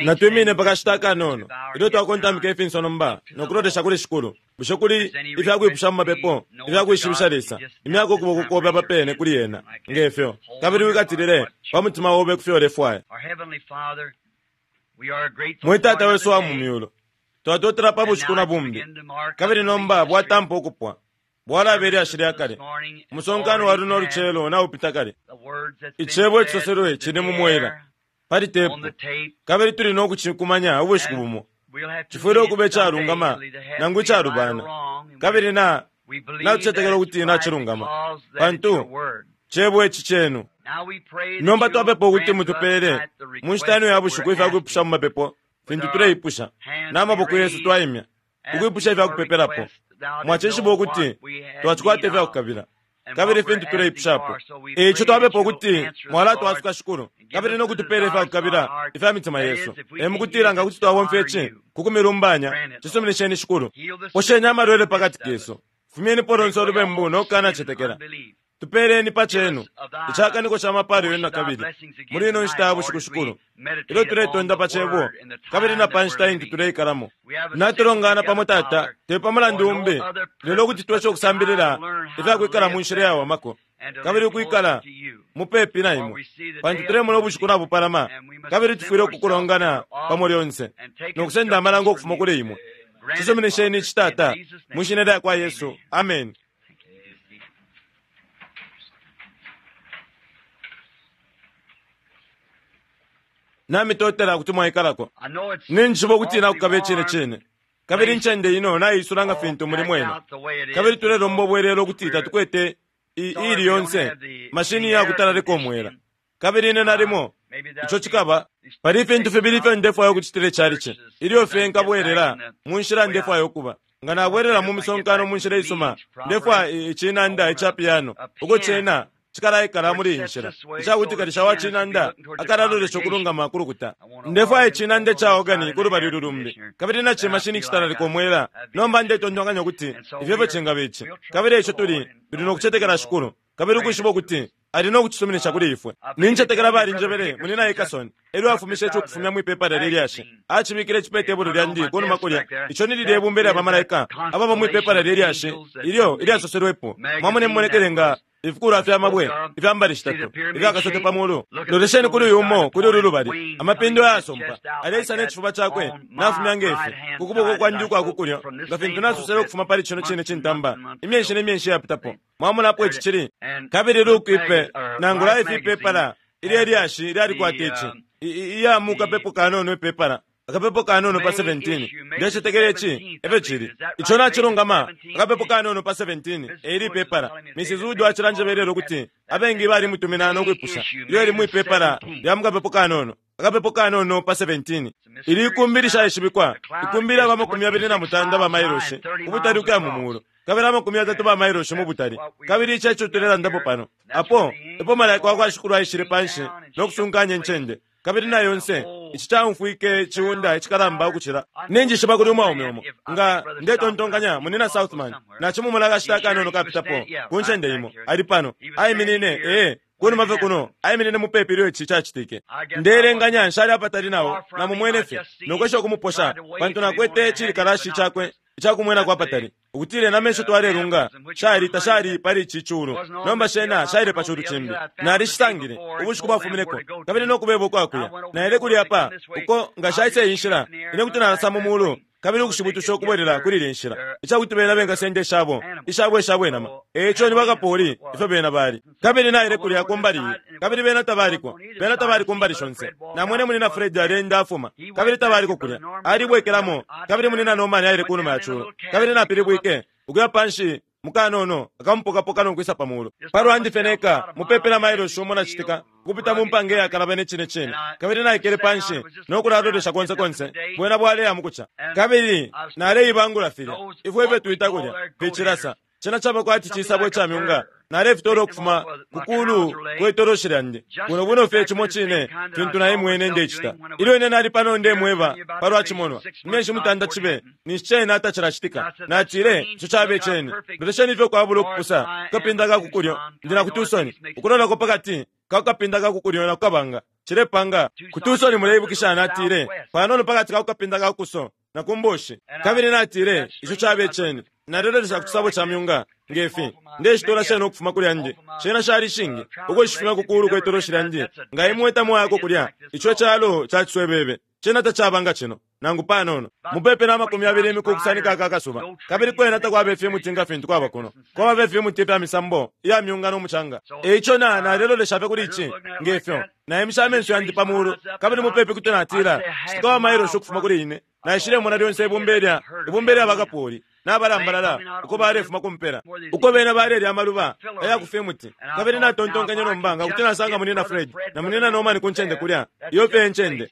Natwimine pa kashita akanono ilyo twakontamika ifinso nomba no kulolesha kuli Shikulu. Bushe kuli ifya kwipusha mu mapepo ifya kwishibisha Lesa? Imyako ukuboko kobe apa pene kuli ena, nge fyo, kabili wikatilile pa mutima obe ku fyo ulefwaya. Mwe Tata wesu wa mu myulu, twatotela pa bushiku na bumbi, kabili nomba bwatampa ukupwa. Bwalaba ilyashi lya kale. Umusonkano wa luno lucelo naupita kale. Icebo icisoselwe cili mu mwela, pali tepu, kabili tuli no kucikumanya ubushiku bumo. Cifwile ukuba icalungama nangu icalubana, kabili na natucetekela ukuti nacilungama, pantu cebo ici cenu. Nomba twapepa ukuti mutupeele mu nshita ino ya bushiku ifya kwipusha mu mapepo fintu tuleipusha, na maboko yesu twaimya ukwipusha ifya kupepelapo. Mwacishiba ukuti twacikwata ifya kukabila kabili fintu tuleipushapo. E ico twapepa ukuti mwalatwasuka, Shikulu, kabili no kutupeela ifya kukabila ifya mitima yesu. E mukutila nga kuti twabomfya ici ku kumilumbanya, cisuminisheni, Shikulu. Posheni amalwele pa kati kesu. Fumyenipo lonse ulubembu no kukanacetekela. Tupeeleni pa cenu icakaniko ca mapaalo yenu na kabili muli ino nshita ya bushiku, Shikulu, ilyo tuletonda pa Cebo kabili na pa nshita intu tuleikalamo. Natulongana pamo, Tata, te pa mulandu umbi lelo ukuti tweshe ukusambilila ifya kwikala mu nshila iyawamako kabili ukwikala mupepi na imwe, pantu tulemona ubushiku nabupalama kabili tufwile ukukulongana pamo lyonse no kusenda amalango ukufuma kuli imwe. Cisuminisheni ici, Tata, mwi shina lya kwa Yesu. Ameni. Namitotela kuti mwaikalako. Ninjishiba ukuti nakukaba icine cine, kabili incende ino naiisula nga fintu muli mwena. Kabili tulelomba ubwelelo ukuti tatukwete iili yonse mashini iya kutalalika umwela. Kabili ine nalimo ico cikaba pali ifintu fibili ifyo ndefwaya ukucitila icalici ilyo fye nkabwelela mu nshila ndefwaya ukuba. Nga nabwelela mu misonkano mu nshila isuma, ndefwaya icinanda ica piano uko cena cikalaikala muli iyi nshila ica kuti kalisha wa cinanda akalalolesha ukulungama ku lukuta. Ndefwaya icinanda ica organi ku lubali ulu lumbi, kabili na cimashini icitalalika umwela. Nomba ndetontonkanya ukuti ifyo efyo cingaba ici. Kabili eico tuli, tuli no kucetekela Shikulu, kabili ukwishiba ukuti Ali no kucisuminisha kuli ifwe. Nincetekela balinjebele, Munyina Hickerson, elyo afumishe ici ukufumya mwi pepala lye lyashi, acibikile ici pe tebulo lyandi kunuma kulya. Ico ni lilye bumba ilya bamalaika ababa mwi pepala lye lyashi ilyo ilyasoselwepo. Mwamona imimonekele nga ifikulwa fya mabwe ifya mbali shitatu ifya kasote pa mulu. Lolesheni kuli uyu umo kuli ulu lubali, amapindo ayasompa, aleisa ne cifuba cakwe nafumya nge fi ku kuboko kwandi ukwa ku kulyo, nga fintu nasosele ukufuma pali cino cine cintamba imyeshi ne myeshi iyapitapo. Mwamona apo ici cili? Kabili Luke ipe, nangu Life ipepala ilye lyashi lyalikwata ici, iya mu kapepo kanono ipepala, akapepo kanono pa 17. Ndecetekela ici efyo cili. Ico nacilungama, akapepo kanono pa 17, e ili ipepala. Mrs. Wood acilanjeba ilelo ukuti abengi balimutumina no kwipusha ilyo ili mwi pepala lya mu kapepo kanono. Akapepo kanono pa 17. Ili ikumbi lishaishibikwa, ikumbi ilyaba 28 ba mailoshi ubutali ukuya mu muulu, kabili 30 ba mailoshi mu butali. Kabili ici eco tulelandapo pano. Apo epo malaika wa kwa Shikulu aishile panshi no kusunkanya incende, kabili na yonse ici caumfwike iciunda icikalamba ukucila. Ninjishiba kuli umwaume umo, nga ndetontonkanya Munyina Southman, nacimumona akashita akanono kapitapo ku ncende imo. Ali pano, aiminine, ee, Ku numa fye kuno, aiminine mupepi ilyo ici cacitike. Ndeelenganya nshali apatali na o, namumwene fye, no kwesha ukumuposha, pantu nakwete icilikalashi cakwe ica kumwenako apatali, ukutila inama isho twalelunga shali tashali pali ici culu, nomba shena shaile pa culu cimbi. Nalishisangile, ubushiku bwafumineko, kabili no kubeba ukwa kuya. Naile kulya apa, uko, nga shaisa iyi nshila, ine kuti nalasa mu mulu, kabili ukushibutusha ukubwelela kuli ilya nshila, ica kuti bena bengasenda ishabo, ishabo, ishabo inama. E ico ni bakapoli, ifyo bena bali. Kabili naile kulya ku mbali iyi, kabili bena tabaliko. Bena tabali ku mbali shonse. Namwene Munyina Fred aleenda afuma, kabili tabaliko kulya. Alibwekelamo, kabili Munyina Norman aile kunuma ya culo. Kabili napilibwike, ukuya panshi mu kanono akamupokapoka no kwisa pa mulu. Pa lwandi fye neka, mupepi na mailoshi umo na citika, ukupita mu mpanga iyakalabana icine cine. Kabili naikele pa nshi no kulalolesha konse konse, bwena bwaleya mu kuca. Kabili naleibangula filya ifwe ifyo twita kulya, ficilasa. Cena caba kwati cisabo ica myunga. Nalefitoola ukufuma ku kulu kwe toloshi lyandi, bwino bwino fye cimo cine fintu naimwene ndecita ilyo ine nali pano ndemweba palwa cimonwa, imyeshi mutanda cibe ninshi cena tacilacitika. Natile, Ico cabe ceni. Lolesheni ifyo kwabula ukupusa ku kapinda ka ku kulyo. Ndi na ku Tucson, ukulolako pa kati ka ku kapinda ka ku kulyo na ku kabanga. Cilepanga. Ku Tucson, muleibukisha, natile, panono pakati ka kukapinda ka kuso na ku mboshi. Kabili natile, Ico cabe ceni. Nalelolesha ku cisabo ca myunga, nge fi. Ndeshitola shena ukufuma kuli yandi. Shena shali shingi, ukushifumya ku kulu kwe toloshi lyandi. Nga imwe tamwayako kulya, ico calo ca ciswebebe. Cena tacaba nga cino, nangu panono. Mupepi na 20 imiku ukusanika aka kasuba. Kabili kwena takwaba ifimuti nga fintu kwaba kuno. Kwaba fye ifimuti ifya misambo iya myunga no mucanga. E ico na, nalelolesha fye kuli ici, nge fyo. Naimishe amenso yandi pa mulu, kabili mupepi kuti natila, citika wa mailoshi ukufuma kuli ine, naishilemona lyonse ibumba ilya, ibumba ilya bakapoli, nabalambalala, uko balefuma ku mpela, uko bena balelya amaluba aya ku fimuti. Kabili natontonkenye nomba, nga kuti nasanga Munyina Fred na Munyina Norman ku ncende kulya, iyo fye e ncende.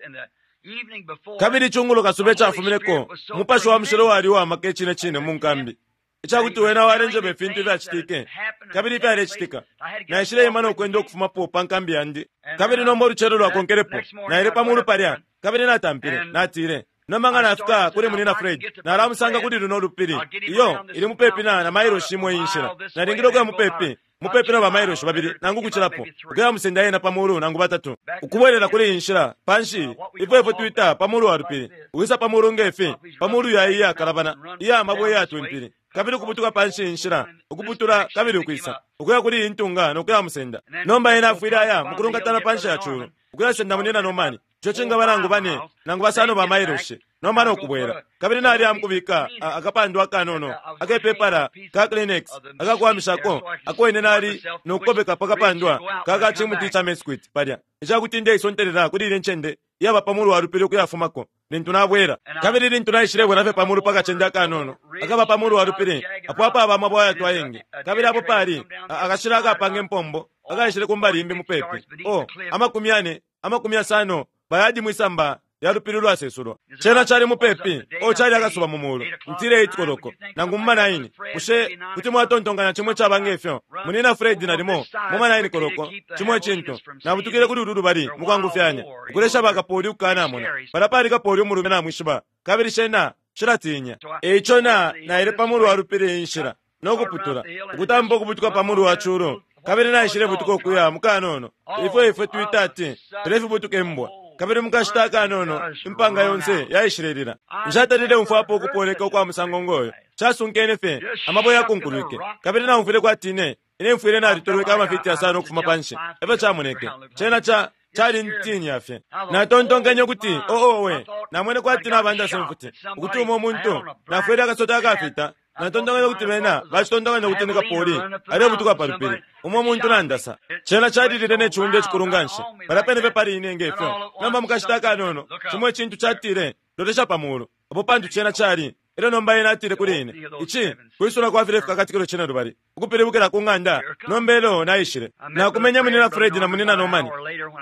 Kabili icungulo kasuba icafumineko, Umupashi wa Mushilo wali uwa maka icine cine mu nkambi, icakuti Wena walenjeba ifintu ifyacitike kabili ifyalecitika. Naishileima no kwenda ukufumapo pa nkambi yandi. Kabili nomba ulucelo lwakonkelepo, naile pa mulu palya, kabili natampile, natile, Nomba nga nafika kuli Munyina Fred, nalamusanga kuli luno lupili. Iyo, ili mupepi na, na mailoshi imo iyi nshila. Nalingile ukuya mupepi, mupepi na bamailoshi babili nangu ukucilapo, ukuya musenda ena pa mulu nangu batatu, ukubwelela kuli iyi nshila, panshi, ifyo ifwe twita pa mulu wa lupili, ukwisa pa mulu nge fi, pa mulu ya iyi iyakalabana, iya mabwe iyatwimpili, kabili ukubutuka panshi iyi nshila, ukuputula kabili ukwisa, ukuya kuli iyi ntunga no kuya musenda. Nomba ena afwile aya mukulungatana panshi ya culu, ukuyasenda Munyina Norman, ico cingaba nangu bane nangu basano ba mailoshi, nomba no kubwela. Kabili naliya mukubika a, akapandwa akanono akepepala ka Kleenex akakuwamishako ako ine nali no kukobeka pa kapandwa ka ka cimuti ca mesquite palya, icakuti ndeisontelela kuli ilye ncende iyaba pa mulu wa lupili ukuyafumako lintu nabwela. Kabili lintu naishilebwela fye pa mulu pa kacende akanono akaba pa mulu wa lupili, apo apaba amabwe ayatwa ayengi, kabili apo pali a, akashila akapanga impombo akaishile ku mbali imbi mupepi, oh, 40, 50 bayadi mwisamba lya lupili ulwasesulwa. Cena cali mupepi, oh, cali akasuba mu mulu, ntile 8 koloko, nangu mu ma 9. Bushe kuti mwatontonkanya cimo icaba nge fyo, Munyina Fred? Nalimo mu ma 9 koloko, cimo icintu. Nabutukile kuli ulu lubali mukwangufyanya, ukulesha bakapoli ukukanamona. Palya pali kapoli umulume, namwishiba, kabili shena shilatinya. E ico na, naile pa mulu wa lupili iyi nshila, no kuputula, ukutampa ukubutuka pa mulu wa culu, kabili naishilebutuka ukuya mu kanono, ifyo ifwe twita ati, tulefibutuka imbwa. Kabili mu kashita akanono, impanga yonse yaishilelila. Nshatalile umfwapo ukupoleka ukwa musango ngoyo. Casunkene fye, amabwe yakunkulwike, kabili naumfwile kwati ine, ine mfwile nalitolweke amafiti yasano ukufuma panshi. Efyo camoneke. Cena ca, calintinya fye. Natontonkenye ukuti, Oh, owe! Namwene kwati nabandasa imfuti, ukuti umo muntu nafwele akasota akafita. Natontonkanya ukuti bena bacitontonkanya ukuti ni kapoli alebutuka pa lupili, umo muntu nandasa. Cena calilile ne ciunda icikulu nganshi, palya pene fye pali ine nge fyo. Nomba mukashita akanono, cimo icintu catile, Lolesha pa mulu. Apo pantu cena cali. Elyo nomba ena atile kuli ine, Ici kwisula kwa filye Fikakatikilo Cinelubali, ukupilibukila ku ng'anda. Nomba elyo naishile, nakumenye Munyina Fred na Munyina Norman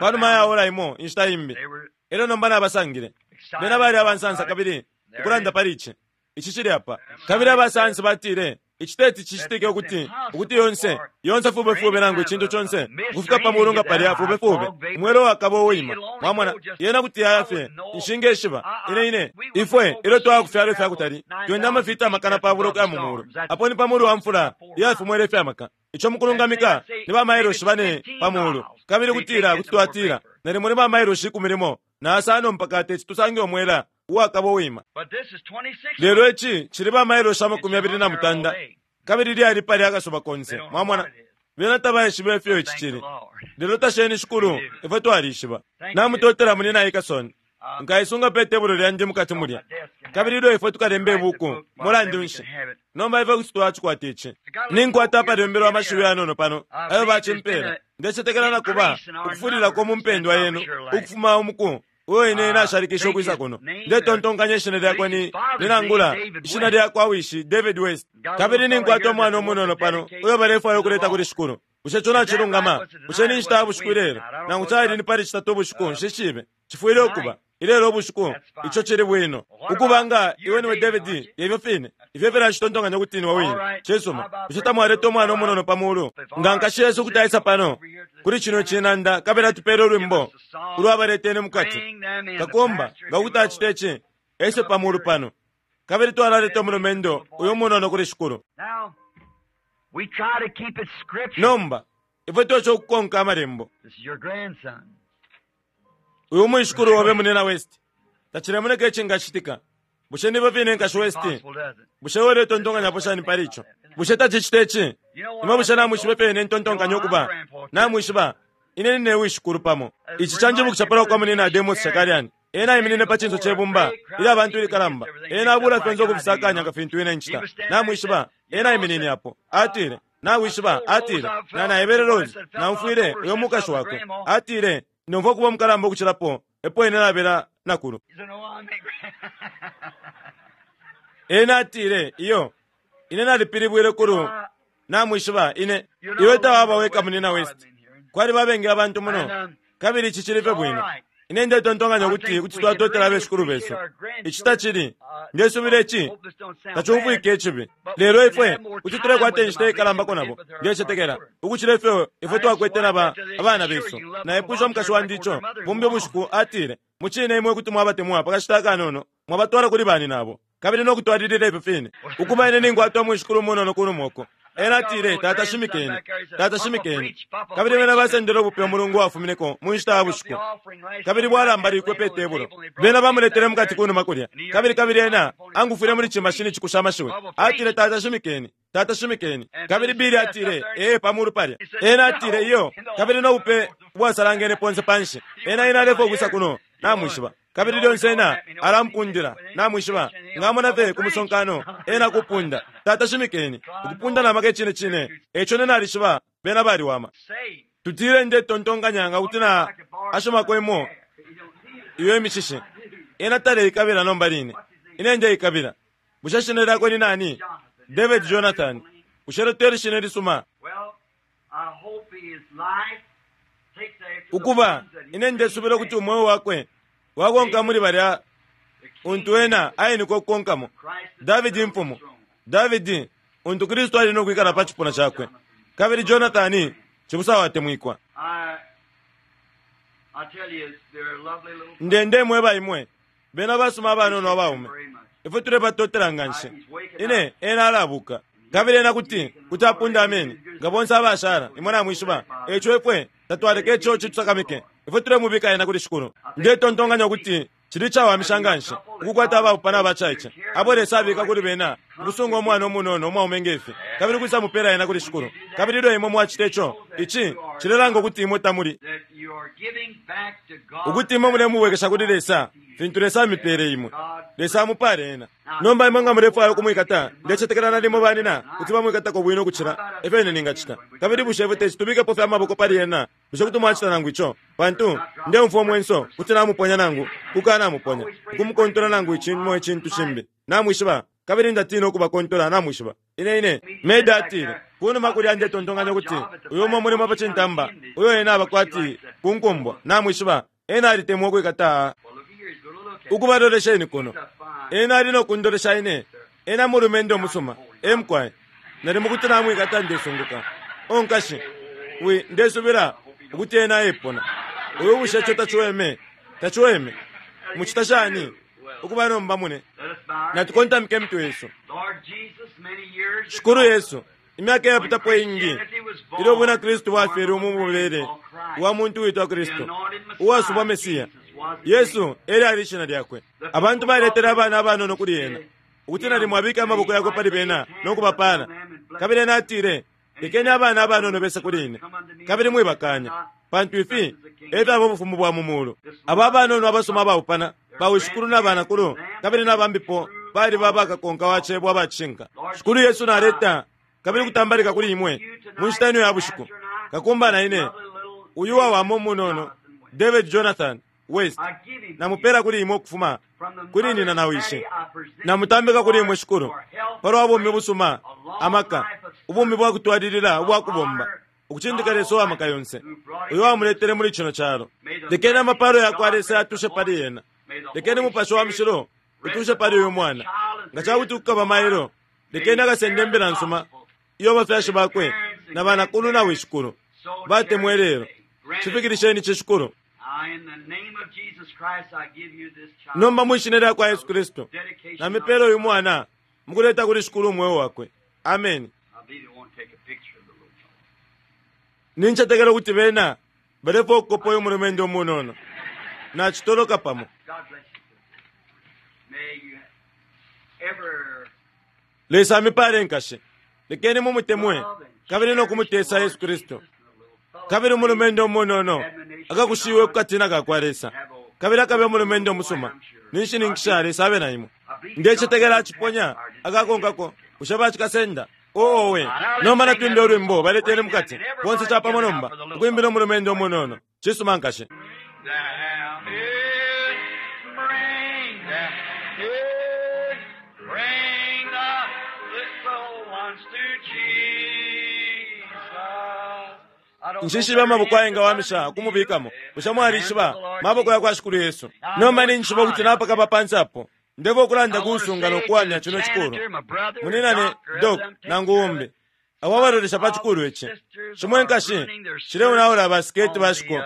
panuma ya ora imo inshita imbi. Elyo nomba nabasangile. Bena bali abansansa kabili ukulanda pali ici. Ici cili apa. Kabili aba sayansi batile, Ici teti cicitike ukuti, ukuti yonse, yonse fube fube nangu icintu conse ukufika pa mulu nga palya fube fube, umwela uwakaba uwaima. Mwamona, yena kuti yaya fye. Nshingeshiba. Ine, ine, ifwe, ilyo twaya ku fyalo ifya kutali, twenda amafiti pabula ukuya mu mulu. Apo ni pa mulu wa mfula iya fimwela ifya maka. Ico mukulungamika ni ba mailoshi bane pa mulu. Kabili kutila kuti twatila nalimo ni ba mailoshi 15 na yasano mpaka teti tusange umwela uwakaba uwima. Lelo ici cili ba mailoshi 28, kabili lyali palya akasuba konse. Mwamona? Bena tabaishiba ifyo ici cili. Lelo tasheni Shikulu, ifwe twalishiba. Namutotela, Munyina Hickerson. Nkaisunga pe tebulo lyandi mukati mulya. Kabili ilyo ifwe tukalemba ibuku, mulandu nshi, nomba ifwe kuti twacikwata ici. Ninkwata apalembelwa amashiwi yanono pano ayo bacimpela. Ndecetekela na kuba ukufulilako mu mpendwa yenu ukufuma umuku uo ine nashalikishe ukwisa kuno. Ndetontonkanya ishina lyakwe ni, ni nangula, ishina lyakwa wishi, David West. Kabili ninkwata umwana umunono pano uyo balefwaya ukuleta kuli Shikulu. Bushe ico nacilungama? Bushe ni nshita ya bushiku ilelo? Nangu cali ni pali Citatu ubushiku, nshishibe. Cifwile ukuba ilelo ubushiku. Ico cili bwino. Ukuba nga iwe niwe David, ifyo fine. Ifyo efyo nacitontonkanya ukuti niwe wine. Cisuma. Bushe tamwaleta umwana umunono pa mulu? Nga nkashi yesu kuti aisa pano kuli cino cinanda kabili atupele ulwimbo ulwa Baleteni Mukati. Kakumba, nga kuti acita ici, ese pa mulu pano. Kabili twalaleta umulumendo uyu umunono kuli Shikulu. Nomba, ifwe twesha ukukonka Amalembo. Uyu mwishikulu obe Munina West. Tacilemoneka icingacitika. Bushe nifyo fine Nkashi West? Bushe iwe uletontonkanyapo shani pali ico? Bushe tacicita ici? Imwe bushe namwishiba ifyo ine ntontonkanya ukuba? Namwishiba, ine nine wishikulu pamo. Ici canjibukisha palwa kwa Munina Demos Shakarian. Ena aiminine pa cinso ce bumba ilya bantu ilikalamba. Ena abula fyonse ukufisakanya nga fintu ine ncita. Namwishiba, ena aiminine apo. Atile, Nawishiba, atile, na naebele Rose, naumfwile uyo mukashi wakwe. Atile, Ndomfwa ukuba umukalamba ukucilapo epo ine nabela nakulu. Ena atile, Iyo, ine nalipilibwile kulu. Namwishiba, ine. Iwe tawaba weka, Munina West. Kwaliba abengi abantu muno, kabili ici cili fye bwino. Ine ndetontonkanya ukuti kuti twatotela abeshikulu besu. Ici tacili, ndesubila ici tacumfwike icibi, lelo ifwe kuti tulekwata inshita ikalambako nabo, ndecetekela, ukucila ifyo ifwe twakwete na ba, abana besu. Naipwishe umukashi wandi ico, bumbi ubushiku, atile, Mucine imwe kuti mwabatemwa pa kashita akanono, mwabatwala kuli baninabo, kabili no kutwalilila ifyo fine. Ukuba ine ninkwata umwishikulu umunono kunuma uko. Ena atile, Tata shimikeni. Tata shimikeni. Kabili bena basendele ubupe umulungu wafumineko mu nshita ya bushiku, kabili bwalambalikwe pe tebulo. Bena bamuletele mukati kunuma kulya. Kabili, kabili ena angufwile muli cimashini cikusha amashiwi. Atile, Tata shimikeni. Tata shimikeni. Kabili Billy atile, Ee, pa mulu palya. Ena atile, Iyo. Kabili no bupe ubwasalangene ponse panshi. Ena, ena alefwaya ukwisa kuno, namwishiba. Kabili lyonse ena alampundila, namwishiba. Nga amona fye ku musonkano, ena kupunda, Tata shimikeni! Ukupunda na maka icine cine. Eico ine nalishiba bena baliwama. Tutile ndetontonkanya nga kuti na ashomako imo iyo imishishi. Ena taleikabila nomba line. Ine ndeikabila. Bushe shina lyakwe ni nani? David Jonathan. Bushe ilyo teli shina ilisuma? Ukuba, ine ndesubila ukuti umweo wakwe wakonka muli balya untu ena ainikwe ukukonkamo, Davidi imfumu, Davidi untu Kristu ali no kwikala pa cipuna cakwe, kabili Jonathani cibusa watemwikwa. Nde ndemweba imwe, bena basuma abanono abaume. Ifwe tulebatotela nganshi. Ine, ena alabuka. Kabili ena kuti, kuti apunda ameni, nga bonse abashala, imwe namwishiba. Eico ifwe tatwaleke ico citusakamike. Ifwe tulemubika ena kuli Shikulu. Ndetontonkanya ukuti cili icawamisha nganshi ukukwata abaupana abacaice, abo Lesa abika kuli bena ukusunga umwana umunono umwaume nge fi, kabili ukwisa mupela ena kuli Shikulu. Kabili ilyo imwe mwacita ico, ici cilelanga ukuti imwe tamuli, ukuti imwe mulemubwekesha kuli Lesa fintu Lesa amipele imwe. Lesa amupale ena. Nomba imwe nga mulefwaya ukumwikata, ndecetekela nalimo banina kuti bamwikatako bwino ukucila efyo ine ningacita. Kabili bushe ifwe teti tubikepo fye amaboko pali ena? Bushe kuti mwacita nangu ico? Pantu, ndeumfwa umwenso kuti namuponya nangu kukanamuponya, ukumukontola nangu cimo icintu cimbi, namwishiba, kabili ndatina ukubakontola, namwishiba. Ine, ine. Meda atile, Kunuma kulya ndetontonkanya ukuti uyu umo mulimo pa cintamba, uyo ena aba kwati kunkumbwa, namwishiba, ena alitemwa ukwikata. Ukuba lolesheni kuno. Ena ali no kundolesha ine. Ena mulumendo umusuma. E mukwai. Nalimo kuti namwikata ndesunguka. O nkashi, wi, ndesubila ukuti ena epona. Uyu bushe ico taciweme? Taciweme? Mucita shani? Ukuba nomba mune. Natukontamike imitwe yesu. Shikulu Yesu, imyaka iyapitapo iingi, ilyo ubwina Kristu bwafyelwe mu mubele wa muntu witwa Kristu, uwasubwa Mesiya, Yesu e lyali ishina lyakwe. Abantu baletele abana abanono kuli ena, ukuti nalimo abike amaboko yakwe pali bena no kubapaala. Kabili ena atile, Lekeni abana abanono bese kuli ine, kabili mwibakaanya, pantu ifi e fyaba ubufumu bwa mu muulu. Aba abanono abasuma abaupana, bawishikulu na banakulu, kabili na bambipo, baliba bakakonka wa cebo aba cishinka. Shikulu Yesu naleta kabili kutambalika kuli imwe mu nshita ino ya bushiku. Kakumba na ine, uyu wawama umunono, David Jonathan West, namupela kuli imwe ukufuma kuli nina na wishi. Namutambika kuli imwe, Shikulu, palwa bumi busuma, amaka, ubumi bwa kutwalilila ubwa kubomba, ukucindika Lesa uwa maka yonse, uyo wamuletele muli cino calo. Lekeni amapalo yakwa Lesa yatushe pali ena. Lekeni Mupashi wa Mushilo utushe pali uyu mwana. Nga ca kuti kukaba mailo, lekeni akasende imbila nsuma iyo abafyashi bakwe na banakulu na wishikulu batemwa ilelo. Cifikilisheni ici, Shikulu. Nomba mwi Shina lyakwa Yesu Kristu, namipela uyu mwana mukuleta kuli Shikulu umweo wakwe. Ameni. Nincetekela ukuti bena balefwaya ukukopa uyu mulumendo umunono. Nacitoloka pamo. Lesa amipale nkashi. Lekeni mumutemwe kabili no kumutesa Yesu Kristu. Kabili umulumendo umunono akakushiwe ku katina ka kwa Lesa kabili akabe umulumendo umusuma. Ninshininkisha Lesa abe na imwe. Ndecetekela aciponya akakonkako. Bushe bacikasenda? Owe, nomba natwimbe ulwimbo baletele mukati bonse capamo nomba ukwimbila umulumendo umunono. Cisuma nkashi. Nshishibe amaboko ayengawamisha ukumubikamo. Bushe mwalishiba maboko ya kwa Shikulu Yesu? Nomba ninjishiba ukuti napakaba pansi apo. Ndefwaya ukulanda kuusunga no kuwamya cino cikulu. Muninane Doc nangu umbi abo abalolesha pa cikulu ici. Shimwe nkashi shileonaula basiketi bashiko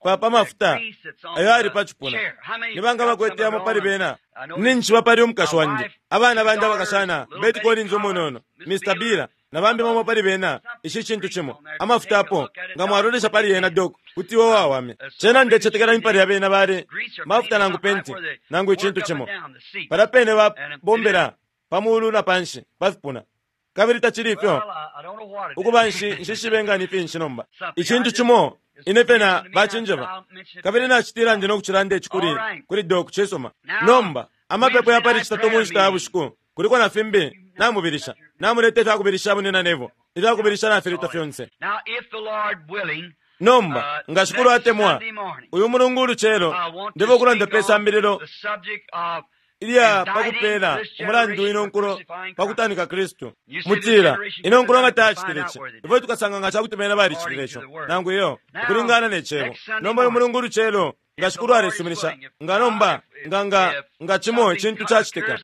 pa pa mafuta ayo ali pa cipuna. Ni banga bakwete yamo pali bena? Ninjishiba pali umukashi wandi, abana bandi abakashana, Betty Collins umunono, Mr. Bira, na bambi bamo pali bena. Ici cintu cimo amafuta apo nga mwalolesha pali yena Doc kuti iwe wawame. Cena ndecetekela impali ya bena bali mafuta nangu penti nangu icintu cimo. Palya pene babombela pa mulu na panshi pa fipuna. Kabili tacili ifyo ukuba nshishibe nga ni finshi nomba. Icintu cimo ine fye na bacinjeba. Kabili nacitila ndi no kucilanda ici kuli kuli Doc cisuma. Nomba amapepo ya pali Citatu mu nshita ya bushiku kuliko na fimbi namubilisha. Namuleta ifya kubilisha munina Neville. Ifya kubilisha nafileta fyonse. Nomba nga Shikulu atemwa, uyu mulungu ulucelo ndefwaya ukulanda pe sambililo ilya pa kupeela umulandu ino nkulo pa kutanika Kristu. Mutila, ino nkulo nga tayacitile ici, ifwe tukasanga nga ca kuti bena balicitile ico, nangu iyo, ukulingana ne Cebo. Nomba uyu mulungu ulucelo nga Shikulu alesuminisha, nga nomba, nga nga nga cimo icintu cacitika.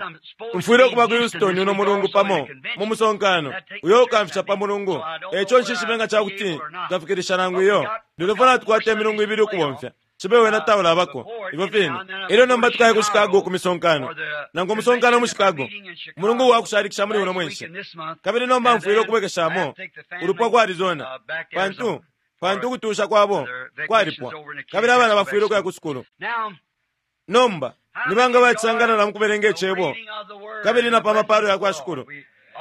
Mfwile ukuba ku Houston uno mulungu pamo mu musonkano uyo ukamfisha pa mulungu. Eco nshishibe nga ca kuti nkafikilisha nangu iyo. Lelo ifwe natukwata imilungu ibili ukubomfya. Cibe wena taulabako ifyo fine. Elyo nomba tukaya ku Chicago ku misonkano, nangu umusonkano mu Chicago, umulungu wa kushalikisha muli uno mwenshi. Kabili nomba mfwile ukubwekeshamo ulupwa ku Arizona, pantu pantu ukutusha kwabo kwalipwa, kabili abana bafwile ukuya ku sukulu. Nomba ni banga bacisangalala mu kubelenga Icebo kabili na pa mapalo ya kwa Shikulu?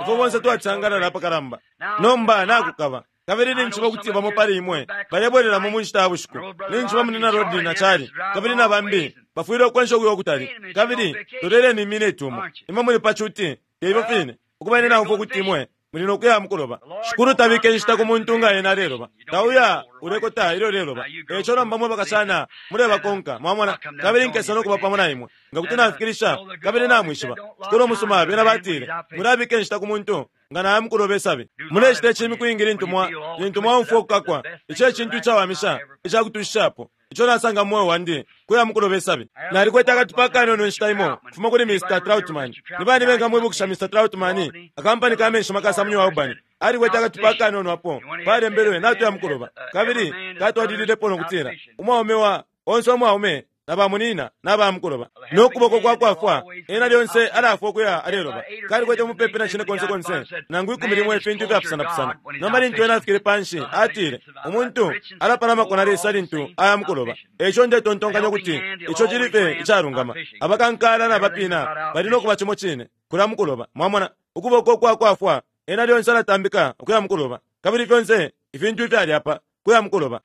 Ifwe bonse twacisangalala apakalamba. Nomba nakukaba. Kabili ninjishiba ukuti bamo pali imwe balebwelelamo mu nshita ya bushiku. Ninjishiba munina Rodney na Charlie kabili na bambi bafwile ukwensha ukuya ukutali. Kabili loleleni imineti umo. Imwe muli pa cuti, te ifyo fine. Ukuba ine naumfwa ukuti imwe muli no kuya mukuloba. Shikulu tabika inshita ku muntu nga ena aleloba. Tauya ulekota ilyo uleloba. Eico nomba mwe bakashana mulebakonka, mwamona, kabili nkesa no kuba pamo na imwe. Nga kuti nafikilisha, kabili namwishiba. Shikulu umusuma, bena batile, mulabika inshita ku muntu nga naya mukuloba isabi. Mulecita ici imiku iingi lintu mwa, lintu mwaumfwa ukukakwa. Ici e cintu icawamisha icakutushishapo ico nasanga mu mweo wandi, kuya mukuloba isabi. Nalikwete akatupa akanono inshita imo ukufuma kuli Mr. Troutman. Ni bani bengamwibukisha Mr. Troutman? Akampani ka menshi makasa mu New Albany. Alikwete akatupa akanono apo palembelwe natuya mukuloba. Kabili katwalililepo no kutila, umwaume wa onse umwaume na bamunina na bamukuloba. No kuboko kwa kwafwa, ena lyonse alafwa ukuya aleloba. Kalikwete mupepi na cine konse konse, nangu 11 ifintu ifyapusanapusana. Nomba lintu ena afikile panshi, atile, umuntu alapalamako na Lesa lintu aya mukuloba. Eico ndetontonkanya ukuti ico cili fye icalungama. Abakankala na bapina bali no kuba cimo cine, kulya mukuloba. Mwamona, ukuboko kwa kwafwa, ena lyonse alatambika ukuya mukuloba. Kabili fyonse ifintu ifyali apa, kuya mukuloba.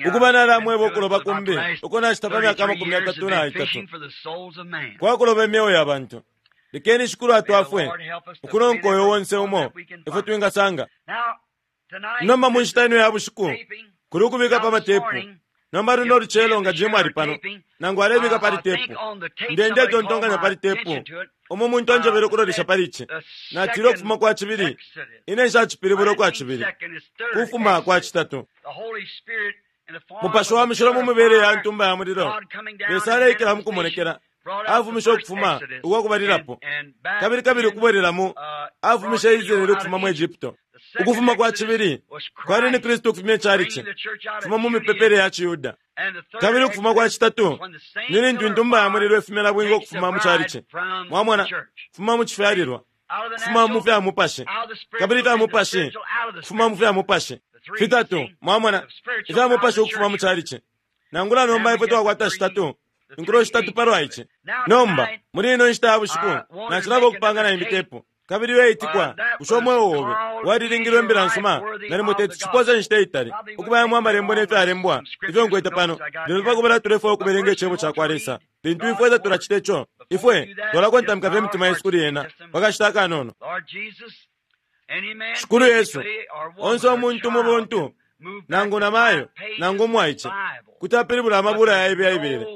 Ukuba nalamweba ukuloba kumbi uko nacita pa myaka 33 kwakuloba imyeo ya bantu. Lekeni Shikulu atwafwe ukunonka uyo onse umo ifwe twingasanga. Nomba mu nshita ino ya bushiku kuli ukubika pa matepu. Nomba luno lucelo nga Jim ali pano, nangu alebika pali tepu, nde ndetontonkanya pali tepu umo muntu anjebele ukulolesha pali ici. Natile ukufuma kwa cibili, ine nshacipilibula ukwa cibili, kufuma kwa citatu. Mupashi wa Mushilo mu mibele ya ntumba ya mulilo, Lesa aleikila mu kumonekela, afumishe ukufuma ukwa kubalilapo, kabili kabili ukubwelelamo, afumishe Israele ukufuma mu Egypto. Ukufuma kwa cibili kwali ni Kristu ukufumya icalici kufuma mu mipepele ya ciYuda. Kabili ukufuma kwa citatu ni lintu intumba ya mulilo ifumya nabwinga ukufuma mu calici. Mwamona, kufuma mu cifyalilwa, kufuma mu fya mupashi, kabili ifya mupashi, kufuma mu fya mupashi. Fitatu, mwamona, ifya mupashi ukufuma mu calici. Nangula nomba ifwe twakwata shitatu, inkulo shitatu palwa ici. Nomba, muli ino nshita ya bushiku, nacilaba ukupanga na imbi tepu. Kabili iyo itikwa, bushe umweo obe walilingilwe imbila nsuma? Nalimo teti cipose inshita itali ukubayamo amalembo ne fyalembwa ifyo nkwete pano, lelo pa kubala tulefwaya ukubelenga Icebo ca kwa Lesa. Lintu ifwe tatulacita ico, ifwe twalakontamika fye imitima yesu kuli Ena pa kashita akanono. Shikulu Yesu, onse umuntu mu buntu, nangu namayo, nangu umwaice, kuti apilibula amabula ya Baibele,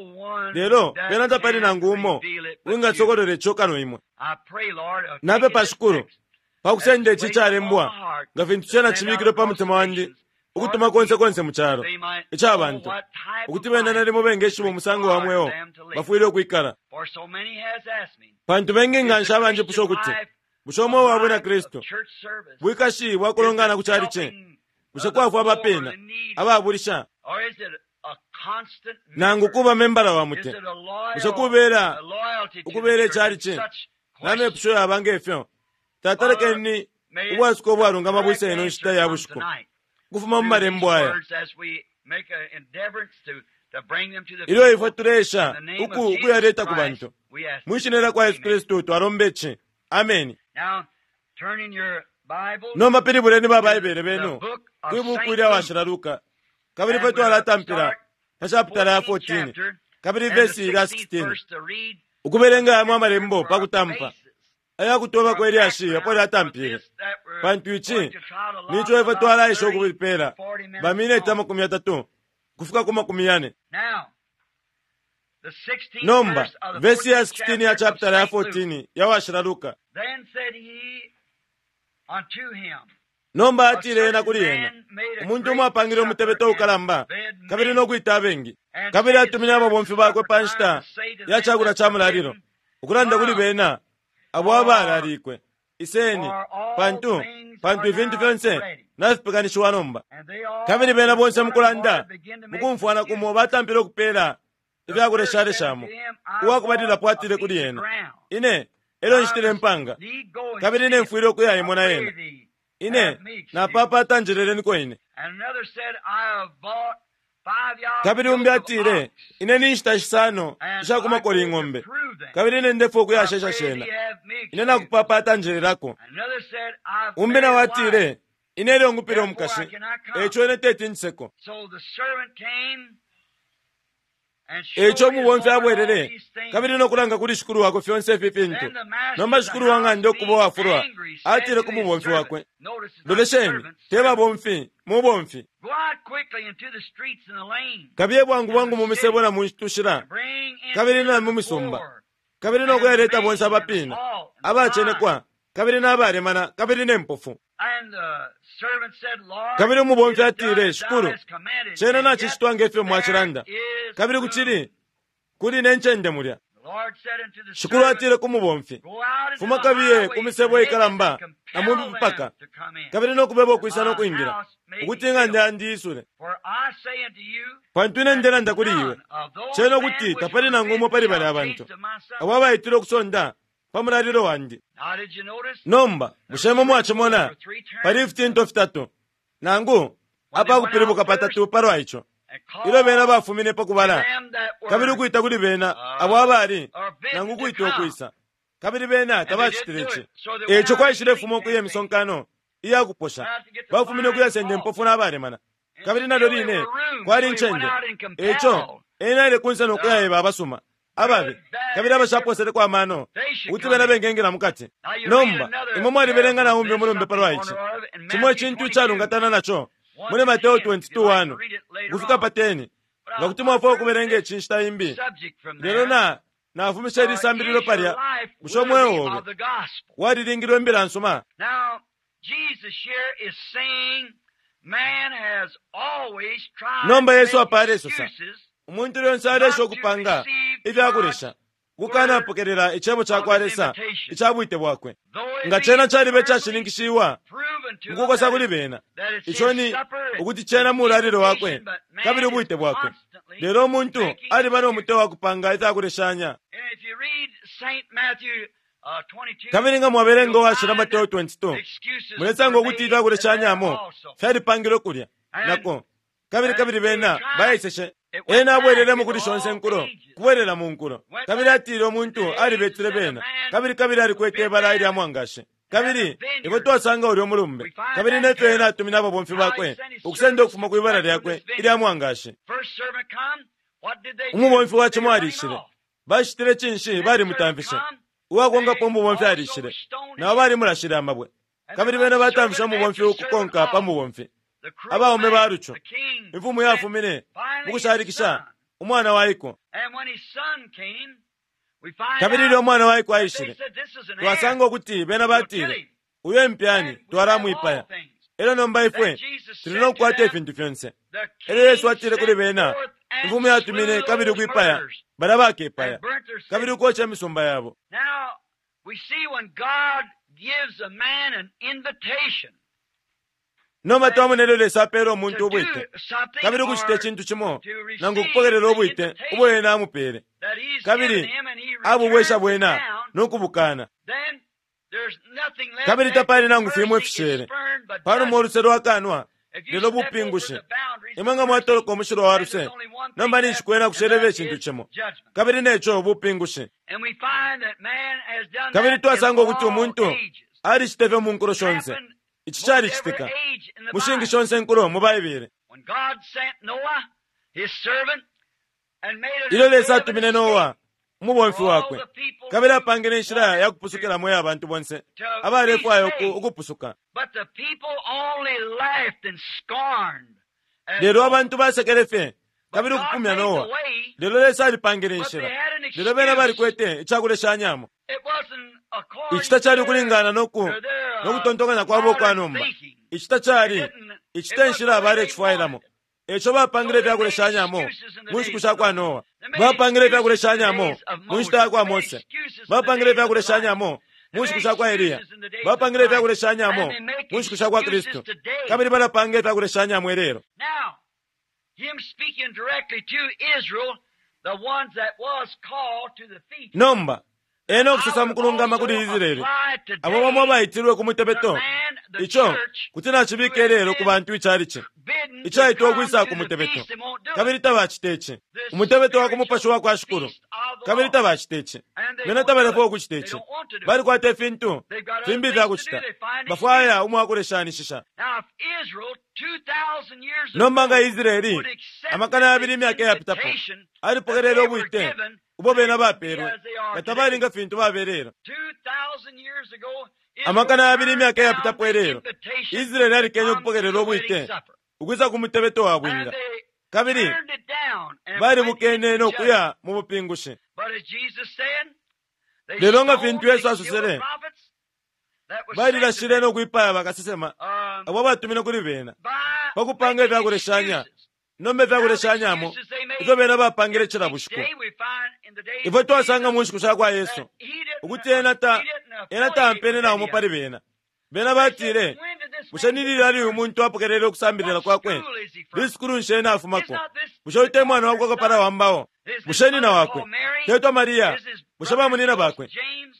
lelo pena tapali nangu umo wingasokolola ico kano imwe. Napepa, Shikulu, pa kusenda ici calembwa nga fintu cena cibikilwe pa mutima wandi ukutuma konse konse mu calo ica bantu, ukuti bena nalimo bengeshiba umusango wa mweo bafwile ukwikala. Pantu bengi nga nshi abanjipusha ukuti, bushe umweo wa Bwina Kristu bwikashi bwa kulongana ku calici? Bushe kwafwa abapina, ababulisha, nangu kuba membala wa mute? Bushe kubela ukubela icalici? Na mepusho yaba ngefyo. Tata, lekeni ubwasuko ubwalungama bwise ino nshita ya bushiku ukufuma mu malembo aya, ilyo ifwe tuleesha uku ukuyaleta ku bantu. Mwi shina lya kwa Yesu Kristu twalomba ici. Ameni. Nomba pilibuleni ba Baibele benu kwi buku ilya Washila Luka, kabili ifwe twalatampila pa chapitala ya 14 kabili vesi ilya 16, ukubelenga yamo amalembo pa kutampa aya kutoba kwe lyashi apo lyatampile, pantu ici nico ifwe twalaisha ukupela bamineti 30 kufika ku 40. Nomba vesi ya 16 ya chapitala ya 14 ya Washila Luka. Nomba atile ena kuli ena, umuntu umo apangile umutebeto ukalamba kabili no kwita abengi, kabili atumine ababomfi bakwe pa nshita ya cakula ca mulalilo, ukulanda kuli bena abo abalalikwe, Iseni, pantu pantu ifintu fyonse nafipekanishiwa nomba. Kabili bena bonse mukulanda mukumfwana kumo batampile ukupela ifyakuleshaleshamo. Uwakubalilapo atile kuli ena, Ine elyo nshitile impanga, kabili ine mfwile ukuyaimona yena. Ine napapata njeleleniko ine. Kabili umbi atile, Ine ninshita shisano ishakumakola ing'ombe, kabili ine ndefwaya ukuyashesha shena. Ine nakupapata njelelako. Umbi nawo atile, Ine elyo ngupile umukashi, eico ine teti njiseko. Eico umubomfi abwelele kabili no kulanga kuli shikulu wakwe fyonse ifi fintu. Nomba shikulu wa ng'anda ukuba uwafulwa, atile ku mubomfi wakwe, Lolesheni, te babomfi, mubomfi. Kabiye bwangu bwangu mu misebo na mu tushila, kabili na mu misumba, kabili no kuyaleta bonse abapina, abacenekwa, kabili n'abalemana, kabili ne mpofu. Kabili umubomfi atile, Shikulu, cena nacicitwa ngefyo mwacilanda, kabili kucili kuli ne ncende mulya. Shikulu atile ku mubomfi, Fuma kabiye ku misebo ikalamba na mu mipaka, kabili no kubeba ukwisa no kwingila, ukuti ing'anda yandi isule. Pantu ine ndelanda kuli iwe, cena ukuti tapali nangu umo pali balya bantu abo abaitile ukusonda pa mulalilo wandi. Nomba bushe imwe mwacimona pali ifitinto fitatu nangu apakupilibuka patatu palwa ico? Ilyo bena bafumine pa kubala, kabili ukwita kuli bena abo abali nangu ukwita ukwisa, kabili bena tabacitile ici. Eico kwaishilefuma ukuya imisonkano iya kuposha, bafumine ukuyasenda impofu n'abalemana, kabili nalyo line kwali incende. Eico ena aile kunse no kuyaeba abasuma, ababi, kabili abashaposeleko amano, ukuti bena bengengila mukati. Nomba imwe mwalibelenga na umbi umulumbe palwa ici, cimo icintu icalungatana naco muli Mateo 22:1 ukufika pa 10, nga kuti mwafwaya ukubelenga ici nshita imbi. Lelo na nafumisha ili sambililo palya, bushe umweo obe walilingilwe imbila nsuma? Nomba Yesu apa alesosa, umuntu lyonse aleesha ukupanga ifyakulesha ukukanapokelela icebo ca kwa Lesa ica bwite bwakwe. Nga cena caliba icashininkishiwa mukukosa kuli bena, ico ni ukuti cena mulalilo wakwe kabili ubwite bwakwe. Lelo umuntu aliba no mutwe wa kupanga ifyakuleshanya. Kabili nga mwabelenga uwashila Mateo 22, mulesanga ukuti ifyakuleshanyamo fyalipangilwe kulya nako. Kabili kabili bena baeseshe. Ena abwelelemo kuli shonse nkulo, kubwelela mu nkulo. Kabili atile umuntu alibetile bena, kabili kabili alikwete ibala ilya mwangashi. Kabili ifwe twasanga ulyo mulumbe, kabili nefyo ena atumine ababomfi bakwe ukusenda ukufuma kwi bala lyakwe ilya mwangashi. Umubomfi wa cimo alishile. Bacitile cinshi? Balimutamfishe. Uwakonkapo umubomfi alishile, nabo balimulashile amabwe. Kabili bena batamfishe umubomfi ukukonka pa mubomfi. Abaume ba lucu. Imfumu yafumine mukushalikisha umwana waiko. Kabili ilyo umwana waiko aishile, twasanga ukuti bena batile, Uyo impyani, twalamwipaya. Elyo nomba ifwe tuli no kukwata ifintu fyonse. Elyo Yesu atile kuli bena, Imfumu yatumine kabili ukwipaya balya bakepaya, kabili ukoca imisumba yabo. Nomba twamona ilyo Lesa apeela umuntu ubwite, kabili ukucita icintu cimo, nangu ukupokelela ubwite ubo Ena amupeele, kabili abubwesha bwena no kubukana. Kabili tapali nangu fimo ifishele panuma uluse lwakanwa, lelo bupingushi. Imwe nga mwatoloka umushilwa wa luse, nomba ninshi kwena kushelele icintu cimo, kabili neco bupingushi. Kabili twasanga ukuti umuntu alicita ifyo mu nkulo shonse. Ici calicitika mu shingi shonse nkulo mu Baibele. Ilyo Lesa atumine Noa, umubomfi wakwe, kabili apangile inshila ya kupusukilamo iya bantu bonse abalefwaya ukupusuka. Lelo abantu basekele fye kabili ukupumya Noa. Lelo Lesa alipangile inshila, lelo bena balikwete icakuleshanyamo. Ici tacali ukulingana no kutontonkanya kwabo ukwa nomba. Ici tacali, ici te nshila balecifwailamo. E co bapangile ifya kuleshanyamo mu nshiku sha kwa Noa. Bapangile ifya kuleshanyamo mu nshita ya kwa Mose. Bapangile ifya kuleshanyamo mu nshiku sha kwa Eliya. Bapangile ifya kuleshanyamo mu nshiku sha kwa Kristu. Kabili balapanga ifya kuleshanyamo ilelo. Nomba, ena ukusosa mukulungama kuli Israele, abo bamo abaitilwe ku mutebeto, ico kuti nacibika ilelo ku bantu icalici icaitwa ukwisa ku mutebeto, kabili tabacita ici, umutebeto wa ku mupashi wa kwa Shikulu, kabili tabacita ici. Bena tabalefwaya ukucita ici. Balikwata ifintu fimbi ifya kucita. Bafwaya umwakuleshanishisha. Nomba nga Israele, amakana yabili imyaka iyapitapo, alipokelele ubwite ubo bena bapeelwe, nga tabali nga fintu babelelo. Amakana yabili imyaka iyapitapo ilelo, Israele alikenye ukupokelela ubwite ukwisa ku mutebeto wa bwinga, kabili balibukene no kuya mu bupingushi. Lelo nga fintu Yesu asosele, balilashile no kwipaya bakasesema abo abatumine kuli bena pa kupanga ifya kuleshanya nomba ifya kuleshanyamo ifyo bena bapangile cila bushiku. Ifwe twasanga mu nshiku sha kwa Yesu ukuti ena ta ena taampene na umo pali bena. Bena batile, Bushe ni lilali uyu muntu apokelele ukusambilila kwakwe? Lisukulu nshi ena afumako? Bushe uyu te mwana wakwa kapala wa mbao? Bushe nyina wakwe tetwa Maria? Bushe bamunyina bakwe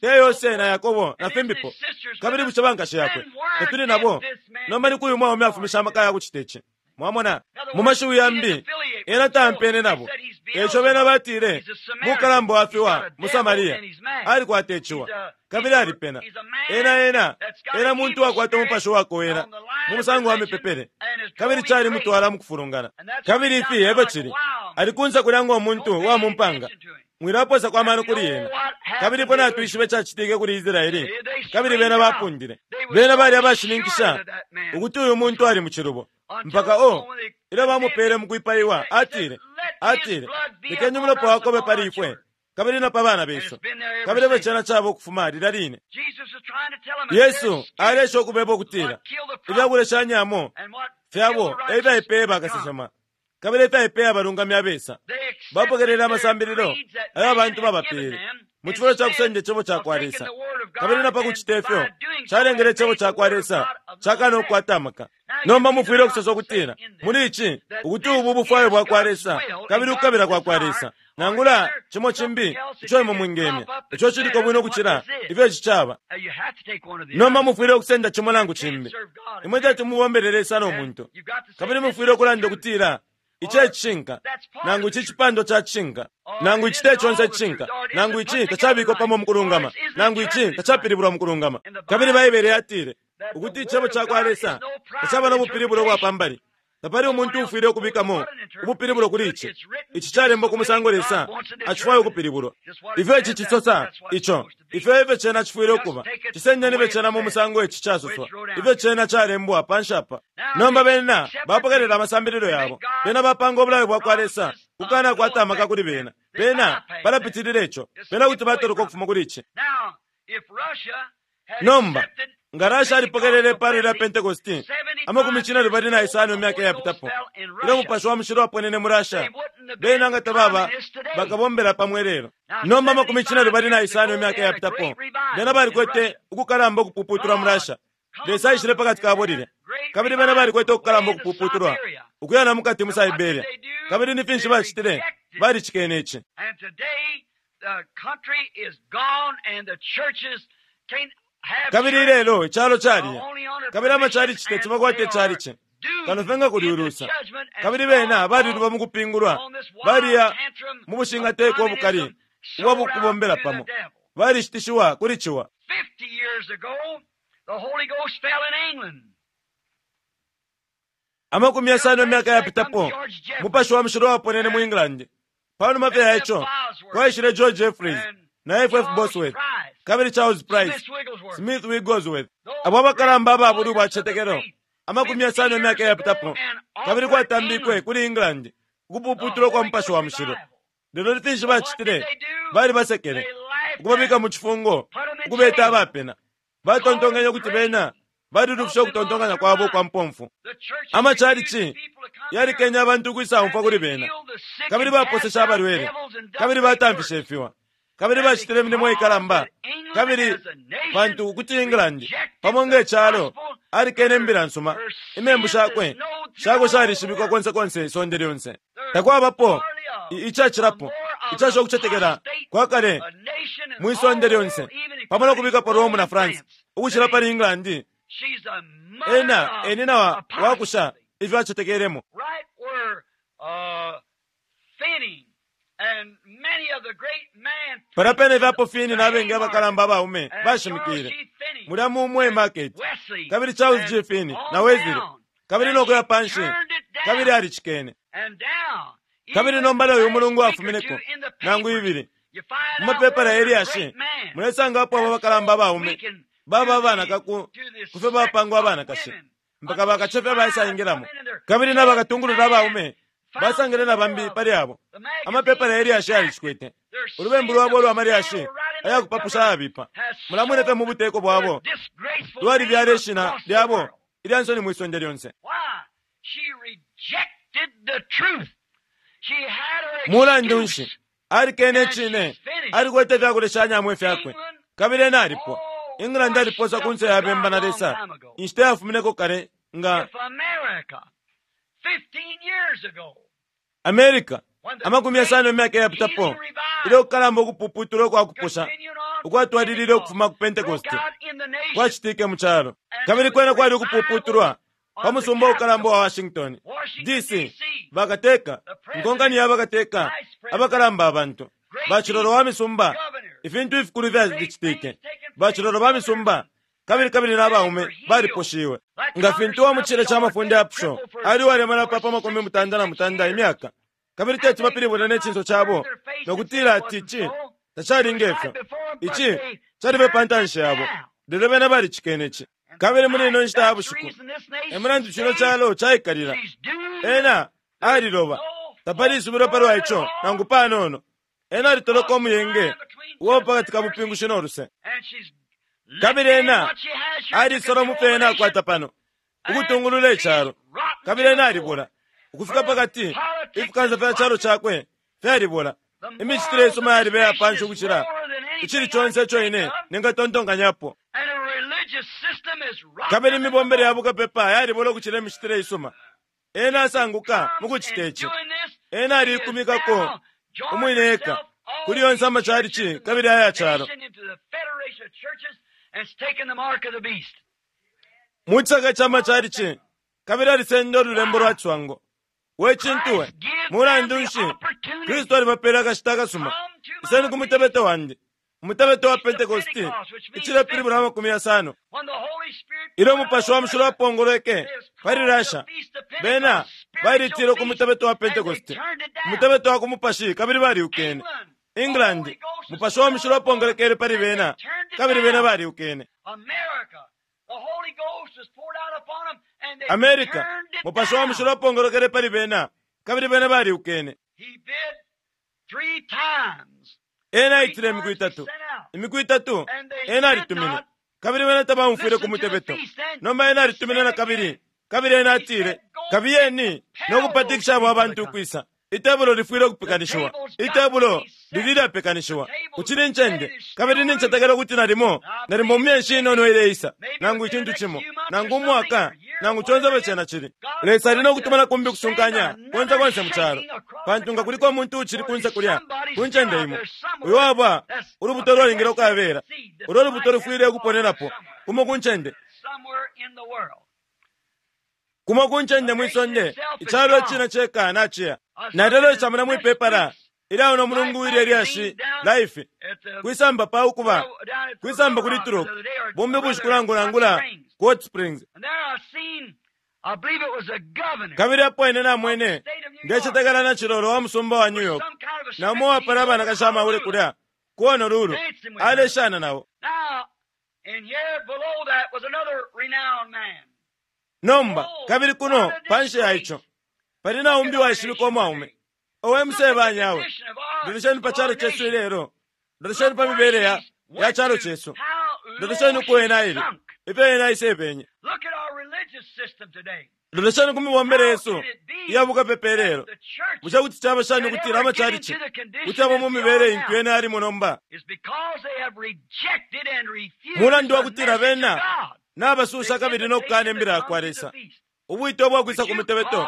te Yose na Yakobo na fimbipo? Kabili bushe bankashi yakwe tetuli nabo? Nomba ni kwi uyu mwaume afumishe amaka ya kucita ici? Mwamona? Mu mashiwi yambi, ena taampene nabo. E ico bena batile, Mukalamba wa fiwa mu Samaria alikwata iciwa, kabili alipena. Ena, ena, ena muntu uwakwata umupashi uwakowela mu musango wa mipepele, kabili calimutwala mu kufulungana. Kabili ifi e fyo cili. Ali kunse kulya ngo muntu wa mu mpanga. Mwilapoosako amano kuli ena. Kabili ifwe natwishiba icacitike kuli Israele, kabili bena bapundile. Bena bali abashininkisha ukuti uyu muntu ali mu cilubo. Mpaka, oh, ilyo bamupeele mu kwipaiwa, atile, atile, Lekeni umulopa wakwe ube pali ifwe kabili na pa bana besu. Kabili efyo cena caba ukufuma lilya line. Yesu aleesha ukubeba ukutila ifya kuleshanyamo fyabo e fyaipeye bakasesema kabili e fyaipeye abalungami abesa. Bapokelele amasambililo ayo abantu babapeele. Mu cifulo ca kusenda Icebo cakwa Lesa, kabili na pa kucita ifyo, calengele Icebo cakwa Lesa cakana ukukwata amaka. Nomba mufwile ukusosa ukutila, muli ici, ukuti ubu bufwayo bwakwa Lesa kabili ukukabila kwakwa Lesa, nangula cimo cimbi ico imwe mwingemya, ico ciliko bwino ukucila ifyo ici caba. Nomba mufwile ukusenda cimo nangu cimbi. Imwe teti mubombele Lesa no muntu. Kabili mufwile ukulanda ukutila, Ici e cishinka, nangu ici cipandwa ca cishinka, nangu ici te conse icishinka, nangu ici tacabikwa pamo mu kulungama, nangu ici tacapilibulwa mu kulungama. Kabili Baibele yatile ukuti Icebo ca kwa Lesa tacaba no bupilibulo bwa pa mbali. Tapali umuntu uufwile ukubikamo ubupilibulo kuli ici. Ici calembwa ku musango Lesa acifwaya ukupilibulwa. Ifyo ici cisosa, ico, ifyo efyo cena cifwile ukuba. Cisendeni fye cena mu musango ici casoswa, ifyo cena calembwa panshi apa. Nomba bena bapokelela amasambililo yabo. Bena bapanga ubulayo bwakwa Lesa ukukanakwata amaka kuli bena. Bena balapitilila ico. Bena kuti batoloka ukufuma kuli ici. Nomba, nga Russia alipokelele ipalo lya Pentecosti 75 imyaka iyapitapo, ilyo Mupashi wa Mushilo waponene mu Russia, bena nga tababa bakabombela pamo ilelo. Nomba 75 imyaka iyapitapo, bena balikwete ukukalamba ukupuputulwa mu Russia. Lesa aishile pakati kabo lilya, kabili bena balikwete ukukalamba ukupuputulwa ukuya na mukati mu Siberia. Kabili ni finshi bacitile? Balicikene ici. Kabili ilelo icalo caliya, kabili amacalici teti bakwate icalici kano fye nga kuli ulusa. Kabili bena baliluba mu kupingulwa, baliya mu bushingateko ubukali ubwa kubombela pamo, balishitishiwa kuli ciwa. 50 imyaka yapitapo, Mupashi wa Mushilo waponene mu England. Pa numa fye ya ico, kwaishile George Jeffreys na F. F. Bosworth kabili Charles Price, Smith Wigglesworth, abo abakalamba aba bulwi bwa citetekelo 50 imyaka yapitapo, kabili kwatambikwe kuli England ukupuputulwa kwa Mupashi wa Mushilo. Lelo ni finshi bacitile? Balibasekele, ukubabika mu cifungo, ukubeta abapena. Batontonkenye ukuti bena balilufishe ukutontonkanya kwabo ukwa mpomfu. Amacalici yalikenye abantu ukwisaumfwa kuli bena, kabili baposeshe abalwele, kabili batamfishe ifiwa, kabili bacitile imilimo ikalamba, kabili pantu ukuti England pamo nge calo alikene imbila nsuma, imembu shakwe shakwe shalishibikwa konse konse isonde lyonse. Takwabapo icacilapo icasha ukucetekela kwa kale mwi sonde lyonse, pamo no kubikapo Rome na France ukucila pali England. Ena e nyina wa wakusha ifyo acetekelemo. Palya pene fye apo Finney na bengi abakalamba abaume bashimikile, mulya mu Mwe Market, kabili Charles G. Finney na Wesley, kabili no kuya panshi, kabili alicikene. Kabili nomba uyu mulungu wafumineko, nangu ibili, mu mapepala ye lyashi, mulesangapo abo bakalamba abaume baba abanaka ku kufyo bapangwa abanakashi, mpaka bakacefya baisaingilamo, kabili na bakatungulula abaume basangile na bambi pali abo. Amapepala ye lyashi yalicikwete ulubembu lwabo ulwa malyashi aya kupapusha ayabipa. Mulamwene fye mu buteko bwabo lwalibyala ishina lyabo ilya nsoni mwi sonde lyonse. Mulandu nshi alikene icine? Alikwete ifya kuleshanyamo ifyakwe, kabili ena alipwa. England aliposa ku nse ya bemba na Lesa inshita yafumineko kale nga America 50 imyaka iyapitapo, ilyo kukalamba ukupuputulwa ukwa kuposha ukwatwalilile ukufuma ku Pentecost kwacitike mu calo, kabili kwena kwali ukupuputulwa pa musumba ukalamba wa Washington D.C. Bakateka, inkonkani ya bakateka, abakalamba abantu, bacilolo wa misumba, ifintu ifikulu fyalicitike, bacilolo ba misumba, kabili kabili na baume baliposhiwe. Nga fintu wa mu cile ca mafunde yapusho ali uwalemana pa 89 imyaka, kabili teti bapilibule ne cinso cabo no kutila ati ici tacali nge fyo. Ici cali fye pa ntanshi yabo, lelo bena balicikene ici. Kabili muli ino nshita ya bushiku, e mulandu cino calo caikalila. Ena aliloba, tapali isubilo palwa ico nangu panono. Ena alitoloka umuyenge uwa pa kati ka bupingushi no luse. Kabili ena alisola mu fyo ena akwata pano, ukutungulula icalo. Kabili ena alibula, ukufika pa kati, ifikansa fya calo cakwe fyalibula. Imicitile isuma yaliba iya panshi ukucila icili conse ico ine ningatontonkanyapo. Kabili imibombele ya bukapepa yalibola ukucila imicitile isuma. Ena asanguka mu kucita ici. Ena aliikumikako umwine eka kuli yonse amacalici kabili aya calo. Mu cisaka ca macalici kabili alisenda ululembo lwa ciswango. We cintu we! Mulandu nshi, Kristu alibapeele akashita akasuma. Iseni ku mutebeto wandi, umutebeto wa Pentekoste, icilepilibula 50. Ilyo Umupashi wa Mushilo wapongolweke pali Russia, bena balitile ku mutebeto wa Pentekoste, umutebeto wa ku mupashi, kabili baliukene. England, Mupashi wa Mushilo wapongolekele pali bena, kabili bena baliukene. America, Mupashi wa Mushilo wapongolokele pali bena, kabili bena baliukene. Ena aitile imiku itatu, imiku itatu ena alitumine, kabili bena tabaumfwile ku mutebeto. Nomba ena alitumine na kabili, kabili ena atile, Kabiyeni no kupatikisha abo abantu ukwisa. Itebulo lifwile ukupekanishiwa. Itebulo lili ilyapekanishiwa. Kucili incende, kabili nincetekela ukuti nalimo, nalimo mu myeshi inono ileisa, nangu icintu cimo, nangu umwaka, nangu conse ifyo cena cili. Lesa ali no kutuma na kumbi ukusunkanya konse konse mu calo. Pantu nga kuliko umuntu uucili kunse kulya, ku ncende imo, uyo waba ulubuto lwalingile ukabela, ulo lubuto lufwile ukuponenapo, kumo ku ncende. Kumo ku ncende mwi sonde, icalo icine ceka naciya. Nalelolesha mulya mwi pepala ilya uno mulungu ilye lyashi Life, kwisamba pa ukuba, kwisamba kuli Turok, bumbi bushiku nangu nangula ku Hot Springs. Kabili apo ine namwene, ndecetekela na cilolo wa musumba wa New York, na umo uwapala abanakashi amahule kulya ku Honolulu, aleshana nabo. Nomba, kabili kuno, panshi ya ico, pali na umbi uwaishibikwa umwaume. Owe musebanya awe! Lolesheni pa calo cesu ilelo. Lolesheni pa mibele ya, ya calo cesu. Lolesheni uko ena aile, ifyo ena aisebenye. Lolesheni ku mibombele yesu iya bukapepa ilelo. Bushe kuti caba shani ukutila amacalici kuti aba mu mibele intu ena alimo nomba? Mulandu wa kutila bena nabasusha kabili no kukana imbila ya kwa Lesa, ubwite ubwakwisa ku mutebeto.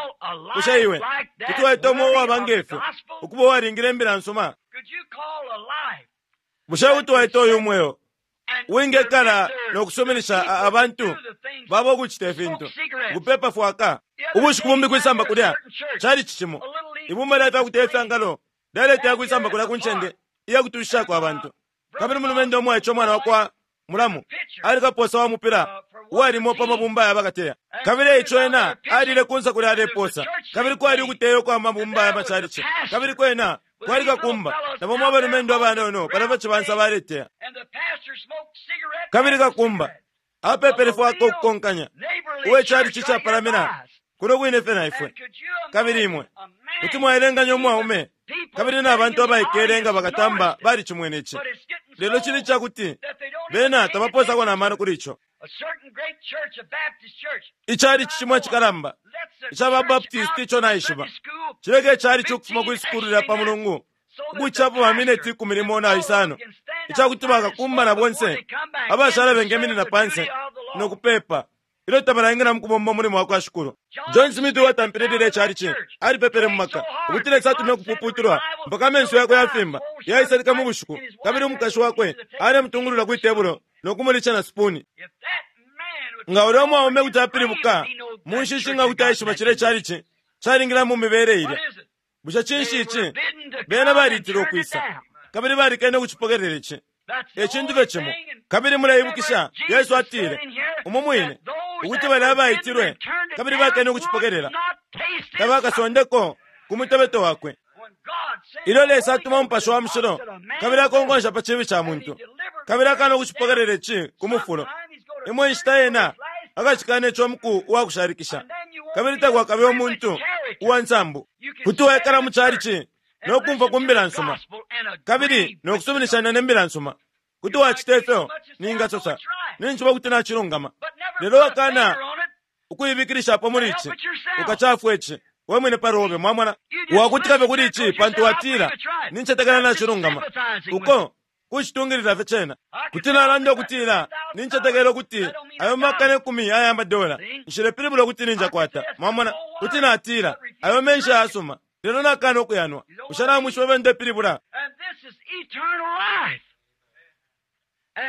Bushe iwe kuti waita umo uwaba nge fyo ukuba uwalingile imbila nsuma? Bushe kuti waita uyu mweo uwingekala no kusuminisha abantu babo ukucita ifintu, ukupepa fwaka? Ubushiku bumbi kwisamba kulya cali cimo, ibumba lya fya kuteya ifyangalo lyaleteya kwisamba kulya ku ncende iya kutushishako abantu. Kabili umulumendo umwaice umwana wa kwa mulamu ali kaposa wa mupila uwalimo pa mabumba ya bakateya. Kabili eico ena alile kunsa kulya aleposa, kabili kwali ukuteya ukwa mabumba ya macalici, kabili kwena kwali kakumba na bamo abalumendo abanono palya pa cibansa baleteya. Kabili kakumba apepele fwaka ukukonkanya uwe calici capalamina kuno kwine fye na ifwe. Kabili imwe kuti mwaelenganya umwaume kabili na bantu abaikele nga bakatamba balicimwene ici. Lelo cili ica kuti bena tabapoosako na mano kuli ico. Icalici cimo icikalamba ica ba Baptist ico naishiba cileka icalici ukufuma kwi sukulu lya pa Mulungu ukucilapo ba mineti 15 ica kuti bakakumba na bonse abashala bengeminina panse no kupepa ilyo tabalaingila mu kubomba umulimo wa kwa Shikulu. John Smith uwatampile lilya icalici alipepele mu maka ukuti Lesa atume ukupuputulwa mpaka amenso yakwe yafimba yaisalika mu bushiku, kabili umukashi wakwe alemutungulula kwi tebulo no kumulisha na supuni. Nga ulya umwaume kuti apilibuka mu nshishi nga kuti aishiba cilya icalici calingila mu mibele ilya. Bushe cinshi ici? Bena baliitilwe ukwisa, kabili balikene ukucipokelela ici. E cintu fye cimo. Kabili muleibukisha, Yesu atile, umu mwine, ukuti balya abaitilwe kabili bakene ukucipokelela, tabakasondeko ku mutebeto wakwe. Ilyo Lesa atuma Umupashi wa Mushilo kabili akonkonsha pa cibi ca muntu, kabili akana ukucipokelela ici ku mufulo, imo inshita ena akacikana ico muku uwa kushalikisha, kabili takwakabe umuntu uwa nsambu. Kuti waikala mu calici no kumfwa ku mbila nsuma kabili no kusuminishanya ne mbila nsuma. Kuti wacita ifyo ningasosa, ninjishiba ukuti nacilungama. Lelo wakana ukuibikilishapo muli ici, ukacafwa ici we mwine pa lobe. Mwamona, wakutika fye kuli ici pantu watila, Nincetekela nacilungama. Uko. Kucitungilila fye cena. Kuti nalanda ukutila nincetekela ukuti ayo makana 10 aya madola, nshilepilibula ukuti ninjakwata. Mwamona? Kuti natila ayo menshi ayasuma, lelo nakana ukuyanwa. Bushe namwishiba ifyo ndepilibula?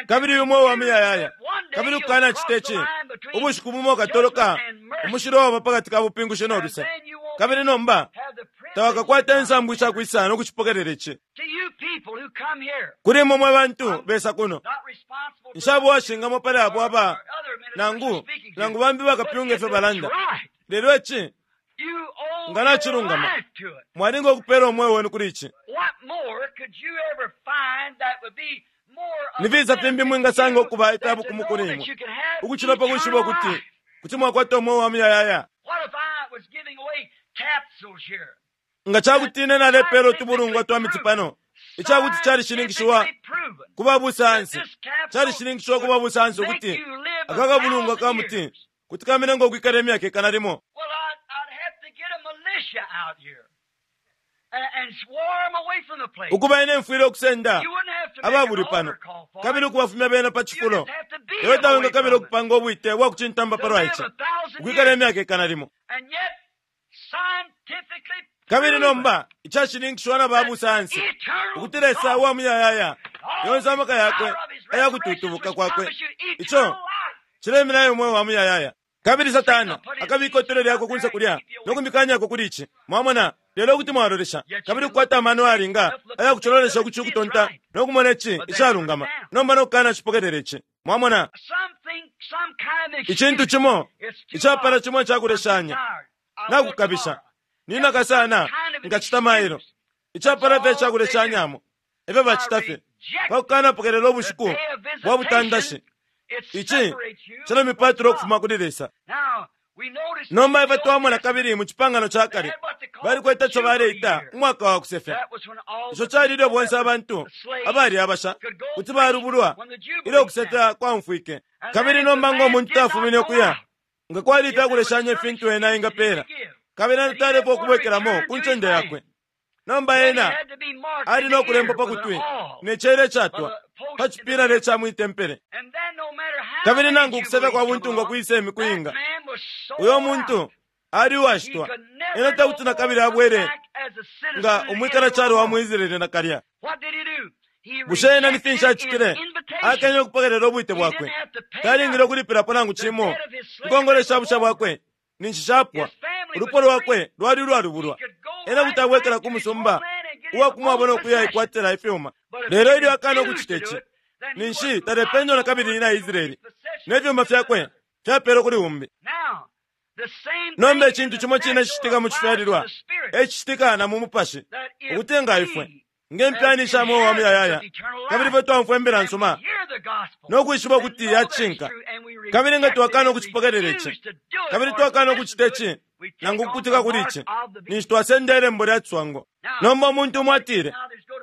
Kabili uyu mweo wa muyayaya. Kabili ukukanacita ici, ubushiku bumo ukatoloka umushilo waba pa kati ka bupingushi no luse, kabili nomba tawakakwate insambu ishakwisa no kucipokelela ici. Kuli imwe mwe bantu besa kuno, nshaba uwashingamo pali abo aba nangu nangu bambi bakapyunga ifyo balanda, lelo ici nga nacilungama, mwalinga ukupeela umweo wenu kuli ici. Ni fisa fimbi mwingasanga ukuba ifya bukumu kuli imwe ukucila pa kwishiba ukuti kuti mwakwata umweo wa muyayaya? Nga ca kuti ine nalepeela utubulungwa twa miti pano, ica kuti calishininkishiwa ku ba busayansi, calishininkishiwa ku ba busayansi ukuti aka kabulungwa ka muti kuti kamenenga ukwikala imyaka 100. Ukuba ine mfwile ukusenda ababuli pano kabili ukubafumya bena pa cifulo, lelo tawingakabila ukupanga ubwite bwa kucintamba palwa ici, ukwikala imyaka 100. Kabili nomba icashininkishiwa na ba busayansi ukuti Lesa uwa muyayaya, yonse amaka yakwe aya kututubuka kwakwe, ico cileminayo umweo wa muyayaya. Kabili Satana akabika itole lyakwe kunse kulya no kumikanyako kuli ici. Mwamona? Lelo kuti mwalolesha kabili kukwata amano ayalinga aya kucololesha ukuci ukutonta no kumona ici icalungama, nomba no kukana cipokelela ici. Mwamona? Icintu cimo icapala cimo icakuleshanya nakukabisha ninaka sana nkacita mailo icapala fye icakuleshanyamo efyo bacita fye pa kukanapokelela ubushiku bwa butandashi. Ici cilamipatula ukufuma kuli Lesa. Nomba ifwe twamona kabili mu Cipangano ca Kale balikwete ico baleita umwaka wa kusefya. Ico cali ilyo bonse abantu abali abasha kuti balubulwa ilyo ukusefya kwaumfwike. Kabili nomba ngo muntu tafumine ukuya, nga kwali ifya kuleshanya ifintu ena engapeela, kabili ena talefwa ukubwekelamo ku ncende yakwe. Nomba ena ali no kulembwa pa kutwi ne cela icatwa pa cipilala ica mwi tempele. Kabili nangu ukusefya kwa buntungwa kwise imiku inga, uyo muntu ali uwashitwa, ena takuti na kabili abwele nga umwikala calo wa mu Israele nakalya. Bushe ena ni finshi acitile? Akenye ukupokelela ubwite bwakwe. Talingile ukulipilapo nangu cimo. Inkongole sha busha bwakwe ninshi shapwa. Ulupwa lwakwe lwali ulwalubulwa. Ena kuti abwekela ku musumba uwa kumwabo no kuya ikwatila ifyuma. Lelo ilyo akana ukucita ici, ninshi talependwa na kabili na Israele, ne fyuma fyakwe fyapelwe kuli umbi. Nomba icintu cimo cine cicitika mu cifyalilwa e cicitika na mu mupashi, ukuti nga ifwe nge mpyani sha mweo wa muyayaya, kabili ifwe twaumfwa imbila nsuma no kwishiba ukuti ya cishinka, kabili nga twakana ukucipokelela ici, kabili twakana ukucita ici nangu ukukutika kuli ici, ninshi twasenda ilembo lya ciswango. Nomba umuntu umo atile,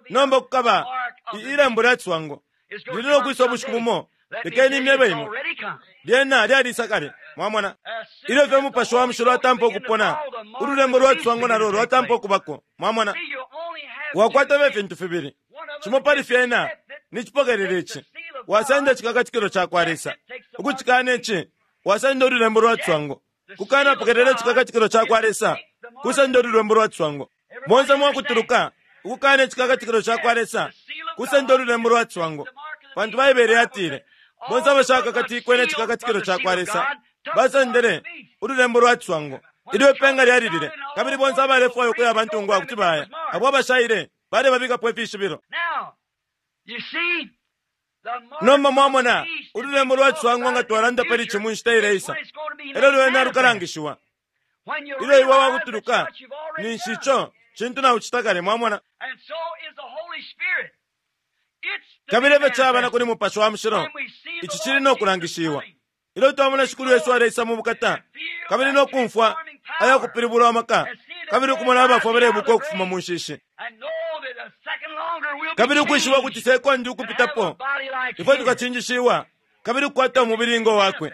nomba kukaba ilembo lya ciswango lili no kwisa ubushiku bumo, lekeni imyebe imwe. Lyena lyalisa kale. Mwamona? Ilyo fye Umupashi wa Mushilo watampa ukupona, ululembo lwa ciswango nalo lwatampa ukubako. Mwamona? Wakwata fye ifintu fibili. Cimo pali fyena ni cipokelela ici, wasenda icikakatikilo ca kwa Lesa. Ukucikana ici, wasenda ululembo lwa ciswango. Kukanapokelela icikakatikilo ca kwa Lesa, kusenda ululembo lwa ciswango. Bonse mwakutuluka, ukukana icikakatikilo ca kwa Lesa, kusenda ululembo lwa ciswango. Pantu Baibele yatile, bonse abashakakatikwe ne cikakatikilo ca kwa Lesa basendele ululembo lwa ciswango. Ilyo ipenga lyalilile, kabili bonse abalefwaya ukuya abantungwa kuti baya, abo abashaile balebabikapo ifishibilo. Nomba mwamona, ululembo lwa ciswango nga twalanda pali ici mu nshita ileisa, elyo lwena lukalangishiwa. Ilyo iwe wakutuluka, ninshi ico cintu naucita kale, mwamona. Kabili efyo caba na kuli Mupashi wa Mushilo, ici cili no kulangishiwa. Ilyo twamona Shikulu Yesu aleisa mu bukata, kabili no kumfwa aya kupilibulwa amaka, kabili ukumona abafwa balebuka ukufuma mu nshishi, kabili ukwishiba ukuti sekondi ukupitapo ifwe tukacinjishiwa kabili ukukwata umubili ngo wakwe,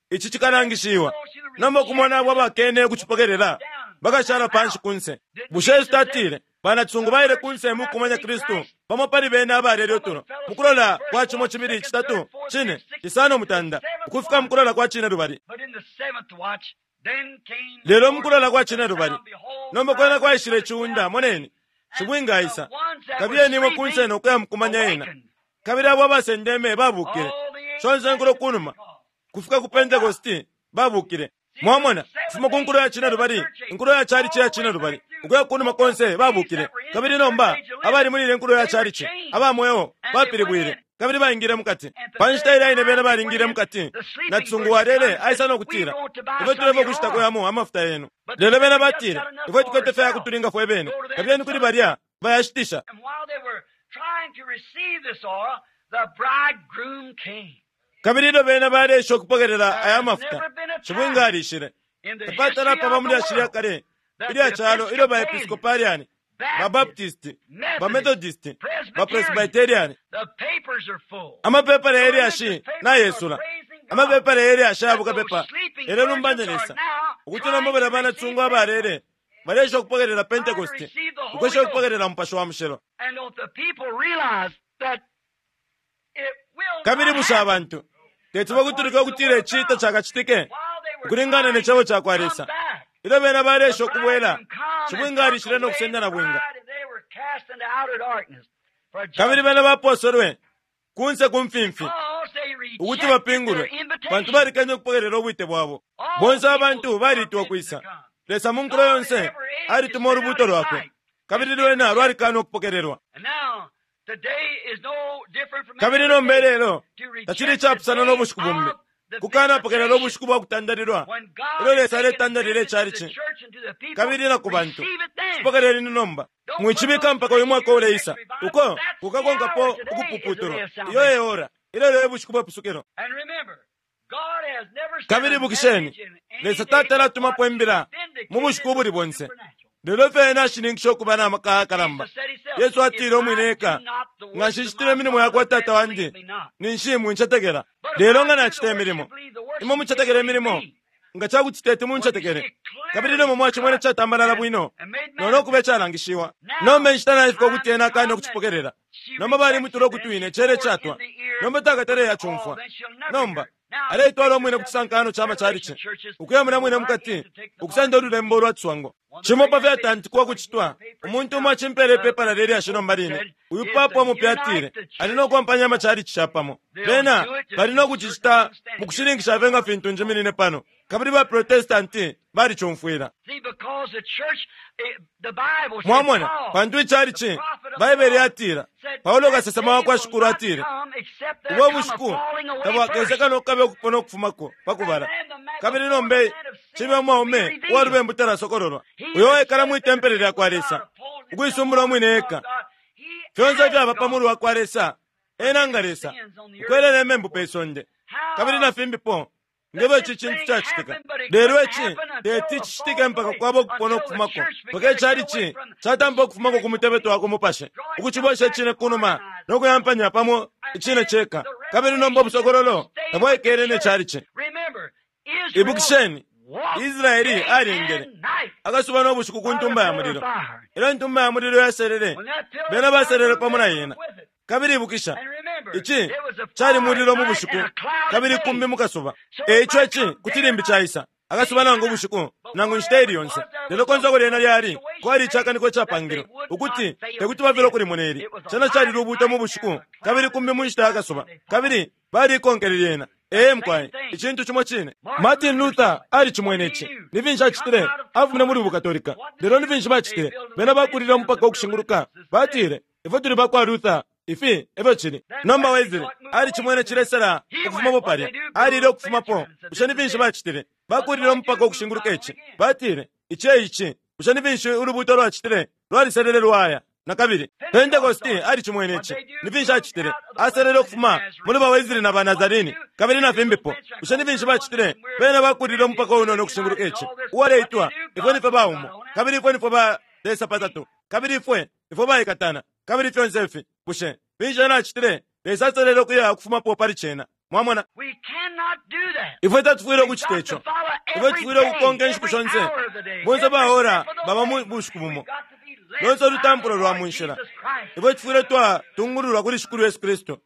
ici cikalangishiwa. Nomba ukumona abo abakene ukucipokelela bakashala panshi kunse. Bushe Yesu tatile, banacisungu baile kunse mu kukumanya Kristu? Bamo pali bena abalele utulo mukulola kwa cimo, cibili, citatu, cine, cisano, mutanda, ukufika mukulola kwa cine lubali. Lelo mukulola kwa cine lubali, nomba kwena kwaishile iciunda, moneni, shibwinga aisa, kabiyeni imwe kunse no kuya mukumanya ena. Kabili abo abasendeme babukile. Shonse nkulo kunuma kufika ku Pentecost babukile. Mwamona, kufuma ku nkulo ya cine lubali, inkulo ya chalichi ya cine lubali, ukuya kunuma konse babukile. Kabili nomba abali muli ile nkulo ya chalichi aba mweo bapilibwile kabili baingile mukati. Pa nshita ilya ine bena balingile mukati, na cisungu walele aisa no kutila, ifwe tulefwa ukushitako yamo amafuta yenu. Lelo bena batile, ifwe tukwete fye yakutulinga fwe bene, kabiyeni kuli balya bayashitisha. Kabili ilyo bena baleesha ukupokelela aya mafuta, shibwinga alishile. Tapatala paba mu lyashi lya kale ilya calo ilyo ba Episcopalian, ba Baptist, ba Methodist, ba Presbyterian, amapepala ye lyashi nayesula, amapepala ye lyashi aya bukapepa yalelumbanya Lesa, ukuti nomba balya banacisungu abalele baleesha ukupokelela Pentecost, ukwesha ukupokelela Mupashi wa Mushilo. Kabili bushe abantu teti bakutulike ukutila ici tacakacitike ukulingana ne cebo ca kwa Lesa? Ilyo bena baleesha ukubwela, shibwinga alishile no kusenda na bwinga. Kabili bena baposelwe kunse ku mfimfi ukuti bapingulwe, pantu balikenye ukupokelela ubwite bwabo. Bonse abantu baliitwa ukwisa. Lesa mu nkulo yonse alituma ulubuuto lwakwe, kabili lwena lwalikana ukupokelelwa. Kabili nomba ilelo tacili icapusana no bushiku bumbi, kukanapokelela ubushiku bwa kutandalilwa ilyo Lesa aletandalila icalici kabili na ku bantu. Cipokeleleni nomba, mwicibika mpaka uyu mwaka uleisa, uko kukakonkapo ukupuputulwa. Iyo e ora, ilelo e bushiku bwe pusukilo. Kabili ibukisheni, Lesa tatala atumapo imbila mu bushiku ubuli bonse, lelo fye ena ashininkisha ukuba na maka ayakalamba. Yesu atile umwine eka, nga nshicitile imilimo ya kwa Tata wandi, ninshi mwincetekela. Lelo nga nacita imilimo, imwe mucetekele imilimo, nga ca kuti teti muncetekele. Kabili nomba mwacimwene catambalala bwino no no kuba icalangishiwa. Nomba inshita naifika ukuti ena akane ukucipokelela. Nomba balimutula ukutwi ne cela icatwa. Nomba takatale acumfwa. Nomba aleitwala umwine ku cisankano ca macalici, ukuya mulya mwine mukati, ukusenda ululembo ulwa ciswango. Cimo pa fyatantikwa ukucitwa, umuntu umo acimpeela ipepala lye lyashi nomba line. Uyu papa umupya atile ali no kwampanya amacalici capamo. Bena bali no kucicita mu kushininkisha fye nga fintu njiminine pano. Kabili ba Protestanti balicumfwila. Mwamona, pantu icalici, Baibele yatila, Paulo kasesema wa kwa Shikulu atile, ubo bushiku tabwakese kano kukabe ukupona ukufumako pa kubala. Kabili nomba cibe umwaume uwa lubembu talasokololwa, uyo uwaikala mwi tempele lya kwa Lesa, ukuisumbula umwine eka. Fyonse ifyaba pa mulu wa kwa Lesa, ena nga Lesa, ukwelela imembu pe sonde, kabili na fimbipo. Nge fyo ici cintu cacitika. Lelo ici teti cicitike mpaka kwaba ukupona ukufumako, mpaka icalici catampa ukufumako ku mutebeto wa ku mupashi, ukucibwesha icine kunuma no kuyampanya pamo icine ceka. Kabili nomba ubusokololo tabwaikele ne calici. Ibukisheni, Israeli alengele akasuba no bushiku ku ntumba ya mulilo. Ilyo intumba ya mulilo yaselele, bena baselele pamo na yena. Kabili ibukisha, ici cali mulilo mu bushiku kabili kumbi mu kasuba. E ico ici kuti limbi caisa akasuba nangu ubushiku nangu inshita ili yonse. Lelo konse uko lyena lyali, kwali icakaniko icapangilwe ukuti te kuti bafilwe ukulimona ili. Cena cali lubuuto mu bushiku kabili kumbi mu nshita ya kasuba, kabili baliikonkele lyena. Ee mukwai, icintu cimo cine. Martin Luther alicimwene ici. Ni finshi acitile? Afumine muli buKatolika. Lelo ni finshi bacitile? Bena bakulile umupaka ukushinguluka. Batile, Ifwe tuli ba kwa Luther. Ifi e fyo cili. Nomba Wesley alicimwene cilesela ukufumapo palya. Alile ukufumapo. Bushe ni finshi bacitile? Bakulile umupaka ukushinguluka ici. Batile, Ici e ici. Bushe ni finshi ulubuuto lwacitile? Lwaliselele lwaya. Na kabili, Pentecost alicimwene ici. Ni finshi acitile? Aselele ukufuma muli ba Wesley na ba Nazarene, kabili na fimbipo. Bushe ni finshi bacitile? Bena bakulile umupaka unono ukushinguluka ici, uwaleitwa, Ifwe nifwe ba umo, kabili ifwe nifwe ba Lesa patatu, kabili ifwe ifwe baikatana, kabili fyonse ifi. Bushe finshi ena acitile? Lesa aselele ukuya ukufumapo pali cena. Mwamona? Ifwe tatufwile ukucita ico. Ifwe tufwile ukukonka inshiku shonse. Bonse ba ora baba mu bushiku bumo. Lonse ulutampulo lwa munshila, ifwe tufwile twatungululwa kuli Shikulu Yesu Kristu.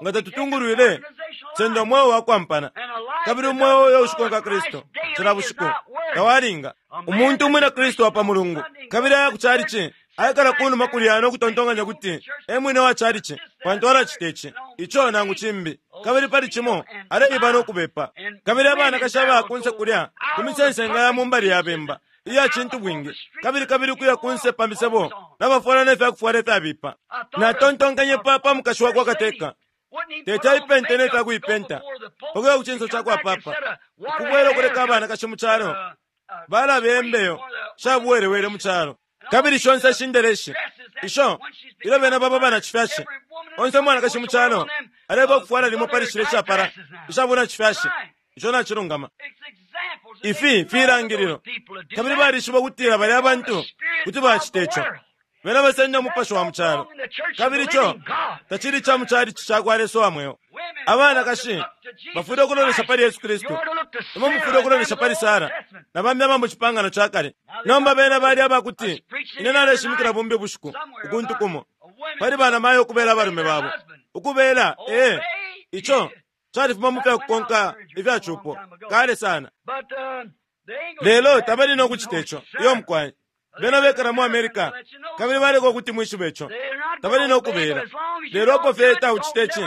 Nga tatutungulwile, senda umweo wa kwampana, kabili umweo uyo ushikonka Kristu cila bushiku tawalinga. Umuntu umwina Kristu wa pa Mulungu, kabili aya ku calici, aikala kunuma kulya no kutontonkanya kuti e mwine wa calici, pantu alacita ici, ico nangu cimbi, kabili pali cimo aleiba no kubepa. Kabili abanakashi aba kunse kulya ku misensenga ya mu mbali ya bemba iya cintubwingi, kabili kabili ukuya kunse pa misebo nabafwala ne fya kufwala ifyabipa. Natontonkanye pa pa mukashi wa kwa kateka, teti aipente ne fya kuipenta pakuya ku cinso ca kwa papa, ukubwela ukuleka abanakashi mu calo balabe imbeyo sha buwelewele mu calo. Kabili shonse shindeleshi isho ilyo bena baba banacifyashi, onse umwanakashi mu calo aleba ukufwala limo pali shile ishapala isha bunacifyashi. Ico nacilungama. Ifi filangililo, kabili balishiba ukutila balya bantu kuti bacita ico. Bena basenda umupashi wa mu calo, kabili ico tacili ca mu calici ca kwa Lesa wa mweo. Abanakashi bafwile ukulolesha pali Yesu Kristu. Imwe mufwile ukulolesha pali Sara na bambi aba mu Cipangano ca Kale. Nomba bena bali aba kuti ine naleshimikila bumbi bushiku ukuntu kumo pali banamayo ukubela abalume babo ukubela ee ico califuma mu fya kukonka ifya cupo kale sana. Lelo tabali no kucita ico. Iyo mukwai. Bena bekala mu America kabili baleka ukuti mwishibe ico. Tabali no kubela. Lelo apo fye taucite ici,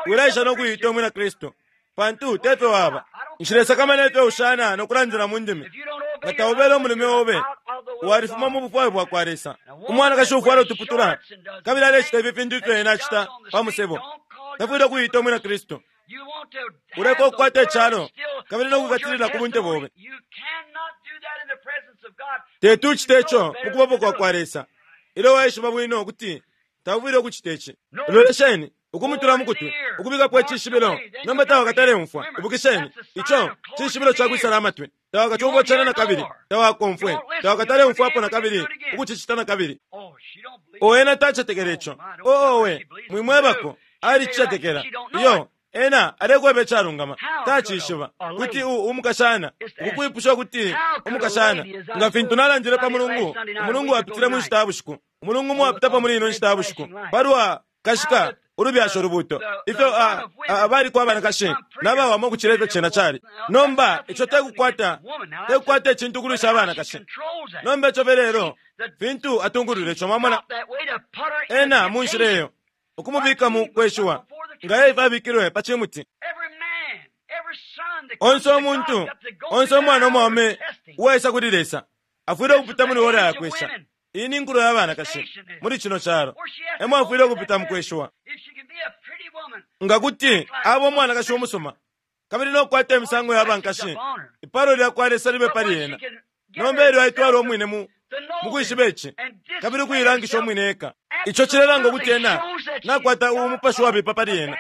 wilaisha no kuiita umwina Kristu, pantu te fyo waba. Nshilesakamana ifyo ushana no kulandila mu ndimi. Nga taubele umulume obe, walifuma mu bufwayo bwa kwa Lesa. Umwanakashi ufwala utuputula kabili alecita ifi fintu ifyo ena acita pa musebo, tafwile ukuiita umwina Kristu. Uleka ukukwata icalo kabili no kukatilila ku bunte bobe. Teti ucite ico mu kubapo kwa kwa Lesa, ilyo waishiba bwino ukuti taufwile ukucita ici. Lolesheni, ukumutula mu kutwi, ukubikapo icishibilo, nomba tawakataleumfwa. Ibukisheni, ico cishibilo ca kwisala amatwi. Tawakacumfwa cena na kabili, tawakomfwe, tawakataleumfwapo na kabili, ukucicita na kabili. O ena tacetekela ico. O owe, mwimwebako, alicicetekela. Iyo, ena alekweba icalungama. Tacishiba kuti umukashana ukukwipusha ukuti umukashana, nga fintu nalandile pa Mulungu, umulungu wapitile mu nshita ya bushiku, umulungu mwapitapo muli ino nshita ya bushiku, palwa kashika ulubyasho lubuto, ifyo abaliko abanakashi nabawama ukucila ifyo cena cali. Nomba ico tekukwata tekukwata icintu ukulwisha abanakashi. Nomba ico lelo fintu atungulwile ico, mwamona ena mu nshila iyo ukumubika mu kweshiwa nga Eva abikilwe pa cimuti. Onse umuntu, onse umwana umwaume uwaisa kuli Lesa afwile ukupita muli ora ya kwesha. Iyi ni nkulo ya banakashi muli cino calo, emo afwile ukupita mu kweshiwa. Nga kuti aba umwanakashi umusuma kabili no kukwata imisango ya bankashi, ipalo lya kwa Lesa libe pali ena. Nomba ilyo aitwala umwine mu mukwishiba ici kabili ukuilangisha umwine eka, ico cilelanga ukuti ena nakwata umupashi wabipa pali ena.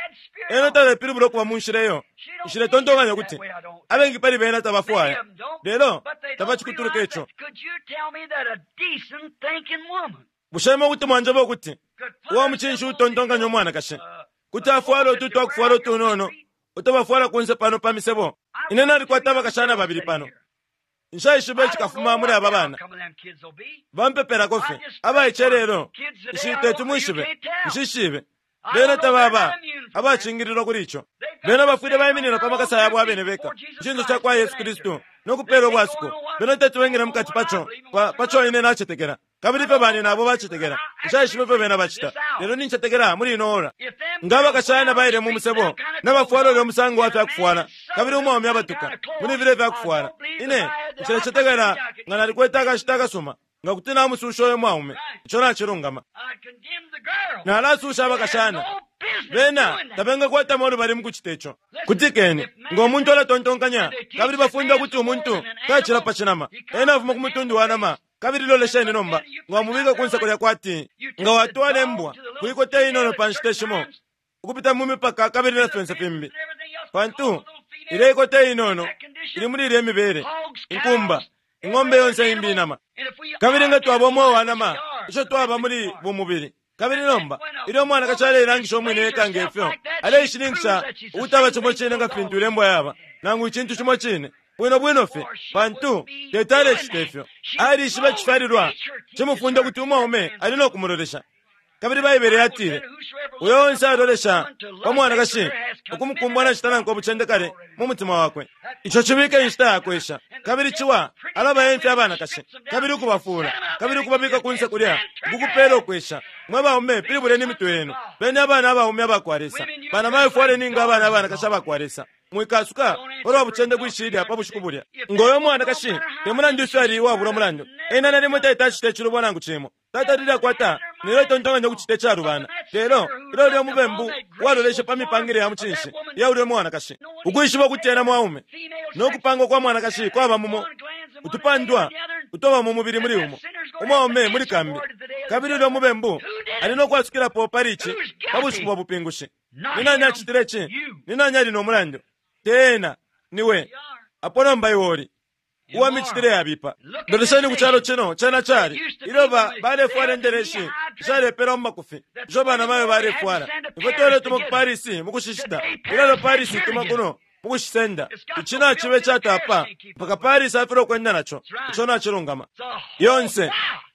Ena talepilibula ukuba mu nshila iyo. Nshiletontonkanya ukuti abengi pali bena tabafwaya, lelo tabacikutuluka ico. Bushe imwe kuti mwanjeba ukuti uwa mucinshi utontonkanya umwanakashi kuti afwala utu twakufwala utunono uto kunse pano pa misebo? Ine nalikwata abakashana babili pano. Nshaishiba icikafuma muli aba bana. Bampepelako fye abaice lelo nshi teti mwishibe, nshishibe. Bena tababa abacingililwa kuli ico. Bena bafwile baiminina pa makasa yabo abene beka ku cinso ca kwa Yesu Kristu no kupeela ubwasuko. Bena teti bengile mukati paco paco ine nacetekela, kabili ifyo bane nabo bacetekela. Nshaishiba ifyo bena bacita, lelo nincetekela muli ino ora. Nga abakashana baile mu musebo nabafwala ulya musango wa fyakufwala, kabili umwaume abatuka muli filya ifyakufwala, ine nshilecetekela nga nalikwete akashita akasuma nga kuti namususha uyo mwaume. Ico nacilungama. Nalasusha abakashana. Bena tabengakwatamo ulubali mu kucita ico. Kutikeni, nga umuntu alatontonkanya kabili bafunda ukuti umuntu tacila pa cinama, ena afuma ku mutundu wa nama. Kabili lolesheni nomba, nga wamubika ku nseko lya kwati nga watwala imbwa kuikota inono pa nshita shimo ukupita mu mipaka kabili na fyonse fimbi, pantu ilya ikota inono ili muli ilya mibele, inkumba, ing'ombe yonse imbi inama. Kabili nga twaba umweo wa nama, ico twaba muli bumubili. Kabili nomba ilyo umwanakashi aleilangisha umwine eka nge fyo, aleishininkisha ukuti aba cimo cine nga fintu ilembwa yaba, nangu icintu cimo cine. Bwino bwino fye, pantu teti alecita ifyo. Alishiba icifyalilwa cimufunda ukuti umwaume ali no kumulolesha. Kabili Baibele yatile, uyo onse alolesha pa mwanakashi ukumukumbwa nacita nankwe ubucende kale mu mutima wakwe. Ico cibika inshita yakwesha. Kabili ciwa alabayemfya abanakashi, kabili ukubafuula, kabili ukubabika kunse kulya, ukukupela ukwesha. Mwe baume, pilibuleni imitwe yenu. Beni abana abaume abakwa Lesa. Banamayo fwaleni nga abana abanakashi abakwa Lesa. Mwikasuka palwa bucende kwishilya pa bushiku bulya. Ngo yo mwanakashi, te mulandu ifyo ali uwabula umulandu, ena nalimo teti acite icilubo nangu cimo. Tatalile akwata nelyo itontonkanya ukucita icalubana. Lelo, ilyo ulya umubembu waloleshe pa mipangile ya mucinshi iya ulya mwanakashi, ukwishiba ukuti ena mwaume, no kupangwa kwa mwanakashi kwaba mumo, utupandwa utoba mu mubili muli umo, umwaume muli kambi. Kabili ulya umubembu ali no kwasukilapo pali ici pa bushiku bwa bupingushi. Ni nani acitile ici? Ni nani ali no mulandu? Te ena, niwe. Apo nomba iwe uli uwa micitile yabipa. Lolesheni ku calo cino, cena cali ilyo balefwala indeleshi ishalepelwa mu makufi isho banamayo balefwala. Ifwe twaletuma ku Paris mu kushishita, ilelo Paris ituma kuno mu kushisenda. Ici naciba icatapa mpaka Paris afilwa ukwenda naco. Ico nacilungama. Yonse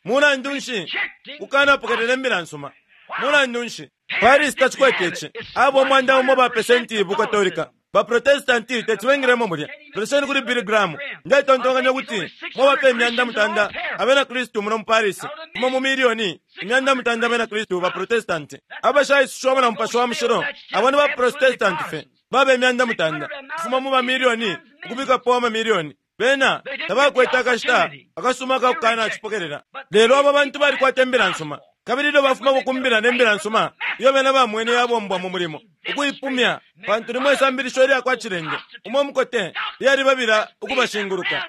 mulandu nshi kukanapokelela imbila nsuma? Mulandu nshi Paris tacikwete ici? Abo umwanda umo ba pesenti bukatolika, baprotestanti teti bengilemo mulya. Lolesheni kuli Billy Graham. Ndetontonkanya ukuti mwaba imyanda mutanda abena Kristu muno mu Paris, umo mu milioni imyanda mutanda abena Kristu baprotestanti abashaisushiwamo na Mupashi wa Mushilo. Abo ni baprotestanti fye baba imyanda mutanda kufuma mu mamilioni ukubikapo amamilioni. Bena tabakwete akashita akasuma akakukana cipokelela. Lelo aba bantu balikwata imbila nsuma. Kabili ilyo bafuma kukumbila ne mbila nsuma iyo bena bamwene yabombwa mu mulimo, ukuipumya, pantu limwe isambilisho ilya kwa cilende umo mukote lyalibabila ukubashinguluka.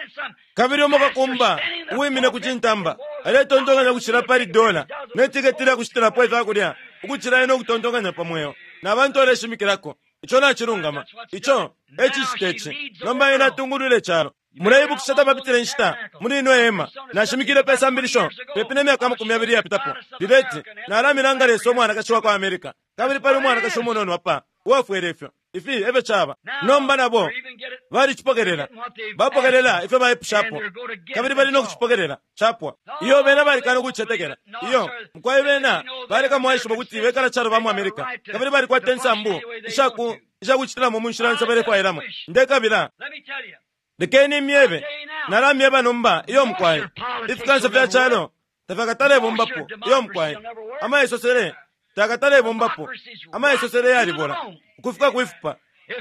Kabili umo kakumba uwimine ku cintamba aletontonkanya ukucila pali dola ne tiketi lya kushitilapo ifya kulya ukucila ena ukutontonkanya pa mweo na bantu aleshimikilako. Ico nacilungama. Ico e cicita ici. Nomba ena atungulwile icalo. Muleibukisha tapapitile inshita muli ino hema nashimikile pe sambilisho pepi ne myaka 20 iyapitapo lileti nalamilanga Lesa umwanakashi wa kwa America, kabili pali umwanakashi umunono apa uwafwele ifyo. Ifi efyo caba. Nomba nabo balicipokelela, bapokelela ifyo baipushapo, kabili bali no kucipokelela capwa. Iyo bena balikana ukucicetekela. Iyo mukwai bena baleka mwaishiba ukuti bekala calo ba mu America, kabili balikwata insambu ishaku ishakucitilamo mu nshila yonse balefwailamo. Ndekabila lekeni myebe, nalamyeba nomba. Iyo mukwai, ifikansa fya calo tafyakatalebombapo. Iyo mukwai, amaisosele takatalebombapo. Amaisosele yalibola ukufika kwifupa.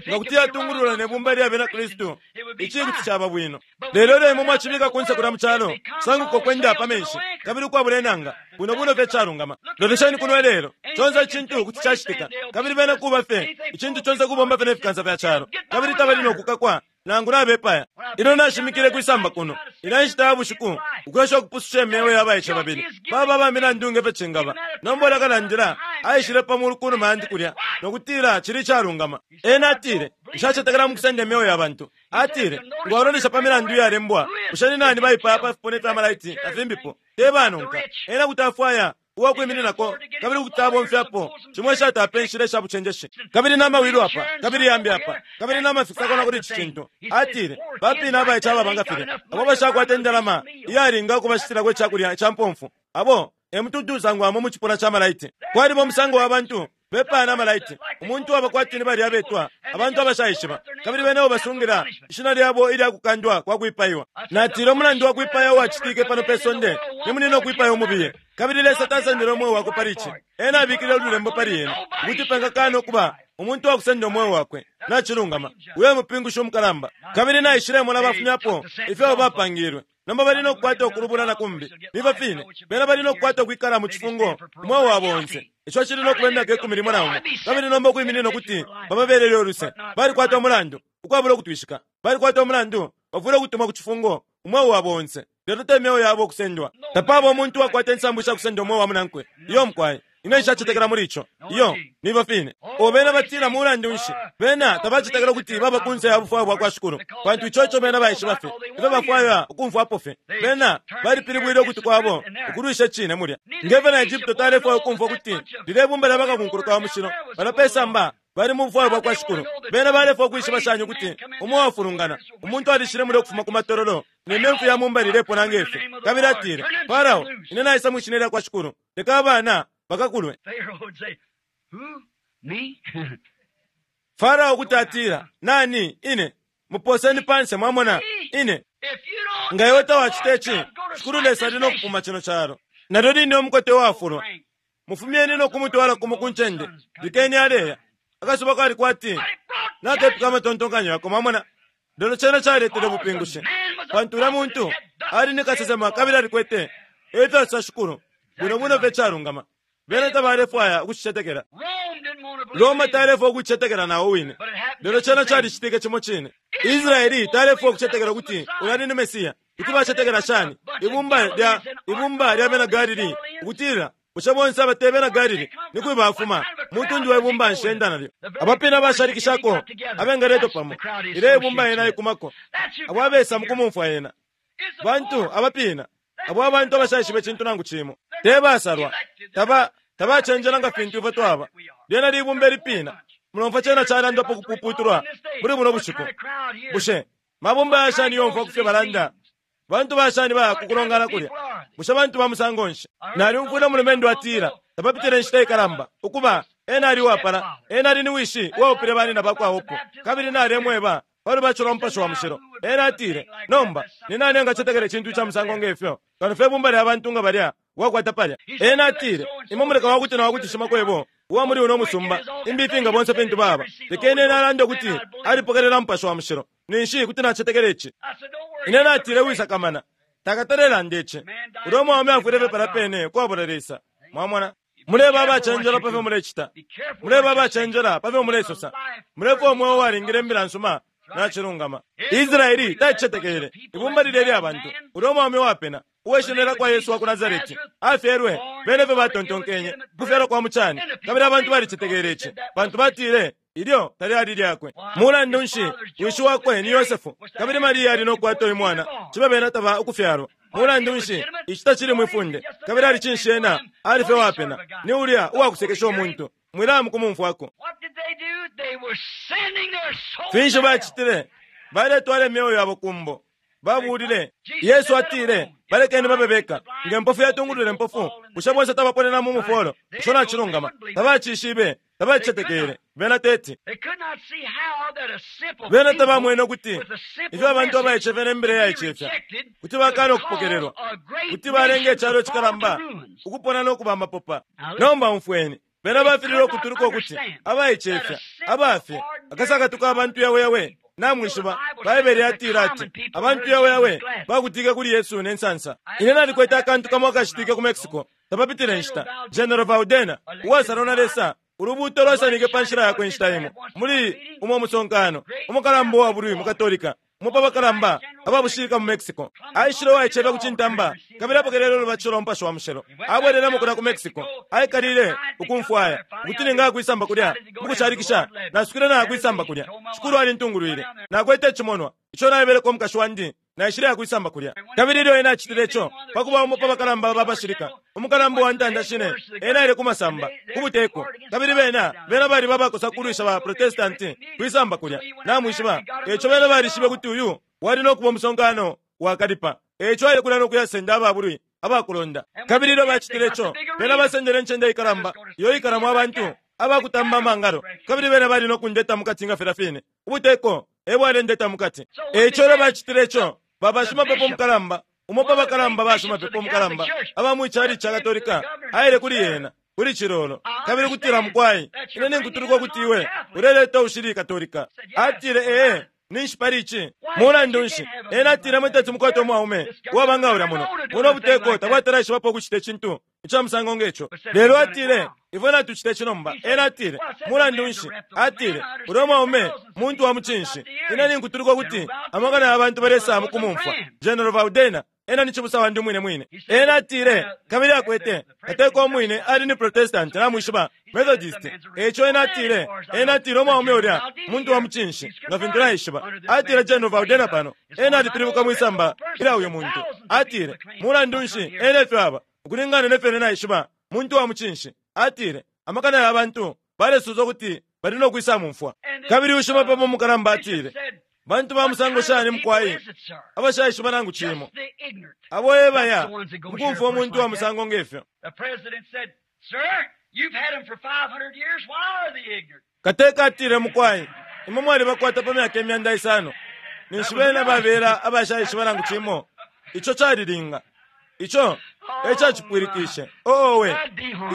Nga kuti yatungulula ne bumba lya bena Kristu, ici kuti caba bwino. Lelo ilyo imwe mwacibika kunse kulya mu calo, sanguka ukwenda pa menshi kabili ukwabula inanga, bwino bwino fye calungama. Lolesheni kuno ilelo, conse icintu kuti cacitika, kabili bena kuba fye icintu conse kubomba fye ne fikansa fya calo, kabili tabali no kukakwa nangu nabepaya. Ilyo nashimikile kwisamba kuno ila nshita ya bushiku ukwesha ukupususha imyeo ya baice babili baba ba milandu nge fyo cingaba, nomba ulya kalandila aishile pa mulu kunuma yandi kulya no kutila cili calungama. Ena atile, nshacetekela mu kusenda imyeo ya bantu. Atile, ngo walolesha pa milandu iyalembwa, bushe ni nani baipaya pa fipuna ifya malaiti na fimbipo? Te banonka. Ena kuti afwaya uwakwimininako kabili kuti abomfyapo cimo ishatapa inshila isha bucenjeshi, kabili na mawilo apa kabili yambi apa kabili na mafikisako na kuli ici cintu. Atile, bapina abaice ababa nga filya abo bashakwata indalama iyalinga ukubashitilako icakulya ca mpomfu, abo e mutuntu usangwamo mu cipuna ca malaiti. Kwaliba umusango wa bantu bepaya na malaiti, umuntu waba kwati ni balya abetwa abantu abashaishiba, kabili bene basungila ishina lyabo ilya kukandwa kwa kwipaiwa. Natile, umulandu wa kwipaya uwacitike pano pe sonde ni munino kwipaya umubiye, kabili Lesa tasendele umweo wakwe pali ici. Ena abikile ululembo pali ena ukuti pengakana ukuba umuntu wakusenda umweo wakwe. Nacilungama. Uyo mupingushi umukalamba. Kabili naishilemona bafumyapo ifyo abo bapangilwe. Nomba bali no kukwata ukulubula na kumbi. Niba fine bena bali no kukwata ukwikala mu cifungo umweo wabo onse. Ico cili no kuba imyaka 11, kabili nomba ukwiminina ukuti bababelele uluse. Balikwata umulandu ukwabula ukutwishika. Balikwata umulandu, bafwile ukutumwa ku cifungo umweo wabo onse, lelo te myeo yabo ukusendwa. Tapaba umuntu uwakwata insambu isha kusenda umweo wa munankwe. Iyo mukwai, ine nshacetekela muli ico. Iyo niba fine. O bena batila mulandu nshi bena tabacetekela ukuti baba kunse ya bufwayo bwa kwa Shikulu, pantu ico ico bena baishiba fye ifyo bafwaya ukumfwapo fye. Bena balipilibwile ukuti kwabo ukulwisha icine mulya. Ngefyo na Egypto talefwaya ukumfwa ukuti lilye bumba lya bakakunkuluka wa mushilo balya pe samba. Bali mu bufwayo bwakwa Shikulu. Bena balefwaya ukwishiba shani ukuti umo uwafulungana, umuntu alishile mulya ukufuma ku matololo, ne memfu ya mumbali ilepona nge fi, kabili atile, Farao, ine naisa mwi shina lyakwa Shikulu, leka abana bakakulwe. Farao kuti atila, Nani? Ine. Muposeni panse, mwamona. Ine. Nga iwe tawacita ici, Shikulu Lesa ali no kupuma cino calo. Nalyo line umukote uwafulwa. Mufumyeni no kumutwala kumo ku ncende. Lekeni aleya. Akasuba kali kwati nakepika amatontonkanyo yako, mwamona. Lelo cena caletele ubupingushi, pantu ulya muntu ali ni kasesema kabili alikwete efyo asosa shikulu, bwino bwino fye icalungama. Bena tabalefwaya ukucicetekela. Roma talefwaya ukucicetekela nao wine. Lelo cena calicitike cimo cine. Israeli talefwaya ukucetekela ukuti ulya ali ni Mesiya. Kuti bacetekela shani ibumba lya ibumba lya bena Galili ukutila bushe bonse aba te bena Galili? Ni kwi bafuma? Mutundu we bumba nshi enda nalyo? Abapina abashalikishako abengaletwa pamo. Ilyo ibumba yena ikumako, abo abesa mu kumumfwa yena. Bantu abapina, abo abantu abashaishiba icintu nangu cimo. Te basalwa, taba tabacenjela nga fintu ifwe twaba. Lyena libumba ilipina. Mulomfwa cena calandwapo ukupuputulwa muli buno bushiku. Bushe mabumba ya shani yomfwa ku fyo balanda? Bantu ba shani baya ku kulongana kulya? Bushe bantu ba musango nshi? Nalyumfwile umulumendo atila, tapapitile inshita ikalamba, ukuba, ena ali uwapala, ena ali ni wishi uwaupile banina bakwa Hope, kabili nalemweba pa lubatisho lwa Mupashi wa Mushilo. Ena atile, Nomba, ni nani engacetekela icintu ica musango nge fyo, kano fye ibumba lya bantu nga balya wakwata palya? Ena atile, Imwe muleka wakuti na wakuti shimakwebo uwa muli uno musumba, imbifi nga bonse fintu baba. Lekeni ena alande ukuti alipokelela Mupashi wa Mushilo, ninshi kuti nacetekela ici. Ine natile, Wisakamana. Takatalelanda ici. Ulya umwaume afwile fye palya pene ukwabula Lesa. Mwamona? Muleba abacenjela pa fyo mulecita. Muleba abacenjela pa fyo mulesosa. Mulefwaya umweo uwalingile imbila nsuma. Nacilungama. Israeli tacicetekele. Ibumba lilya ilya bantu, ulya umwaume uwapena, uwe shina lya kwa Yesu wa ku Nasareti, afyelwe, bene efyo batontonkenye, ukufyalwa kwa mucani. Kabili abantu balicetekele ici, pantu batile, Ilyo talyali lyakwe. Mulandu nshi, wishi wakwe ni Yosefu, kabili Maria ali no kukwata uyu mwana, cibe bena taba ukufyalwa. Mulandu nshi, ici tacili mwi funde. Kabili ali cinshi ena? Ali fye uwapena. Ni ulya uwakusekesha umuntu. Mwilaya mukumumfwako. Finshi bacitile? Baletwala imyeo yabo ku mbo. Babuulile. Yesu atile, Balekeni babe beka. Nge mpofu yatungulula impofu, bushe bonse tabaponena mu mufolo? Ico nacilungama. Tabacishibe. Tabacicetekele. Bena teti. Bena tabamwene ukuti ifyo abantu abaicefya ne mbila iyaicefya kuti bakana ukupokelelwa, kuti balenga icalo icikalamba ukupona no kuba amapopa. Nomba umfweni. Bena bafililwe ukutuluka ukuti abaicefya, abafye, akasakatu ka bantu yaweyawe. Namwishiba, Baibele yatila ati, Abantu yaweyawe bakutike kuli Yesu ne nsansa. Ine nalikwete akantu kamo akacitike ku Mexico tapapitile inshita. General Valdena, uwasalwa na Lesa, ulubuuto lwasanike pa nshila yakwe inshita imo muli umo musonkano. Umukalamba uwa bulwi mu Katolika, umo pa bakalamba aba bushilika mu Mexico, aishile uwaicefya ku cintamba kabili apokelele ulubatisho lwa Mupashi wa Mushilo. Abwelelemo kulya ku Mexico, aikalile ukumfwaya ukuti ningaya kwisamba kulya mukushalikisha. Nasukile naya kwisamba kulya. Shikulu alintungulwile. Nakwete icimonwa ico naebeleko umukashi wandi. Naishileya kwisamba kulya. Kabili ilyo ena acitile ico, pa kuba umo pa bakalamba ba bashilika, umukalamba uwa ntanda shine, ena aile ku masamba, ku buteko. Kabili bena, bena baliba abakosa kulwisha ba Protestanti kwisamba kulya, namwishiba. Eico bena balishibe ukuti uyu wali no kuba umusonkano wakalipa. Eico aile kulya no kuyasenda aba bulwi abakulonda. Kabili ilyo bacitile ico, bena basendele incende ikalamba iyo ikalamo abantu abakutamba amangalo, kabili bena bali no kundeta mukati nga filya fine ubuteko e bwalendeta mukati. E ico ilyo bacitile ico, ba bashimapepo mukalamba, umo pa bakalamba bashimapepo mukalamba aba mwi calici ca Katolika, aile kuli ena, kuli cilolo, kabili kutila, Mukwai, ine ninkutuluka ukuti iwe uleleta ushili Katolika. Atile, Ee. Ninshi pali ici? Mulandu nshi, ena atile, imwe teti mukwate umwaume uwaba nga ulya muno. Buno buteko tabwatalaishibapo ukucita icintu ica musango nge co. Lelo atile, Ifwe natucita ici nomba. Ena atile, Mulandu nshi, atile, ulya mwaume muntu wa mucinshi. Ine ninkutuluka ukuti amakana ya bantu balesa mukumumfwa. General Valdena, Ena ni cibusa wandi umwine mwine. Ena atile, kabili akwete, kateka umwine ali ni Protestant, namwishiba, Methodist. Eico ena atile, ena atile umwaume ulya muntu wa mucinshi, nga fintu naishiba. Atile, General Valdena pano, ena alipilibuka mwisamba ilya uyu muntu. Atile, Mulandu nshi, ena efyo aba, ukulingana ne fyo ine naishiba, muntu wa mucinshi. Atile, Amakana ya bantu balesosa ukuti. Bali no kwisamumfwa. Kabili ushimapepo mukalamba atile, Bantu ba musango shani mukwai abashaishiba nangu cimo, abo ebaya mukumfwa umuntu wa musango ngefyo. Kateka atile, Mukwai, imwe mwalibakwata pa myaka 500, ninshi bena babela abashaishiba nangu cimo. Ico calilinga. Ico e cacipwilikishe. Owe,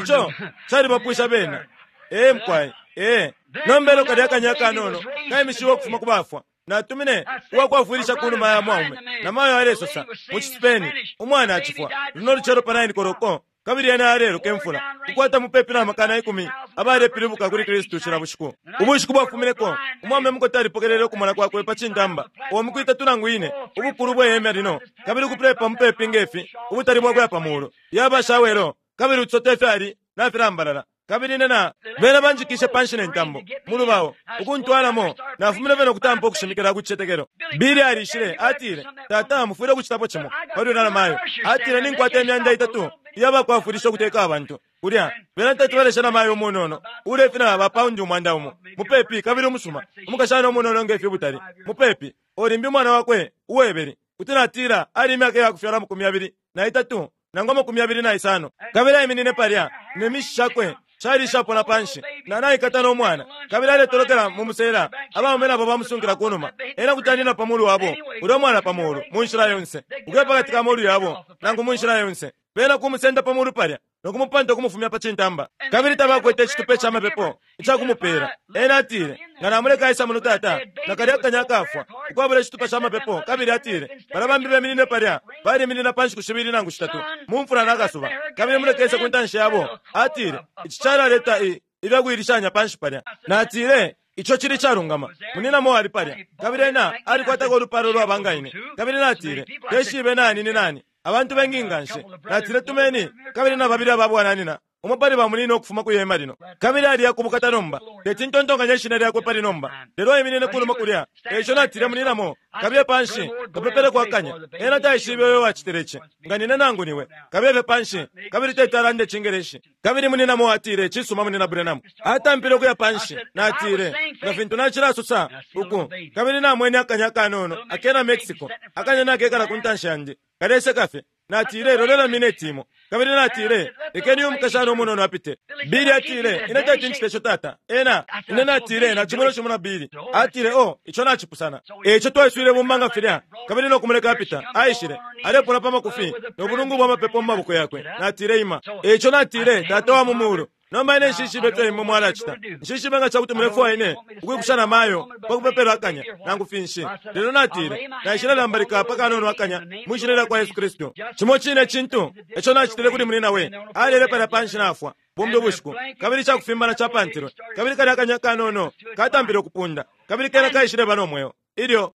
ico calibapwisha bena. Ee mukwai, ee. Nomba elyo kalya akanya akanono kaimishiwe ukufuma ku bafwa, natumine uwakwafwilisha ku numa ya mwaume, na mayo alesosa mu ciSpain, umwana acifwa luno lucelo pa 9 koloko, kabili ena aleloka imfula, ukwata mupepi na 10,000 abalepilibuka kuli Kristu cila bushiku. Ubushiku bwafumineko, umwaume mukote alipokelele ukumona kwakwe pa cintamba, uo miku itatu nangu ine, ubukulu bwe hema lino, kabili ukupulepa mupepi nge fi, ubutali bwakuya pa mulu, yaba shawelo, kabili utusote fyali nafilambalala. Kabili ine na bena banjikishe panshi ne ntambo mu lubao ukuntwalamo, nafumine fye no kutampa ukushimikila ku cicetekelo. Billy alishile, atile, Tata, mufwile ukucitapo cimo pali ulya namayo. Atile, Ninkwata 300 iya bakwafwilisha ukuteka abantu kulya. Bena teti baleshe namayo umunono uulefina ba paundi 1,000 mupepi, kabili umusuma, umukashana umunono nge fi ubutali mupepi, o limbi umwana wakwe uwebeli, kuti natila ali imyaka iya kufyalwa 23 nangu 25. Kabili aiminine palya ne mishi shakwe shali ishapona panshi, na naikata no mwana, kabili aletolokela mu musela, abaume nabo bamusunkila ku numa. Ena kuti anina pa mulu wabo, ulya mwana pa mulu, mu nshila yonse, ukuya pakati ka molu yabo, nangu mu nshila yonse. Bena kumusenda pa mulu palya, no kumupanta ukumufumya pa cintamba. Kabili tabakwete icitupa ica mapepo ica kumupela. Ena atile, Nga namuleka aisa muno, tata, nakalya akanya akafwa, ukwabula icitupa ca mapepo. Kabili atile, Balya bambi beminine palya, baliminina pa nshiku shibili nangu shitatu, mu mfula na kasuba, kabili muleke ese ku ntanshi yabo. Atile, Ici calaleta i, ifya kuilishanya panshi palya. Natile, Ico cili icalungama. Munyina Moore ali palya, kabili ena alikwatako ulupalo ulwaba nga ine. Kabili natile, Teshibe nani ni nani. Abantu bengi nganshi. Natile, Tumeni kabili na babili aba bwananina, umo pali ba munina ukufuma kwi hema lino. Kabili aliya ku bukata nomba. Teti ntontonkanye ishina lyakwe pali nomba, lelo aiminine kunuma kulya. Eico natile, Munina Moore, kabiye panshi, kapepeleko akanya. Ena taishibe uyo uwacitile ici, nga nine nangu niwe. Kabiye fye panshi, kabili teti alande Icingeleshi. Kabili Munina Moore atile, Cisuma, Munina Branham. Atampile ukuya panshi. Natile, Nga fintu nacilasosa uku, kabili namwene akanya akanono akena Mexico, akanya nakekala ku ntanshi yandi, kaleseka fye. Natile, Lolela mineti imo. Kabili natile, Lekeni uyu mukashana umunono apite. Billy atile, Ine teti ncite ico, tata. Ena, ine natile, Nacimona cimo na Billy. Atile, Oh, ico nacipusana. E ico twaiswile ibumba nga filya, kabili no kumuleka apita. Aishile, alepona pa makufi, no bulungu bwa mapepo mu maboko yakwe. Natile, Ima. E ico natile, Tata wa mu Mulu, nomba ine nshishibe ifyo imwe mwalacita. Nshishibe nga ca kuti mulefwaya ine ukwikusha na mayo pa kupepela akanya, nangu finshi. Lelo natile, Naishile lambalika pa kanono akanya mwi Shina lya kwa Yesu Kristu. Cimo cine cintu eco nacitile kuli Munyina Way. Alele palya panshi nafwa, bumbi ubushiku, kabili icakufimbana capantilwe, kabili kalya akanya kanono katampile ukupunda, kabili kena kaishileba no mweo. Ilyo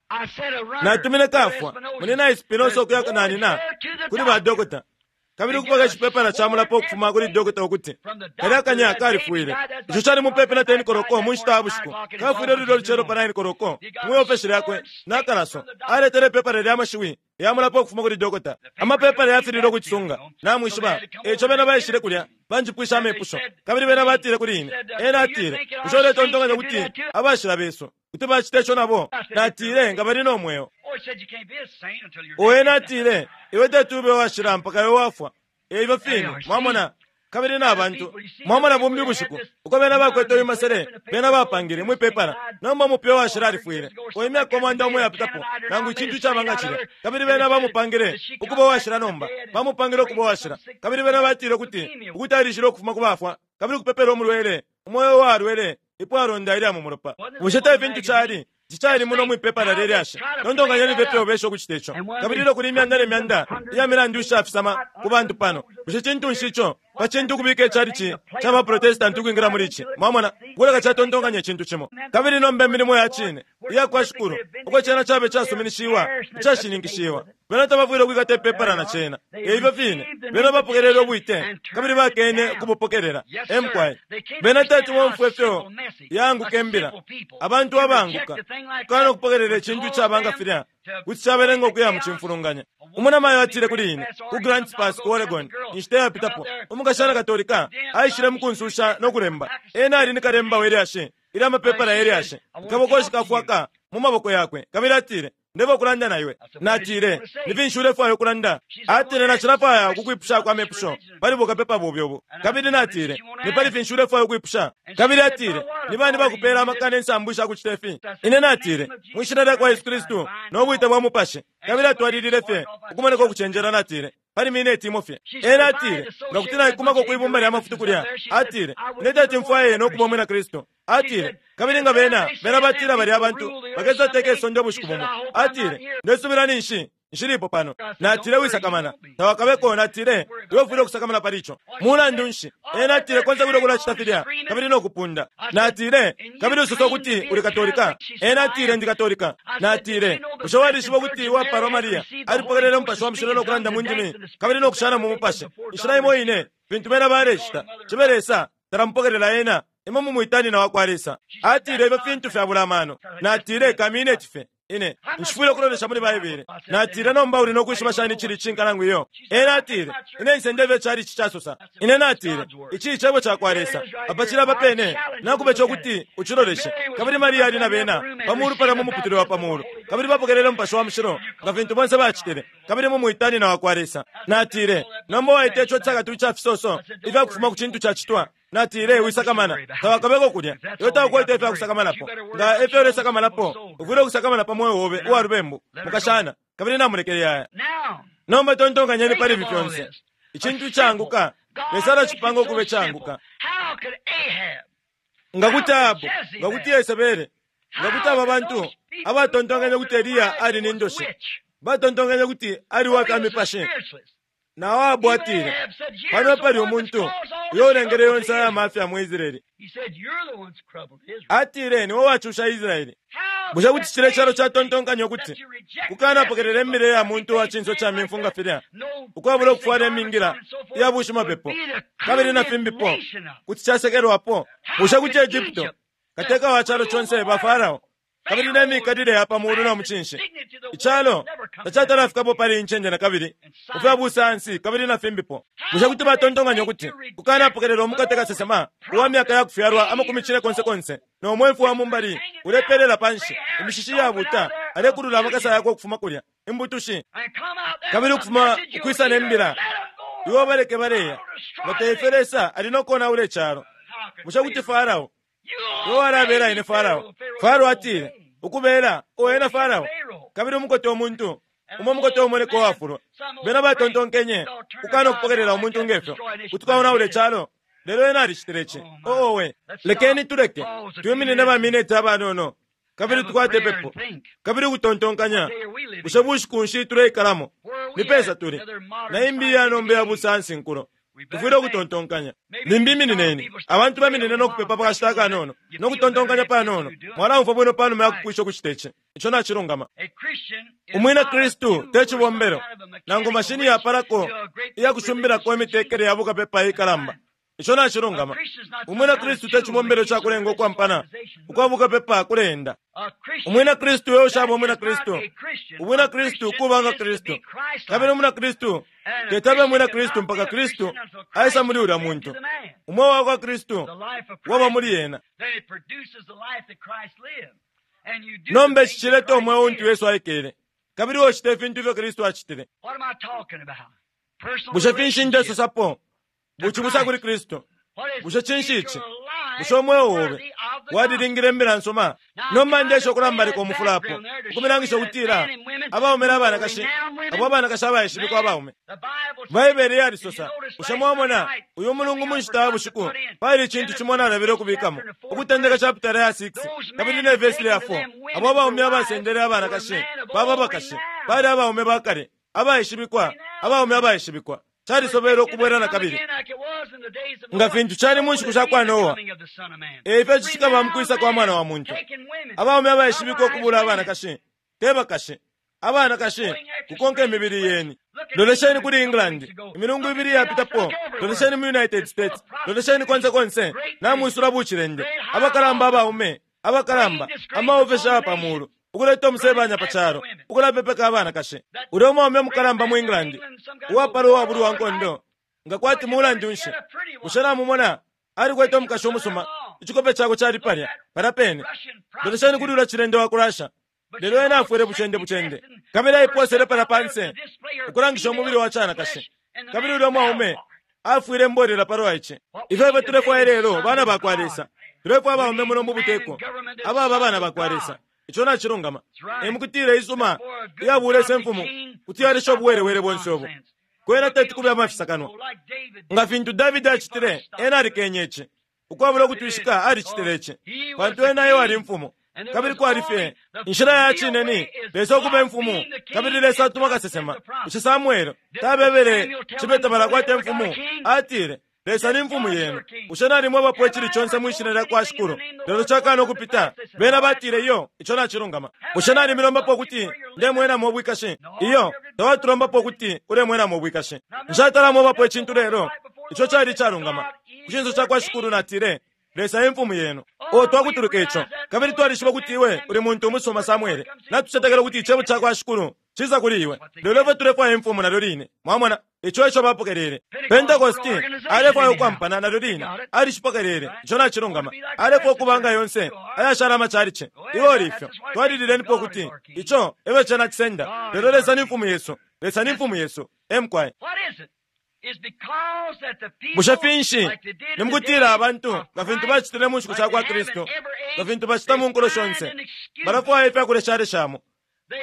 natumine kafwa, Munyina Espinosa ukuya nanina kuli ba dokota, kabili ukupoka icipepala ca mulapo ukufuma kuli dokota ukuti kalya kanya kalifwile. Ico cali mupepi na 10 koloko mu nshita ya bushiku. Kafwile lulyo lucelo pa 9 koloko mwi ofeshi lyakwe na kalaso. Aletele ipepala lya mashiwi ya mulapo ukufuma kuli dokota. Amapepala yafililwe ukucisunga, namwishiba. Eico bena baishile kulya banjipwishe amepusho, kabili bena batile kuli ine, ena atile, Bushe uletontonkanya ukuti abashila besu kuti bacita ico nabo? Natile, Nga bali no mweo. O ena atile, Iwe teti ube uwashila mpaka iwe wafwa. Eifyo fine, mwamona. Kabili na bantu, mwamona bumbi ubushiku, uko bena bakwete uyu masele bena bapangile mwi pepala. Nomba umupya uwashila alifwile, o imyaka 1000 iyapitapo, nangu icintu icaba nga cilya. Kabili bena bamupangile ukuba uwashila nomba. Bamupangile ukuba uwashila. Kabili bena batile ukuti, ukuti alishile ukufuma ku bafwa, kabili ukupepela umulwele, umweo uwalwele ipwalonda ilya mu mulopa. Bushe te fintu cali? Ici cali muno mwi pepala lye lyashi. Tontonkanyeni fye ifyo besha ukucita ico. Kabili ilyo kuli imyanda ne myanda iya milandu ishafisama ku bantu pano, bushe cintu nshi ico pa cintu ukubika icalici ca ba Protestanti ukwingila muli ici? Mwamona, ukuleka catontonkanya icintu cimo. Kabili nomba imilimo ya cine iya kwa Shikulu, uko cena cabe casuminishiwa, icashininkishiwa, bena tabafwile ukwikata ipepala na cena. E ifyo fine, bena bapokelele ubwite kabili bakene ukubupokelela. E mukwai. Bena teti bomfwe ifyo yaanguka imbila. Abantu abaanguka, ukukana ukupokelela icintu icaba nga filya, kuti cabelenga ukuya mu cimfulunganya. Umunamayo atile kuli ine, ku Grants Pass, ku Oregon, inshita iyapitapo, umukashana Katolika aishile mukunsusha no kulemba. Ena ali ni kalemba we lyashi. Ilya amapepala ye lyashi, akabokoshi ka fwaka mu maboko yakwe, kabili atile, Ndefwaya ukulanda na iwe. Natile, Ni finshi ulefwaya ukulanda? Atile, Nacilafwaya ukukwipushako amepusho pali bukapepa bobe ubu. Kabili natile, Ni pali finshi ulefwaya ukwipusha? Kabili atile, Ni bani bakupeela amaka ne nsambu isha kucita ifi? Ine natile, Mwi Shina lyakwa Yesu Kristu no bwite bwa Mupashi. Kabili atwalilile fye ukumoneka ukucenjela. Natile, Pali mineti imo fye. Ena atile, Nga kuti naikumako kwi bumba lya mafutu kulya, atile, Ine teti mfwaye no kuba Umwina Kristu. Atile, Kabili nga bena, bena batila balya bantu bakesa teka isonde ubushiku bumo. Atile, Ndesubila ninshi nshilipo pano. Natile, Wisakamana, tawakabeko. Natile, Iwe ufwile ukusakamana pali ico. Mulandu nshi, ena atile, konse kulya ukulacita filya kabili no kupunda. Natile, Kabili usosa ukuti uli Katolika? Ena atile, Ndi Katolika. Natile, Bushe walishiba ukuti uwapalwa Maria alipokelele Umupashi wa Mushilo no kulanda mu ndimi kabili no kushana mu Mupashi inshila imo ine fintu bena balecita? Cibe Lesa talamupokelela ena. Imwe mumwita nyina wakwa Lesa. Atile, Ifyo fintu fyabula amano. Natile, Kamineti fye. Ine, nshifwile ukulolesha muli Baibele. Natile, Nomba uli no kwishiba shani icili icishinka nangu iyo? Ena atile, Ine nsenda ifyo icalici casosa. Ine natile, Ici Cebo cakwa Lesa. Apa cili apa pene. Nakube co kuti uciloleshe. Kabili Maria ali na bena, pa mulu palya mu muputule wa pa mulu. Kabili bapokelele Mupashi wa Mushilo, nga fintu bonse bacitile. Kabili mumwita nyina wakwa Lesa. Natile, Nomba waita ico icakatu ica fisoso ifya kufuma ku cintu cacitwa. Natile, Wisakamana, tawakabeko kulya. Iwe taukwete ifya kusakamanapo. Nga efyo ulesakamanapo, ufwile ukusakamana pa mweo obe uwa lubembu, mukashana. Kabili namulekele aya. Nomba tontonkanyeni pali ifi fyonse. Icintu icaanguka, Lesa alacipanga ukuba icaanguka. Nga kuti Ahabu, nga kuti Yesebele, nga kuti aba bantu abatontonkenye ukuti Eliya ali ni ndoshi, batontonkenye ukuti ali uwa fya mipashi. Na o Ahabu atile, Pano epali umuntu uyo ulengele yonse aya mafya mu Israele. Atile, Niwe wacusha Israele. Bushe kuti cilya icalo catontonkanya ukuti kukanapokelela imbila ya muntu wa cinso ca mimfu nga filya, ukwabula ukufwala imingila iya bushimapepo kabili na fimbipo, kuti casekelwapo? Bushe kuti Egupto, kateka wa calo conse, ba Farao, kabili ne mikalile ya pa muulu no mucinshi. Icalo tacatalafikapo pali iyi ncende na kabili mu fya busayansi kabili na fimbipo. Bushe kuti batontonkanya ukuti kukanapokelela umukate kasesema uwa myaka ya kufyalwa amakumi cinekonsekonse no mwemfu wa mu mbali ulepelela pa nshi, imishishi iyabuuta, alekulula amakasa yakwe ukufuma kulya, imbutushi, kabili ukufuma ukwisa ne mbila, Iwe ubaleke baleya, nga te ifyo Lesa ali no konaula icalo? Bushe kuti Farao Iwe walabela ine Farao. Farao atile, Ukubela, o ena Farao, kabili umukote umuntu, umo mukote umoneka uwafulwa. Bena batontonkenye ukukana ukupokelela umuntu nge fyo, kuti kwaonaula icalo. Lelo ena alicitile ici. Oh, owe! Lekeni tuleke twiminine ba mineti abanono kabili tukwate ipepo kabili ukutontonkanya, bushe bushiku nshi tuleikalamo? Ni pesa tuli? Na imbi iya nomba iya busayansi nkulo. Tufwile ukutontonkanya. Limbi iminineni. Abantu baminine no kupepa pa kashita akanono no kutontonkanya panono. Mwalaumfwa bwino pa numa ya kupwisha ukucita ici. Ico nacilungama. Umwina Kristu te cibombelo nangu mashini yapalako iya kusumbilako imitekele ya bukapepa iikalamba. Ico nacilungama. Umwina Kristu te cibombelo ca kulenga ukwampana ukwa bukapepa kuleenda. Umwina Kristu e ushaba Umwina Kristu. Ubwina Kristu kuba nga Kristu. Kabili Umwina Kristu teti abe Mwina Kristu mpaka Kristu aisa muli ulya muntu. Umweo wa kwa Kristu waba muli ena. Nomba ici cileta umweo untu Yesu aikele, kabili ucita ifintu ifyo Kristu acitile. Bushe finshi ndesosapo? Bucibusa kuli Kristu. Bushe cinshi ici? Bushe umweo obe walilingile imbila nsuma? Nomba ndeesha ukulambalika umufula apo, ukumilangisha ukutila abaume na banakashi, abo abanakashi abaishibikwa abaume. Baibele yalisosa, bushe mwamona, uyu mulungu mu nshita ya bushiku, pali icintu cimo nalabile ukubikamo, Ukutendeka chapitala ya 6 kabili ne vesi lya 4, abo abaume abasendele abanakashi baba abakashi, bali abaume ba kale, abaishibikwa, abaume abaishibikwa. Calisobelwe ukubwela na kabili. Nga fintu cali mu nshiku sha kwa Noa, e ifyo cikaba mu kwisa kwa Mwana wa muntu. Abaume abaishibikwa ukubuula abanakashi, te bakashi, abanakashi kukonka imibili yeni. Lolesheni kuli England, imilungu ibili iyapitapo. Lolesheni mu United States. Lolesheni konse konse, namwisula bucilende. Abakalamba abaume, abakalamba, amaofeshi aya pa mulu, ukuleta umusebanya pa calo, ukulapepeka abanakashi. Ulya umwaume mukalamba mu England, uwapala uwabulwa nkondo, nga kwati mulandu nshi, bushe namumona? Alikwete umukashi umusuma. Icikope cakwe cali palya, palya pene. Lolesheni kuli ulya cilende wa ku Russia. Lelo ena afwele bucende bucende. Kabili aiposele palya panse, ukulangisha umubili wa canakashi. Kabili ulya mwaume afwile mbolela palwa ici. Ifyo efyo tulefwaya ilelo, bana bakwa Lesa. Tulefwaya abaume muno mu buteko, ababa abana bakwa Lesa. Ico nacilungama. E mukutila isuma iyabulesa imfumu kuti yalesha ubuwelewele bonse ubu. Kwena teti kube amafisakanwa. Nga fintu Davidi acitile, ena alikenye ici. Ukwabula ukutwishika alicitile ici. Pantu ena e wali imfumu. Kabili kwali fye inshila ya cine ni Lesa ukuba imfumu, kabili Lesa atuma kasesema. Bushe Samwele tabebele cibe tabalakwata imfumu? Atile, Lesa ni mfumu yenu. Bushe nalimwebapo icili conse mwi shina lya kwa Shikulu, lelo cakaana ukupita? Bena batile, Iyo, ico nacilungama. Bushe nalimilombapo ukuti ndemwenamo ubwikashi? Iyo, tawatulombapo ukuti ulemwenamo ubwikashi. Nshatala-mwebapo icintu lelo ico cali icalungama. Ku cinso ca kwa Shikulu natile, Lesa e mfumu yenu. O twakutuluka ico, kabili twalishiba ukuti iwe uli muntu umusuma, Samwele. Natucetekela ukuti icebo ca kwa Shikulu cisa kuli iwe. Lelo ifwe tulefwaya imfumu nalyo line. Mwamona? Ico eco bapokelele. Pentekosti alefwaya ukwampana nalyo line. Alicipokelele. Ico nacilungama. Alefwaya ukuba nga yonse ayashala amachalichi. Iwe uli ifyo. Twalililenipo ukuti ico efyo cena cisenda. Lelo Lesa ni Mfumu yesu. Lesa ni Mfumu yesu. E mukwai. Bushe finshi? Ni mukutila abantu, nga fintu bacitile mu nshiku sha kwa Kristu, nga fintu bacita mu nkulo shonse, balafwaya ifya kuleshaleshamo.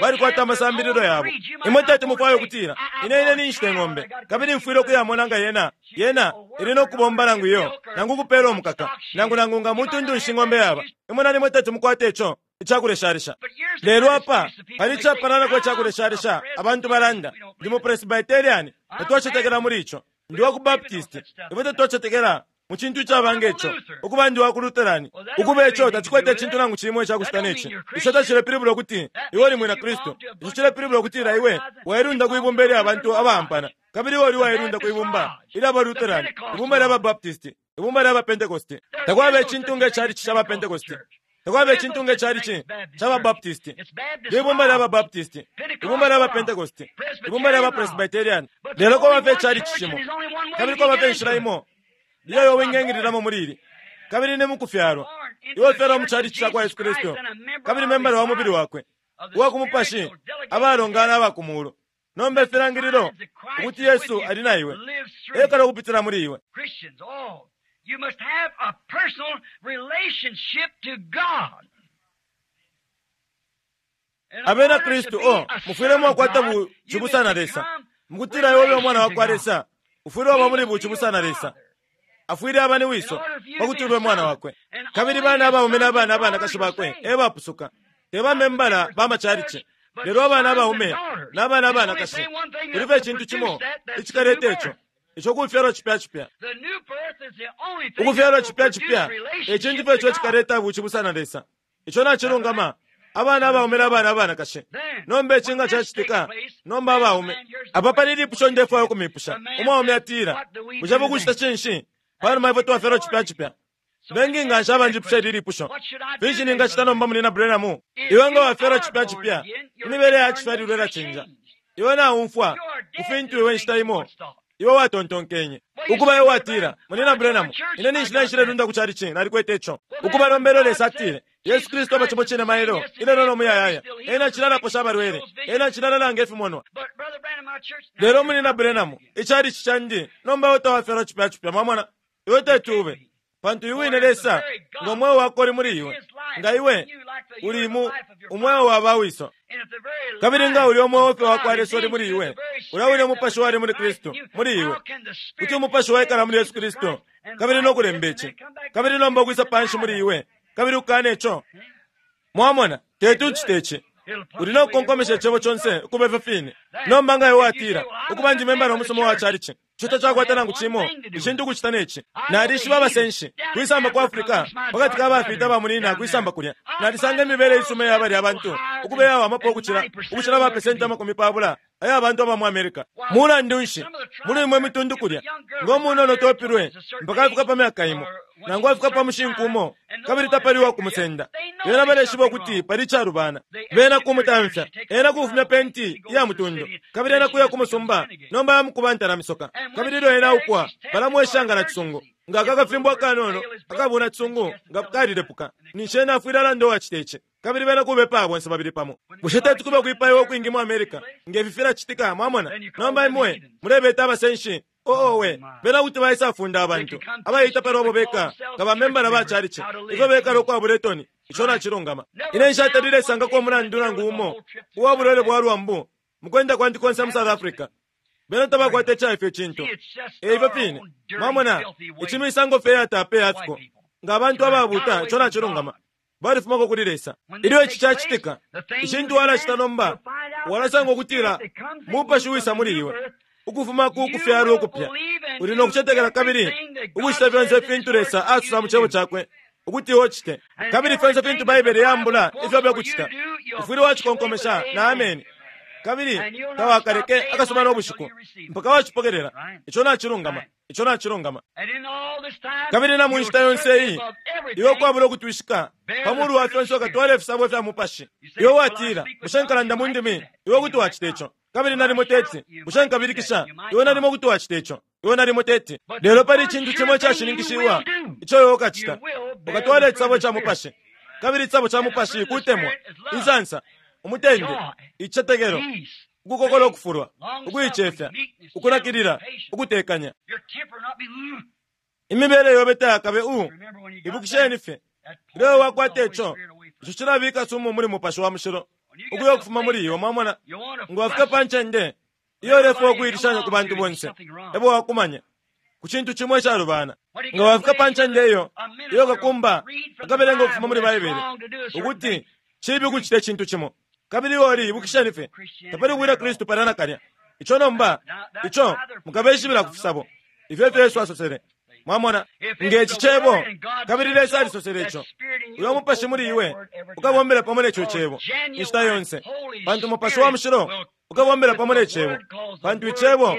Balikwata amasambililo yabo. Imwe teti mufwaye ukutila, Ine, ine ninshita ing'ombe, kabili mfwile ukuyamona nga yena, yena ili no kubomba nangu iyo, nangu ukupela umukaka, nangu, nangu nga mutundu nshi ing'ombe yaba. Imwe nalimo teti mukwate ico icakuleshalesha. Lelo apa pali icapalanako icakuleshalesha, abantu balanda, Ndi mu Presbyterian, tatwacetekela muli ico. Ndi wa ku Baptist, ifwe tatwacetekela mu cintu icaba nge co. Ukuba ndi wa ku Lutheran. Ukuba ico tacikwete icintu nangu cimo icakucita ne ci. Ico tacilepilibula ukuti iwe uli mwina Kristu. Ico cilepilibula ukutila iwe wailunda kwi bumba ilya bantu abaampana. Kabili iwe uli uwailunda kwi bumba ilya ba Lutheran, ibumba lya ba Baptist, ibumba lya ba Pentecost. Takwaba icintu nge chalichi ca ba Pentecost. Takwaba icintu nge chalichi ca ba Baptist. Libumba lya ba Baptist, ibumba lya ba Pentecost, ibumba lya ba Presbyterian. Lelo kwaba fye ichalichi cimo, kabili kwaba fye inshila imo iyo iwe wingengililamo muli ili, kabili ni mukufyalwa. Iwe ufyalwa mu chalichi ca kwa Yesu Kristu, kabili membala wa mubili wakwe uwa ku mupashi, abalongana aba ku mulu. Nomba ifilangililo ukuti Yesu ali na iwe, ekala ukupitila muli iwe. You must have a personal relationship to God. Abena Kristu, o mufwile mwakwata bu cibusa na Lesa. Mukutila iwe ube umwana wa kwa Lesa, ufwile waba muli bu cibusa na Lesa. Afwile aba ni wiso pa kuti ube mwana wakwe. Kabili bana abaume na bana abanakashi bakwe e bapusuka, te bamembala ba macalici, lelo abana abaume na bana abanakashi. Kuli fye icintu cimo icikaleta ico. Ico kufyalwa cipya cipya. Ukufyalwa cipya cipya e cintu fye ico icikaleta bucibusa na Lesa. Ico nacilungama. Abana abaume na bana abanakashi. Nomba ici nga cacitika, nomba abaume. Apa pali ilipusho ndefwaya ukumipusha. Umwaume atila, Bushe mukucita cinshi panuma ifwe twafyalwa cipya cipya? Bengi nganshi abanjipusha ili lipusho. Finshi ningacita nomba Munyina Branham? Iwe nga wafyalwa cipya cipya, imibele ya cifyalilwa ilacinja. Iwe naumfwa ku fintu iwe inshita imo iwe watontonkenye. Ukuba iwe watila, Munyina Branham, ine ninshi naishilelunda ku chalichi, nalikwete ico. Ukuba nomba elyo Lesa atile, Yesu Kristu aba cimo cine mailo, ilelo no muyayaya. Ena acili alaposha abalwele. Ena acili alalanga ifimonwa. Lelo Munyina Branham, ichalichi candi, nomba iwe tawafyalwa cipya cipya, mwamona. Iwe teti ube. Pantu uyu wine Lesa, ngo mweo wakwe uli muli iwe, nga iwe uli mu umweo wa ba wiso. Kabili nga ulya umweo fye wakwa Lesa uli muli iwe, ulya wine Umupashi wali muli Kristu, muli iwe, kuti Umupashi waikala muli Yesu Kristu, kabili no kulemba ici, kabili nomba ukwisa panshi muli iwe, kabili ukukana ico. Mwamona, teti ucite ici. Uli no kukonkomesha Icebo conse ukuba ifyo fine. Nomba nga iwe watila, Ukuba ndi membala umusuma uwa chalichi, ico tacakwata nangu cimo icintu ukucita ne ci. Nalishiba abasenshi, kwisamba ku Africa, pakati ka bafita ba munina kwisamba kulya. Nalisanga imibele isuma iya balya bantu ukuba iyawamapo ukucila, ukucila ba pesenti 30 aya bantu aba mu America. Mulandu nshi, muli imwe mitundu kulya, ngo munono topilwe mpaka afika pa myaka imo, nangu afika pa mushinku umo, kabili tapali uwa kumusenda. Bena baleshiba ukuti pali icalubana. Bena kumutamfya. Ena kufumya penti iya mutundo. Kabili ena kuya ku musumba, nomba yamukuba ntalamisoka. Kabili ilyo ena aupwa, balamwesha nga nacisungu. Nga aka kafimbo akanono akabuna cisungu nga kalilepuka, ninshi ena afwile alanda uwacita ici. Kabili bena kubepaya bonse babili pamo. Bushe teti kube ukwipaiwa ukwingi mu America nge fi filacitika, mwamona? Nomba imwe mulebeta abasenshi. Oo we, bena kuti baisafunda abantu abaita palwabo beka nga bamembala ba chalichi, ifyo bekala ukwabula itoni. Ico nacilungama. Ine nshatalile sangako umulandu nangu umo uwa bulwele bwa lwambu mukwenda kwandi konse mu South Africa. Bena tabakwata ica ifyo cintu. E ifyo fine. Mwamona, ici misango fye yatape yafiko. Nga abantu ababuta, ico nacilungama. Balifumako kuli Lesa. Ilyo ici cacitika, icintu walacita nomba, walasanga ukutila mupashi wisa muli iwe. Ukufuma ku kufyalwa ukupya. Uli no kucetekela kabili ukucita fyonse ifintu Lesa asosa mu Cebo cakwe ukuti iwe ucite. Kabili fyonse fintu Baibele yambula ifyo byakucita, ufwile wacikonkomesha na ameni. Kabili tawakaleke akasuba no bushiku mpaka wacipokelela. Ico nacilungama. Ico nacilungama. Kabili na mu nshita yonse iyi, iwe ukwabula ukutwishika, pa mulu wa fyonse ukatwala ifisabo fya mupashi. Iwe watila, bushe nkalanda mu ndimi? Iwe kuti wacita ico. Kabili nalimo teti. Bushe nkabilikisha? Iwe nalimo kuti wacita ico. Iwe nalimo teti. Lelo pali icintu cimo icashininkishiwa ico iwe ukacita. Ukatwala icisabo ca mupashi. Kabili icisabo ca mupashi kutemwa, insansa, umutende, icicetekelo, ukukokola ukufulwa, ukuicefya, ukunakilila, ukutekanya. Imibele yobe tayakabe u. Ibukisheni fye, ilyo wakwata ico, ico cilabika sumu muli mupashi wa mushilo ukuya ukufuma muli iwe. Mwamona, nga wafika pa ncende iyo ulefwaya ukuilishanya ku bantu bonse, ebo wakumanya ku cintu cimo icalubana. Nga wafika pa ncende iyo, iyo kakumba akabelenga ukufuma muli Baibele ukuti cibi ukucita icintu cimo, kabili iwe uli, ibukisheni fye, tapali ubwina Kristu palya nakalya. Ico nomba, ico mukabeshibila ku fisabo. Ifyo efyo Yesu asosele. Mwamona, nge ci Cebo, kabili Lesa alisosele ico, uyo Mupashi muli iwe ukabombela pamo ne co Cebo inshita yonse, pantu Mupashi wa Mushilo ukabombela pamo ne Cebo, pantu Icebo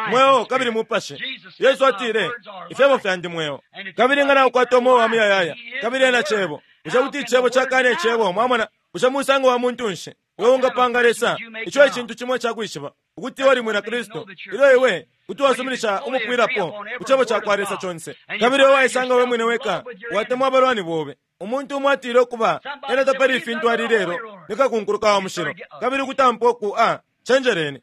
mweo kabili Mupashi. Yesu atile, Ifyebo fyandi mweo. Kabili nga naukwata umweo wa muyayaya, kabili ena Cebo, bushe kuti Icebo cakana Icebo? Mwamona, bushe musango wa muntu nshi iwe ungapanga Lesa? Ico e cintu cimo icakwishiba ukuti iwe uli mwina Kristu, ilyo iwe kuti wasuminisha umupwilapo ku Cebo cakwa Lesa conse, kabili iwe waisanga we mwine weka watemwa abalwani bobe. Umuntu umo atile ukuba ena tapali ifintu ali lelo ni kakunkuluka wa mushilo, kabili ukutampa uku a cenjeleni,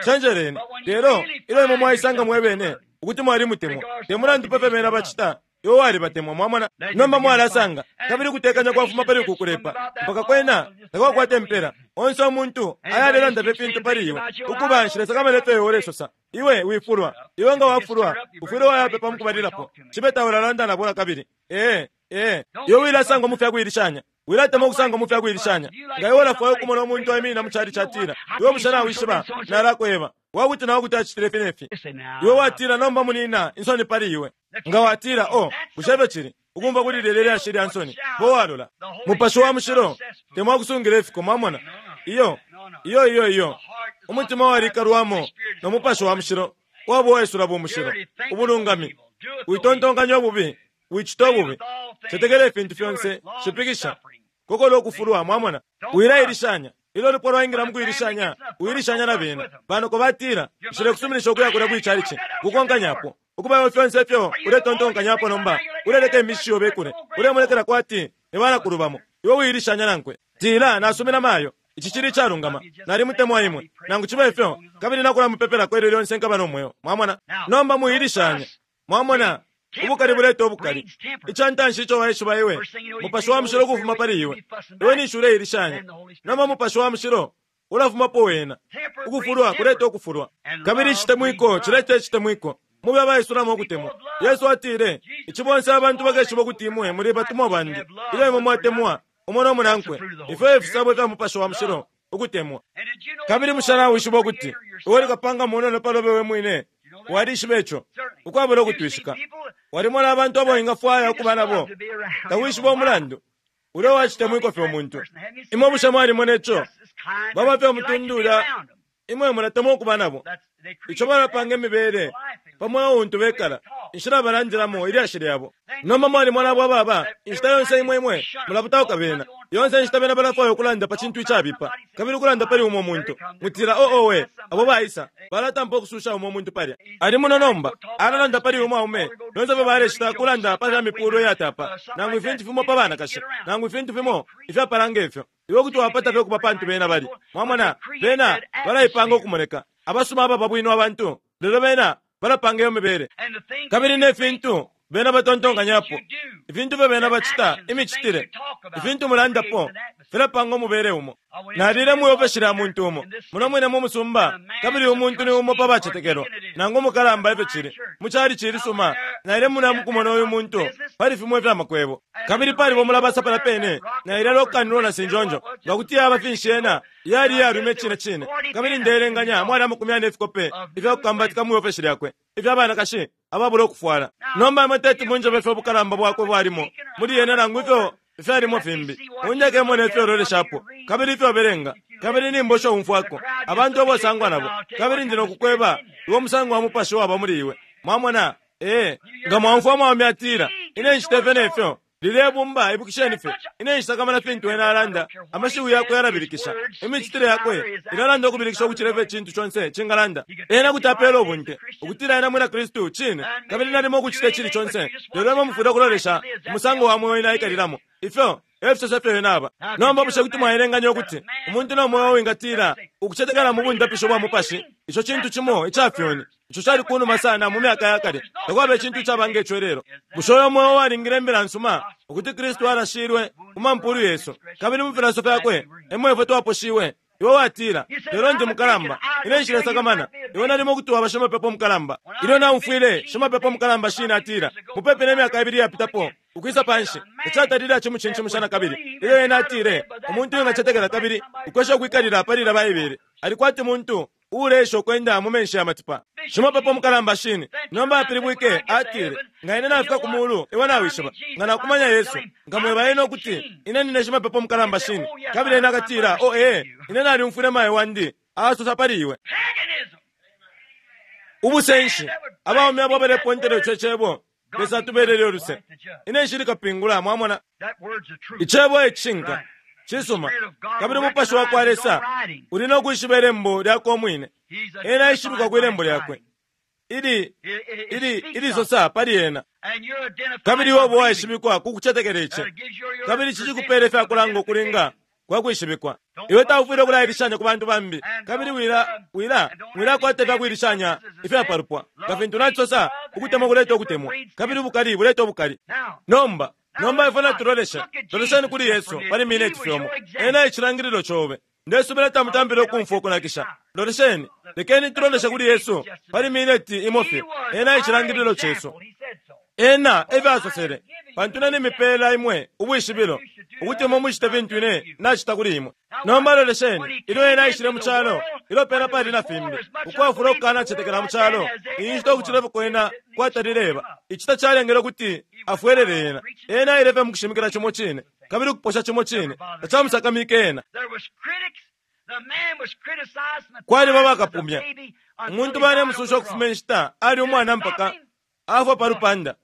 cenjeleni. Lelo ilyo imwe mwaisanga mwe bene ukuti mwalimutemwa, te mulandu pa fyo bena bacita, iwe walibatemwa. Mwamona? Nomba mwalasanga, kabili ukutekanya kwafuma pali uku kulepa mpaka kwena takwakwata impela. Onse umuntu ayalelanda fye fintu pali iwe, ukuba nshilesakamana ifyo iwe ulesosa. Iwe wifulwa. Iwe nga wafulwa, ufwile wayapepa mukubalilapo. Cibe taulalanda nabo nakabili. Ee, ee. Iwe wilasangwa mu fya kuilishanya. Wilatemwa ukusangwa mu fya kuilishanya. Nga iwe ulafwaya ukumona umuntu aiminina mu calici atila, Iwe bushe nawishiba? Nalakweba. Wakuti na wakuti acitile ifi ne fi. Iwe watila, Nomba munina, insoni pali iwe. Nga watila, Oh, bushe efyo cili? Ukumfwa kuli lilya lyashi lya nsoni, po walola. Mupashi wa Mushilo temwa kusungila ifiko, mwamona. Iyo, iyo, iyo, iyo. Umutima walikalwamo no Mupashi wa Mushilo waba uwaisula bumushilo, ubulungami. Witontonkanya ububi, wicita ububi. Cetekela ifintu fyonse, shipikisha. Kokola ukufulwa, mwamona. Wilailishanya. Ilyo ulupwa lwaingila mu kuilishanya, uilishanya na bena. Banoko batila, Nshilekusuminisha ukuya kulya kwi calici. Kukonkanyapo. Ukuba iwe fyonse ifyo uletontonkanyapo nomba, uleleka imishi yobe ikule. Ulemonekela kwati ni banakulu bamo. Iwe uilishanya nankwe. Tila, Nasumina mayo. Ici cili icalungama. Nalimutemwa imwe, nangu cibe ifyo, kabili nakulamupepelako ilyo lyonse nkaba no mweo. Mwamona? Nomba mwiilishanya. Mwamona? Ubukali buleta ubukali. Ica ntanshi ico waishiba iwe, Mupashi wa Mushilo ukufuma pali iwe. Iwe ninshi uleilishanya. Nomba Mupashi wa Mushilo ulafumapo wena. Ukufulwa kuleta ukufulwa. Kabili icitemwiko cileta icitemwiko. Mube abaisulamo ukutemwa. Yesu atile, Ici bonse abantu bakeshiba ukuti imwe muli batumwa bandi, ilyo imwe mwatemwa umo no munankwe. Ifyo e fisabo fya Mupashi wa Mushilo, ukutemwa. Kabili bushe nawishiba ukuti iwe uli kapanga munono pa lobe we mwine? Walishiba ico? Ukwabula ukutwishika. Walimona abantu abo wingafwaya ukuba nabo. Tawishiba umulandu. Ulya uwacitemwiko fye umuntu. Imwe bushe mwalimona ico? Baba fye umutundu ulya imwe mulatemwa ukuba nabo. Ico balapanga imibele. Pa mweo untu bekala, inshila balandilamo ilyashi lyabo. Nomba mwalimona abo ababa, inshita yonse imwe imwe mulaputauka bena. Yonse inshita bena balafwaya ukulanda pa cintu icabipa, kabili ukulanda pali umo muntu. Mutila, oh, owe, abo baisa, balatampa ukususha umo muntu palya. Ali muno nomba, alalanda pali umwaume, lyonse fye balecita kulanda pa fya mipulo iyatapa, nangu ifintu fimo pa banakashi, nangu ifintu fimo ifyapala ngefyo. Iwe kuti wapata fye ukuba pantu bena bali. Mwamona, bena balaipanga ukumoneka abasuma ababa bwino abantu, lelo bena balapanga iyo mibele. Kabili ne fintu bena batontonkanyapo, ifintu fyo bena bacita, imicitile, ifintu mulandapo, filapanga umubele umo. Nalile mwi ofeshi lya muntu umo, muno mwine mu musumba, kabili umuntu ni umo pa bacetekelwa, nangu umukalamba ifyo cili, mu calici ilisuma. Naile muna mukumona uyu muntu pali fimo ifya makwebo. Kabili palibo mulabasa palya pene, naile lokanilwa na sinjonjo, nga kuti yaba finshi yena, yali iyalume cine cine. Kabili ndeelenganya mwali amakumi yane ifikope ifya kukambatika mwi ofeshi lyakwe, ifya banakashi ababula ukufwala. Nomba imwe teti munjebe ifyo ubukalamba bwakwe bwalimo muli yena nangu ifyo ifyalimo fimbi. Mundeke mone ifyo uloleshapo, kabili ifyo ubelenga, kabili nimbo isho umfwako, abantu abo usangwa nabo, kabili ndi no kukweba iwe umusango wa mupashi waba muli iwe. Mwamona? Ee, nga mwaumfwa umwaume atila, Ine nshita ifyo ne fyo, lilye bumba, ibukisheni fye, ine nshisakamana fintu ena alanda, amashiwi yakwe yalabilikisha. Imicitile yakwe ilalanda ukubilikisha ukucila ifyo icintu conse cingalanda. Ena kuti apela ubunte ukutila ena mwina Kristu, cine, kabili nalimo ukucita icili conse, lelo imwe mufwile ukulolesha umusango wa mweo ena aikalilamo. Ifyo e fisosa ifyo ena aba. Nomba bushe kuti mwaelenganya ukuti umuntu no mweo wingatila ukucetekela mu bundapisho bwa mupashi, ico cintu cimo ica fyoni, ico cali kunuma sana mu myaka ya kale, takwaba icintu icaba nge co ilelo? Bushe uyo mweo walingile imbila nsuma ukuti Kristu alashilwe ku mampulu yesu, kabili mu filaso fyakwe emo ifwe twaposhiwe? Iwe watila, Lelo ndi mukalamba, ine nshilesakamana. Iwe nalimo kuti waba shimapepo mukalamba. Ilyo naumfwile shimapepo mukalamba shine atila, mupepi ne myaka ibili iyapitapo, ukwisa panshi, tacatalile acimucincimusha nakabili. Ilyo ena atile, Umuntu uwingacetekela kabili ukwesha ukwikalila pali ilya Baibele, ali kwati muntu uuleesha ukwenda mu menshi ya matipa. Shimapepo mukalamba shine nomba apilibwike, atile, Nga ine nafika ku mulu, iwe nawishiba, nga nakumanya Yesu, nkamweba ena ukuti ine nine shimapepo mukalamba shine. Kabili ena akatila, Oh, ee, ine nalyumfwile mayo wandi asosa pali iwe. Ubusenshi! Abaume abo abalepontela ico Cebo, Lesa atubelele uluse. Ine nshili kapingula, mwamona. Icebo e cishinka. Cisuma. Kabili Umupashi wa kwa Lesa uli no kwishiba ilembo lyakwe umwine. Ena aishibikwa kwi lembo lyakwe. Ili, ili, ilisosa pali ena. Kabili iwe uba uwaishibikwa ku kucetekela ici. Kabili ici cikupela ifya kulanga ukulinga kwa kwishibikwa. Iwe taufwile ukulailishanya ku bantu bambi, kabili wila, wila, wilakwata ifya kuilishanya ifya palupwa. Nga fintu nacisosa, ukutemwa kuleta ukutemwa, kabili ubukali buleta ubukali. Nomba, nomba ifwe natuloleshe. Lolesheni kuli Yesu pali mineti fye umo. Ena e cilangililo cobe. Ndesubila tamutampile ukumfwa ukunakisha. Lolesheni, lekeni tuloleshe kuli Yesu pali mineti imo fye. Ena e cilangililo cesu. Ena efyo asosele, Pantu ine nimipela imwe ubwishibilo, ukuti imwe mucite fintu ine nacita kuli imwe. Nomba lolesheni, ilyo ena aishile mu calo, ilyo pena pali na fimbi, ukwafula ukukanacetekela mu calo, iyi nshita ukucila ifyo kwena kwatalileba. Ici tacalengele ukuti afwelele ena. Ena aile fye mukushimikila cimo cine, kabili ukuposha cimo cine, tacamusakamike ena. Kwaliba bakapumya. Umuntu balemususha ukufuma inshita ali umwana mpaka afwa pa lupanda.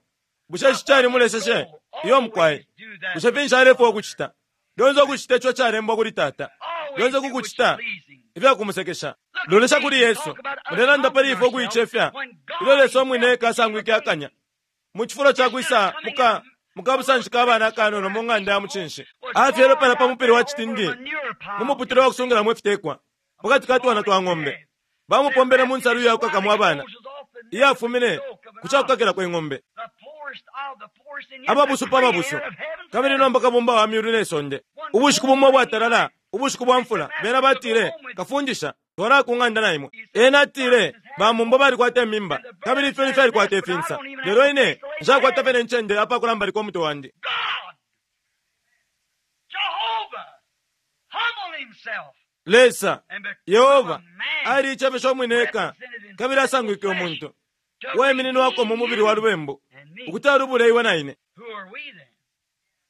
Bushe ici calimuleseshe? Iyo mukwai. Bushe finshi alefwaya ukucita? Lyonse ukucita ico calembwa kuli Tata. Lyonse kukucita ifya kumusekesha. Lolesha kuli Yesu. Mulelanda pali ifwe ukuicefya, ilyo Lesa umwine eka asangwike akanya. Mu cifulo ca kwisa muka mukabusanshi ka bana akanono mu ng'anda ya mucinshi, afyelwe palya pa mupili wa citindi mu muputule wa kusungilamo ifitekwa, mu kati ka twana twa ng'ombe. Bamupombele mu nsalu iya kukakamo abana iyafumine ku ca kukakilako ing'ombe. Ababusu pa babusu, kabili nomba Kabumba wa myulu ne sonde. Ubushiku bumo ubwatalala, ubushiku bwa mfula, bena batile, Kafundisha, twalaya ku ng'anda na imwe. Ena atile, Bamumbo balikwata imimba, kabili ifyuni fyalikwata ifinsa, lelo ine nshakwata fye ne ncende apa kulambalika umutwe wandi. Lesa, Yehova, aliicefeshe umwine eka kabili asangwike umuntu, uwaimininwako mu mubili wa lubembu, ukuti alubule iwe na ine.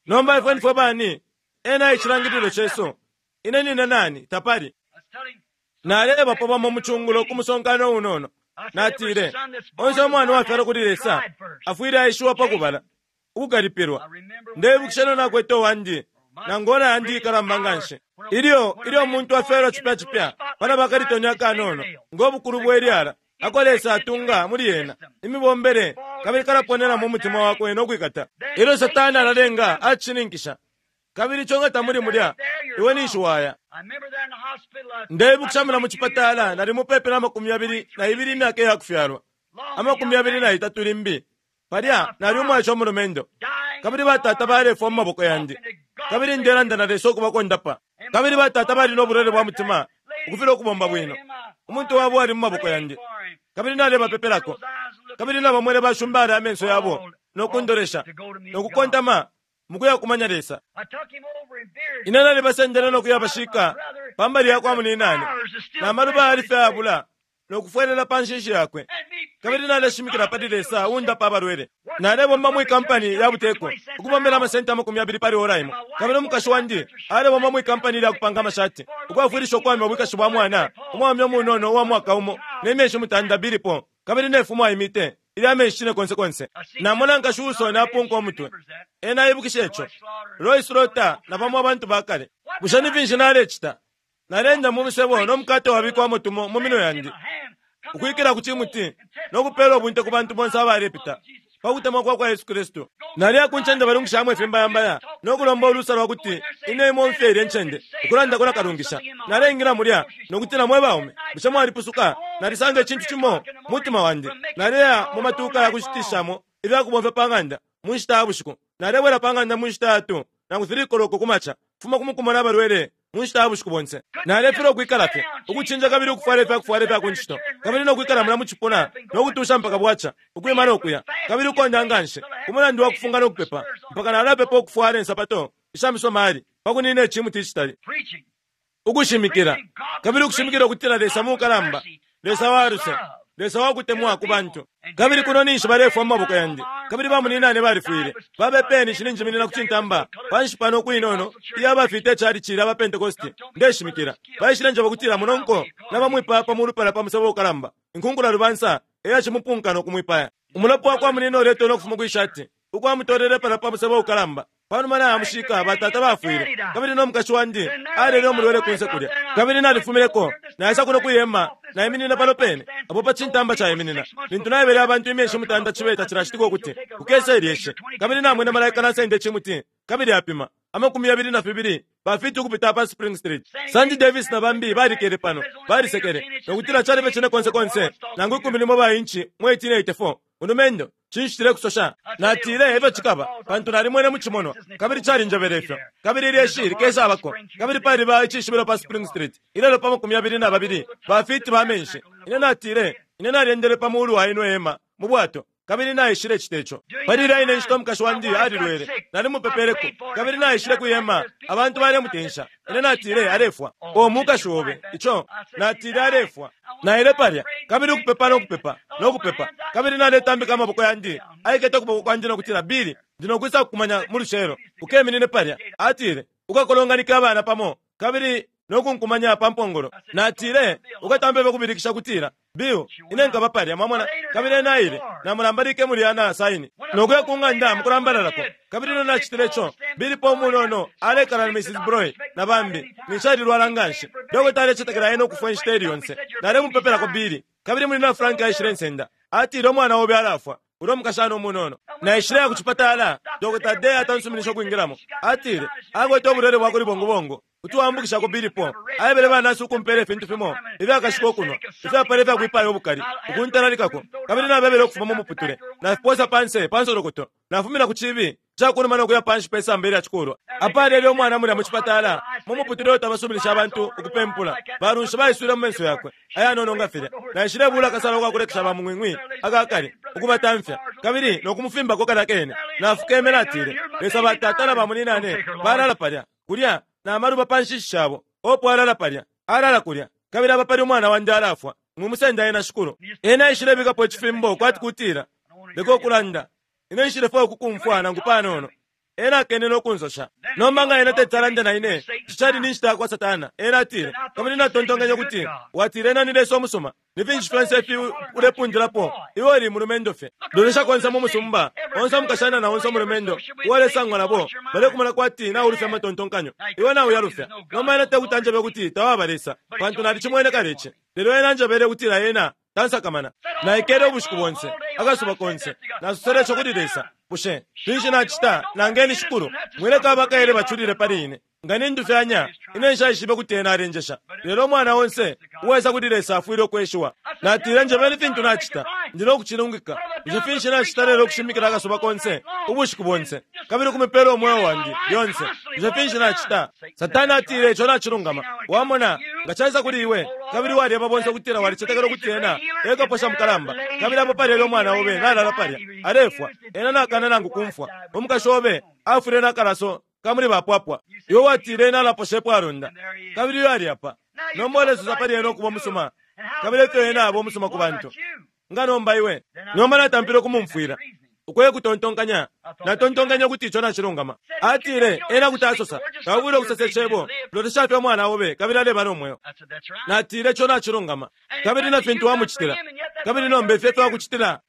Nomba ifwe nifwe bani? Ena e cilangililo cesu. Ine nine nani? Tapali. Naleebapo bamo mu cungulo ku musonkano unono. Natile, Onse umwana uwafyalwa kuli Lesa afwile aeshiwa pa kubala, ukukalipilwa. Ndeibukisha ilyo nakwete uwandi, nangu ora yandi ikalamba nganshi. Ilyo, ilyo umuntu afyalwa cipya cipya, palaba akalitoni akanono, ngo bukulu bwe lyala, ako Lesa atunga muli ena, imibombele, kabili kalaponena mu mutima wakwe no kwikata. Ilyo Satana alalenga acishininkisha, kabili ico nga tamuli mulya, iwe ninshi waya. Ndeibukisha mulya mu cipatala nali mupepi na 22 imyaka iya kufyalwa, 23 limbi. Palya nali umwaice umulumendo, kabili batata balefwa mu maboko yandi, kabili ndelanda na Lesa ukubakondapa. Kabili batata bali no bulwele bwa mutima ukufilwa ukubomba bwino. Umuntu wabo ali mu maboko yandi, kabili nalebapepelako. Kabili nabamwene bashumbala amenso yabo no kundolesha no kukontama mukuya kumanya Lesa. Ine nalibasendele no kuyabashika pa mbali ya kwa muninane, na maluba yali fye ayabula no kufwelela pa nshishi yakwe. Kabili naleshimikila pali Lesa uundapa abalwele. Nalebomba mwi kampani ya buteko, ukubombela amasenti 20 pali ora imo. Kabili umukashi wandi alebomba mwi kampani lya kupanga amashati, ukwafwilisha ukuwamya ubwikashi bwa mwana umwaume umunono uwa mwaka umo ne myeshi 8 bilipo, kabili ne fumo aimite ilya menshi cine konse konse. Namona nkashi uusona apunka umutwe. Ena aibukisha ico. Roy Slaughter na bamo abantu ba kale. Bushe ni finshi nalecita? Naleenda mu musebo no mukate wabikwamo tumo mu minwe yandi, ukwikila ku cimuti no kupeela ubunte ku bantu bonse abalepita pa kutemwa kwa kwa Yesu Kristu. Naliya ku ncende balungishamo ifimbayambaya no kulomba ulusa lwa kuti ine imomfye ilye ncende ukulandako na kalungisha. Naleingila mulya no kutila, Mwe baume, bushe mwalipusuka? Nalisanga icintu cimo mu mutima wandi. Naleya mu matuuka ya kushitishamo ifya kubomfya pa ng'anda mu nshita ya bushiku. Nalebwela pa ng'anda mu nshita ya 2 nangu 3 koloko ku maca, fuma ku mukumona abalwele mu nshita ya bushiku bonse. Nalefilwa ukwikala fye, ukucinja kabili ukufwala ifya kufwala ifya ku ncito, kabili no kwikala mulya mu cipuna no kutuusha mpaka bwaca, ukwima no kuya, kabili ukonda nga nshi ku mulandu wa kufunga no kupepa, mpaka nalapepa ukufwala insapato isha misomali pa kunina icimuti icitali. Ukushimikila, kabili ukushimikila ukutila Lesa mukalamba, Lesa wa luse, Lesa wa kutemwa ku bantu. Kabili kuno ninshi balefwa mu maboko yandi, kabili bamuninane balifwile. Babepeye ninshi ninjiminina ku cintamba panshi pano ku inono iya bafita icalici lya baPentekoste ndeshimikila. Baishile njeba ukutila munonko nabamwipaya pa mulu palya pa musebo ukalamba. Inkunkula lubansa e yacimupunka no kumwipaya. Umulopa wa kwa munina uletona ukufuma kwi shati ukwamutolele palya pa musebo ukalamba. Pa numa nayamushika, batata bafwile, kabili no mukashi wandi alele umulwele kunse kulya. Kabili nalifumineko, naisa kuno kwi hema, naiminina pano pene apo pa cintamba caiminina. Lintu naebele abantu imyeshi mutanda cibe tacilacitika ukuti kukese ilyeshi, kabili namwene malaika nasenda icimuti, kabili apima 22 ba fiti ukupita pa Spring Street. Sandy Davis na bambi balikele pano, balisekele, no kutila cali fye cine konse konse nangu ikumi limo ba inchi mu 1884. Mulumendo, cinshi tulekusosha? Natile, Efyo cikaba, pantu nalimwene mu cimonwa, kabili calinjebele ifyo. Kabili ilyeshi likesabako. Kabili paliba icishibilo pa Spring Street ilelo pa 22 ba fiti ba menshi. Ine natile, Ine nalyendele pa mulu wa ino hema mu bwato, kabili naishile cita ico. Pali ilya ine nshita umukashi wandi alilwele. Nalimupepeleko, kabili naishile kwi hema, abantu balemutensha. Ine natile, Alefwa. O mukashi obe, ico, natile, alefwa. Naile palya, kabili ukupepa no kupepa, no kupepa, kabili naletambika amaboko yandi. Aikete ukuboko kwandi no kutila, Billy, ndi no kwisa kukumanya mu lucelo. Ukeminine palya. Atile, Ukakolonganike abana pamo, kabili no kunkumanya pa mpongolo. Natile, Ukatampe fye ukubilikisha kutila, Bill, ine nkaba palya, mwamona. Kabili ena aile, namulambalike mulya na saini, no kuya ku ng'anda mukulambalalako. Kabili ilyo nacitile ico, Billy Paul munono alekala na Mrs. Broy na bambi, ninshi alilwala nganshi. Dokota alecetekela ena ukufwa inshita ili yonse. Nalemupepelako Billy. Kabili Munyina Frank aishile nsenda. Atile, Umwana obe alafwa, ulya umukashana umunono. Naishileya ku cipatala, Dokota Day atansuminishe ukwingilamo. Atile, Akwete ubulwele bwa kuli bongobongo. Kuti waambukishako Billy Paul. Aebele banasi ukumpeela ifintu fimo ifyakashika ukunwa, ifyapala ifya kwipaya ubukali, ukuntalalikako. Kabili nabebele ukufuma mu muputule. Nafipoosa pa nse pa nsolokoto. Nafumina ku ciibi ca ku numa no kuya pa nshi pe samba ilya cikulwa. Apalele umwana mulya mu cipatala, mu muputule uo tabasuminisha abantu ukupempula. Balunshi baiswile mu menso yakwe ayanono nga filya. Naishilebuula akasalo ka kulekesha bamung'wing'wi aka kale, ukubatamfya, kabili no kumufimbako kalya kene. Nafukeme natile, Lesa, batata na bamunyinane balala palya. Kulya, na maluba pa nshishi shabo. Opo alala palya, alala kulya, kabili apa pali umwana wandi alafwa. Mwimusenda ena, Shikulu. Ena aishilebikapo icifimbo kwati kutila, Leka ukulanda. Ine nshilefwaya ukukumfwa nangu panono. Ena akene no kunsosha. Nomba nga ena teti alande na ine, ici cali ni nshita yakwa Satana. Ena atile, Kabili natontonkenye ukuti watile ena ni Lesa umusuma. Ni finshi fyonse ifi ulepundilapo? Iwe uli mulumendo fye. Lolesha konse mu musumba, onse umukashana na onse umulumendo uwalesangwa nabo balekumona kwati naulufya amatontonkanyo. Iwe nauyalufya. Nomba ena tekuti anjebe ukuti tawaba Lesa, pantu nalicimwene kale ici. Lelo ena anjebele ukutila ena tansakamana. Naikele ubushiku bonse, akasuba konse, nasosele ico kuli Lesa. Bushe finshi nacita? Nangeni Shikulu, mwileka abakaele baculile pali ine. Nga nindufyanya, ine nshaishibe ukuti ena alenjesha. Lelo umwana onse uwaisa kuli Lesa afwile ukweshiwa. Natile, Njebeni fintu nacita, ndi no kucilungika. Bushe finshi nacita lelo ukushimikila akasuba konse, ubushiku bonse, kabili ukumipela umweo wandi lyonse? Bushe finshi nacita? Satana atile, Ico nacilungama. Wamona, nga caisa kuli iwe, kabili walyeba bonse ukutila walicetekela ukuti ena e kaposha mukalamba, kabili apo palya elyo umwana obe nalala palya, alefwa, ena nakana nangu kumfwa. Umukashi obe afwile na kalaso ka muli bapwapwa. Iwe watile ena alaposha epwalonda, kabili uyo ali apa. Nomba ulesosa pali ena ukuba umusuma, kabili efyo ena aba umusuma ku bantu. Nga nomba iwe? Nomba natampile ukumumfwila. Uko e kutontonkanya. Natontonkenye ukuti ico nacilungama. Atile, Ena kuti asosa, Taufwile ukusosa icebo, lolesha fye umwana obe kabili aleba no mweo. Natile, Ico nacilungama. Kabili na fintu wamucitila, kabili nomba ifi efyo akucitila.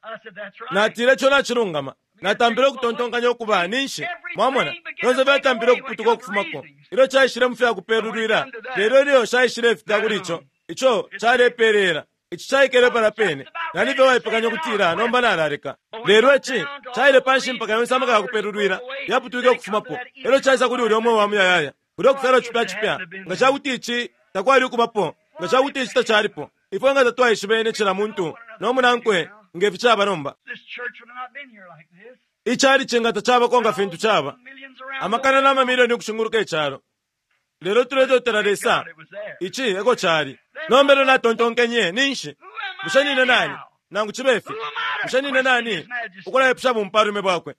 Natile, Ico nacilungama. Natampile ukutontonkanya ukuba, ninshi, mwamona, fyonse fyatampile ukuputuka ukufumako ilyo caishile mu fya kupelulwila, lelo ilyo caishilefika kuli ico, ico calepeleela. Ici caikele palya pene. Nali fye uwaipekanya ukutila, Nomba nalaleka. Lelo ici caile panshi mpaka yonse amaka ya kupelulwila yaputwike ukufumapo, elyo caisa kuli ulya Umweo wa Muyayaya, kulyo kufyalwa cipya cipya. Nga cakuti ici takwali ukubapo, nga cakuti ici tacalipo, ifwe nga tatwaishibene cila muntu no munankwe nge fi caba nomba. Icalici nga tacabako nga fintu caba, amakana na mamilioni ukushinguluka icalo. Lelo tuletotela Lesa, ici eko cali. Nomba elyo natontonkenye, Ninshi? Bushe nine nani, nangu cibe fi? Bushe nine nani ukulaipusha bumpalume bwakwe?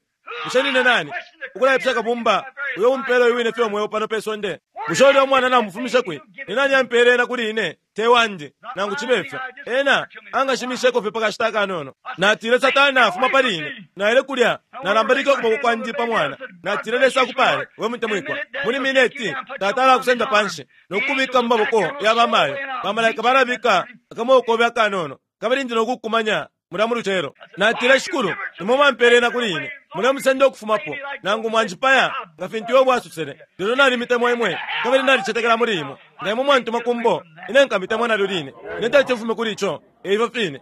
Bushe nine nani ukulaipusha Kabumba uyo umpeela uyu wine fye umweo pano pe sonde? Bushe ulya umwana namufumishe kwi? Ni nani ampeele ena kuli ine? Te wandi, nangu cibe fyo. Ena angashimisheko fye pa kashita akanono. Natile, Satana, fuma pali ine. Naile kulya, nalambalike ukuboko kwandi pa mwana. Natile, Lesa akupale, we mutemwikwa. Muli mineti, Tata alakusenda panshi, no kukubika mu maboko ya bamayo. Bamalaika balabika akamweo kobe akanono, kabili ndi no kukukumanya mulya mu lucelo. Natile, Shikulu, nimwe mwampeele ena kuli ine. Mulemusenda ukufumapo, nangu mwanjipaya, nga fintu Yobo asosele. Lelo nalimitemwa imwe, kabili nalicetekela muli imwe. Nga imwe mwantuma ku mbo, ine nkamitemwa nalyo line. Ine teti mfume kuli ico. E ifyo fine.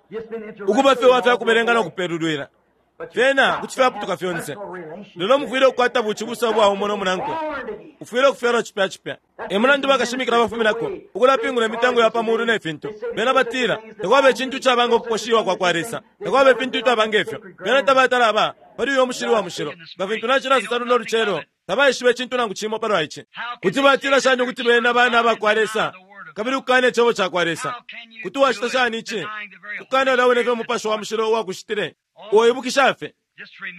Ukuba fye uwa fya kubelenga no kupelulwila, fyena kuti fyaputuka fyonse. Lelo mufwile ukukwata bucibusa ubwa umo no munankwe. Ufwile ukufyalwa cipya cipya. E mulandu bakashimikila bafuminako, ukulapingula imitengo ya pa muulu ne fintu. Bena batila, Takwaba icintu icaba ngo kuposhiwa kwa kwa Lesa. Takwaba ifintu ifyaba nge fyo. Bena tabatala aba pali uyo mushili wa mushilo. Nga fintu nacilasosa luno lucelo, tabaishiba icintu nangu cimo palwa ici. Kuti batila shani ukuti bena bana ba kwa Lesa, kabili ukukana Icebo cakwa Lesa? Kuti wacita shani ici, ukukana ulya wine fye Umupashi wa Mushilo uwakushitile? Uoibukisha fye,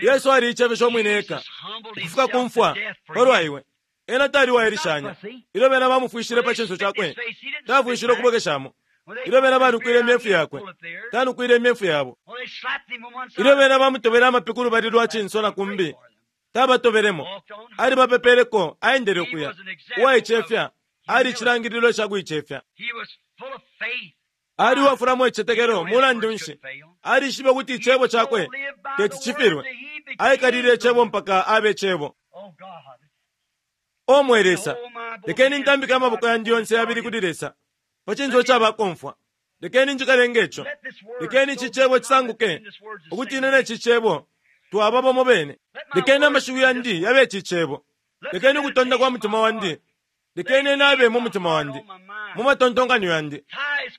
Yesu aliicefeshe umwine eka, ukufika ku mfwa, palwa iwe. Ena tali uwailishanya. Ilyo bena bamufwishile pa cinso cakwe, tafwishile ukubwekeshamo. Ilyo bena banukwile imyefu yakwe, tanukwile imyefu yabo. Ilyo bena bamutobele amapi ku lubali lwa cinso na kumbi, tabatobelemo. Alibapepeleko, aendele ukuya. Uwaicefya, ali icilangililo ca kuicefya. Ali uwafulamo icitetekelo. Mulandu nshi? Alishibe ukuti icebo cakwe teti cifilwe. Aikalilile Icebo mpaka abe Cebo. O mwe Lesa, lekeni ntambike amaboko yandi yonse yabili kuli Lesa, pa cinso ca bakomfwa. Lekeni njikale nge co. Lekeni ici Cebo cisanguke, ukuti ine ne ci Cebo twaba bamo bene. Lekeni amashiwi yandi yabe ici Cebo. Lekeni ukutonda kwa mutima wandi, lekeni ena abe mu mutima wandi, mu matontonkanyo yandi,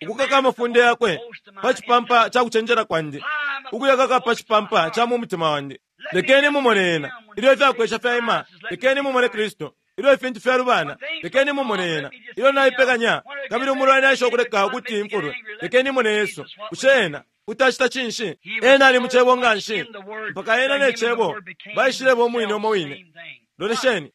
ukukaka amafunde yakwe pa cipampa ca kucenjela kwandi, ukuyakaka pa cipampa ca mu mutima wandi. Lekeni mumone ena ilyo ifyakwesha fyaima. Lekeni mumone Kristu ilyo ifintu fyalubana. Lekeni mumone ena ilyo naipekanya kabili umulwani aisha ukuleka ukuti imfulwe. Lekeni mone Yesu. Bushe ena kuti acita cinshi? Ena ali mu Cebo nganshi mpaka ena ne Cebo baishileba umwine umo wine. Lolesheni.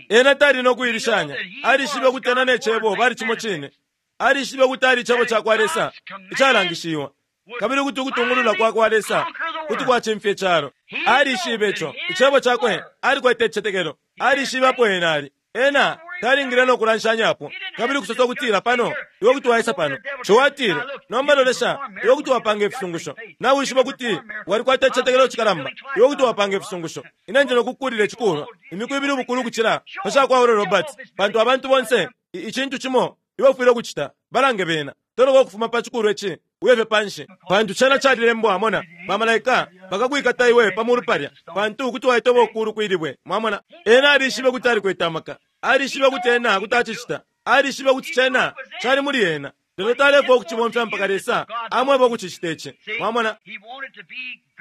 Ena tali no kuilishanya. Alishibe ukuti ena ne Cebo bali cimo cine. Alishibe ukuti ali Cebo ca kwa Lesa icalangishiwa. Kabili ukuti ukutungulula kwa kwa Lesa kuti kwacimfya icalo. Alishibe ico. Icebo cakwe, alikwete icitetekelo. Alishibe apo ena ali. Ena talingile no kulanshanyapo kabili kusosa ukutila pano iwe kuti waisa pano. Ciwa atile, nomba lolesha, iwe kuti wapanga ifisungusho. Nawishiba ukuti walikwata icitetekelo cikalamba, iwe kuti wapanga ifisungusho. Ine ndi no kukukulila icikulwa imiku ibili ubukulu ukucila pa ca kwa Oral Roberts, pantu abantu bonse icintu cimo iwe ufwile ukucita, balange bena. Toloka ukufuma pa cikulwa ici uye fye panshi, pantu cena calilembwa, mona, bamalaika bakakwikata iwe pa mulu palya, pantu kuti waitoba ukulu kwilibwe. Mwamona, ena alishibe ukuti alikwete amaka. Alishibe ukuti ena kuti acicita. Alishibe ukuti cena cali muli ena, lelo talefwaya ukucibomfya mpaka Lesa amweba ukucicita ici. Mwamona,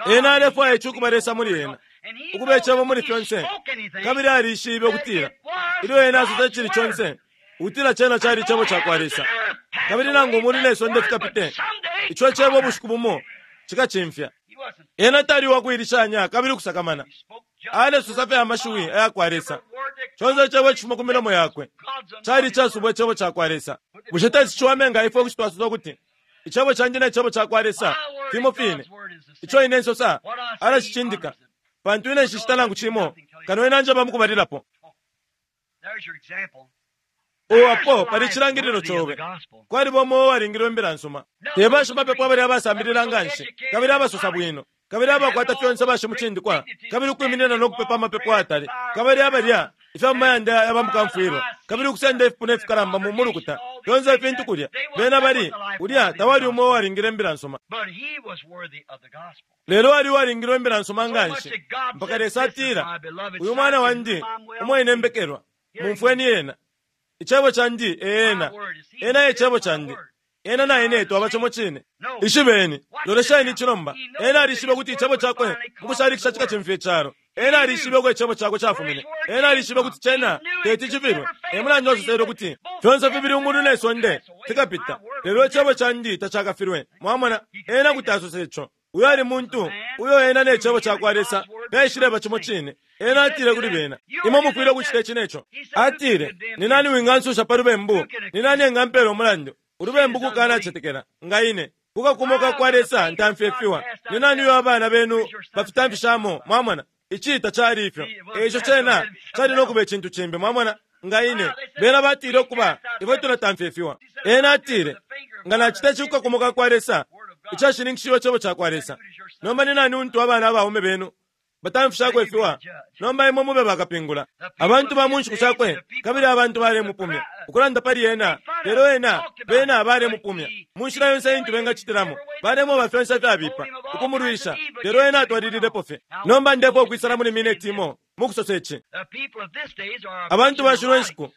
ena alefwaya ici ukuba Lesa muli ena, ukuba Icebo muli fyonse. Kabili alishibe ukutila ilyo ena asosa icili conse, ukutila cena cali Icebo cakwa Lesa. Kabili nangu umulu ne sonde fikapite, ico Cebo ubushiku bumo cikacimfya. Ena tali uwakuilishanya kabili ukusakamana. Alesosa fye amashiwi aya kwa Lesa. Conse icebo icifuma ku milomo yakwe cali icasubwa icebo ca kwa Lesa. Bushe teti ciwame nga ifwe kuti twasosa ukuti, Icebo candi ne cebo ca kwa Lesa fimo fine? Ico ine nsosa alacicindika, pantu ine nshicita nangu cimo kano ena anjeba mu kubalilapo. O apo pali icilangililo cobe. Kwaliba umo uwalingilwe imbila nsuma. Te bashimapepo abali abasambilila nga nshi kabili abasosa bwino kabili abakwata fyonse bashimucindikwa kabili ukwiminina no kupepa amapepo ayatali kabili abalya ifya mu mayanda ya bamukamfwilwa kabili ukusenda ifipuna ifikalamba mu mulukuta, fyonse ifintu kulya. Bena bali, ulya tawali umo uwalingile imbila nsuma. Lelo ali uwalingilwe imbila nsuma nga nshi mpaka Lesa atila, Uyu mwana wandi umo ine mbekelwa, mumfweni ena. Icebo candi e ena. Ena e Cebo candi. Ena na ine twaba cimo cine. Ishibeni. Lolesheni ici nomba. Ena alishibe ukuti Icebo cakwe mukushalikisha cikacimfya icalo. Ena alishibe uko Icebo cakwe cafumine. Ena alishibe ukuti cena teti cifilwe. E mulandu asosele ukuti, Fyonse fibili umulu ne sonde fikapita, lelo Icebo candi tacakafilwe. Mwamona? Ena kuti asosa ico. Uyo ali muntu uyo ena ne Cebo cakwa Lesa fyaishileba cimo cine. Ena atile kuli bena, Imwe mufwile ukucita ici ne co. Atile, Ni nani wingansusha pa lubembu? Ni nani engampeela umulandu? Ulubembu kukanacetekela. Nga ine, ku kakumo ka kwa Lesa ntamfyefiwa, ni nani uyo abana benu bafitamfishamo? Mwamona? Ici tacali ifyo. E ico cena cali no kuba icintu cimbi. Mwamona? Nga ine, bena batile, Ukuba, ifwe tulatamfyefiwa. Ena atile, Nga nacita ici ku kakumo ka kwa Lesa, icashininkishiwe Cebo cakwa Lesa, nomba ni nani untu abana abaume benu batamfishako ifiwa? Nomba imwe mube bakapingula. Abantu ba mu nshiku shakwe, kabili abantu balemupumya, ukulanda pali ena, lelo ena, bena balemupumya mu nshila yonse intu bengacitilamo, balemweba fyonse ifyabipa, ukumulwisha, lelo ena atwalililepo fye. Nomba ndefwaya ukwisala muli mineti imo mukusosa ici. Abantu ba shino nshiku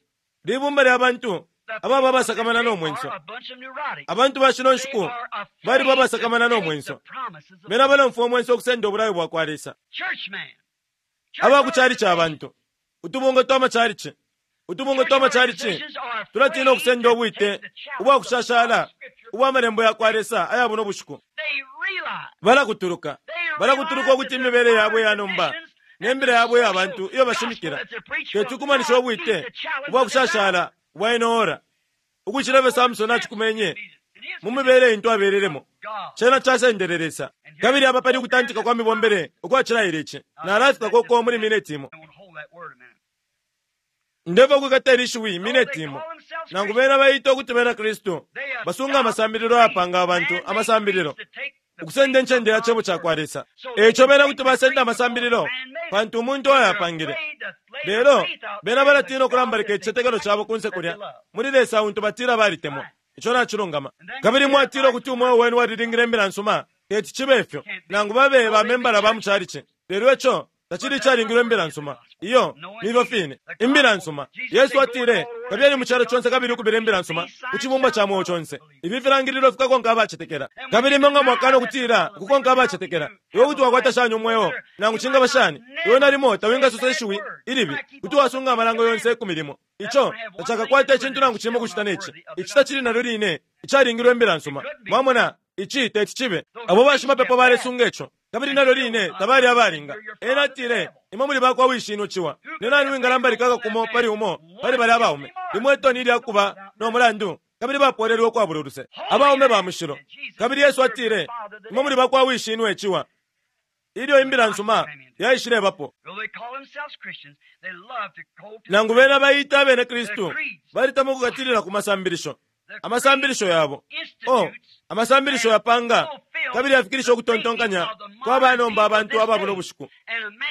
libumba lya bantu ababa abasakamana no mwenso. Abantu ba shino nshiku baliba abasakamana no mwenso. Bena balomfwa umwenso ukusenda ubulayo bwa kwa Lesa. Aba ku calici abantu, utubungwe twa macalici, utubungwe twa macalici tulatina ukusenda ubwite ubwa kushashala ubwa malembo ya kwa Lesa aya buno bushiku. Balakutuluka, balakutuluka ukuti imibele yabo iya nomba ne mbila yabo iya bantu iyo bashimikila teti ikumanishe ubwite ubwa kushashala ubwa ino ora. Ukucila ifyo Samsone acikumenye mu mibele intu abelelemo, cena casendele Lesa. Kabili apa pali ukutantika kwa mibombele ukwacilaile ici. Nalafika uko muli mineti imo. Ndefwaya ukwikata ili shiwi mineti imo. Nangu bena baita ukuti bena Kristu, basunga amasambililo ayapanga abantu amasambililo, ukusenda incende ya Cebo cakwa Lesa. E ico bena kuti basenda amasambililo, pantu umuntu ayapangile. Lelo, bena balatina ukulambalika icicetekelo cabo kunse kulya, muli Lesa untu batila balitemwa. Ico nacilungama. Kabili mwatila ukuti umweo wenu walilingile Imbila nsuma. Teti cibe ifyo, nangu babe ba membala ba mu calici. Lelo ico tacili icalingilwe Imbila nsuma. Iyo, nifyo fine. Imbila nsuma. Yesu atile, Kabiyeni mu calo conse kabili ukubila Imbila nsuma ku cibumbwa ca mweo conse. Ifi filangililo fikakonka abacetekela. Kabili imwe nga mwakana ukutila ukukonka abacetekela, iwe kuti wakwata shani umweo? Nangu cingaba shani, iwe nalimo tawingasosa ishiwi ilibi. Kuti wasunga amalango yonse ikumi limo. Ico tacakakwate icintu nangu cimo ukucita ne ci. Ici tacili nalyo line icalingilwe Imbila nsuma. Mwamona? Ici teti cibe. Abo bashimapepo balesunga ico, kabili nalyo line tabali abalinga. Ena atile, Imwe muli bakwa wishinwe ciwa. Ni nani wingalambalika akakumo pali umo pali balya abaume? Limo itoni ilya kuba no mulandu. kabili bapolelwe ukwabula uluse, abaume ba mushilo. Kabili Yesu atile, Imwe muli bakwa wishinwe ciwa, ilyo imbila nsuma yaishilebapo. Nangu bena baita abene Kristu, balitemwa ukukatilila ku masambilisho, amasambilisho yabo. Oh, amasambilisho yapanga kabili yafikilisha ukutontonkanya kwa banomba abantu aba buno bushiku.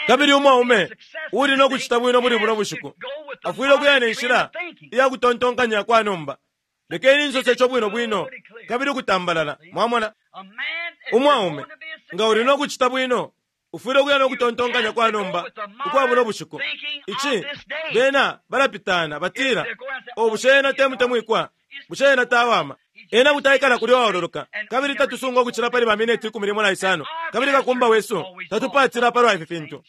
Kabili umwaume uuli no kucita bwino muli buno bushiku afwile ukuya ne nshila iya kutontonkanya kwa nomba. Lekeni nsose ico bwino bwino kabili ukutambalala. Mwamona, umwaume nga uli no kucita bwino ufwile ukuya no kutontonkanya kwa nomba ukwa buno bushiku. Ici bena balapitana batila, o bushe ena te mutemwikwa? Bushe ena tawama? Ena kuti aikala kulya uwaololoka, kabili tatusunga ukucila pali ba mineti 15, kabili kakumba wesu tatupatila palwa ifi fintu.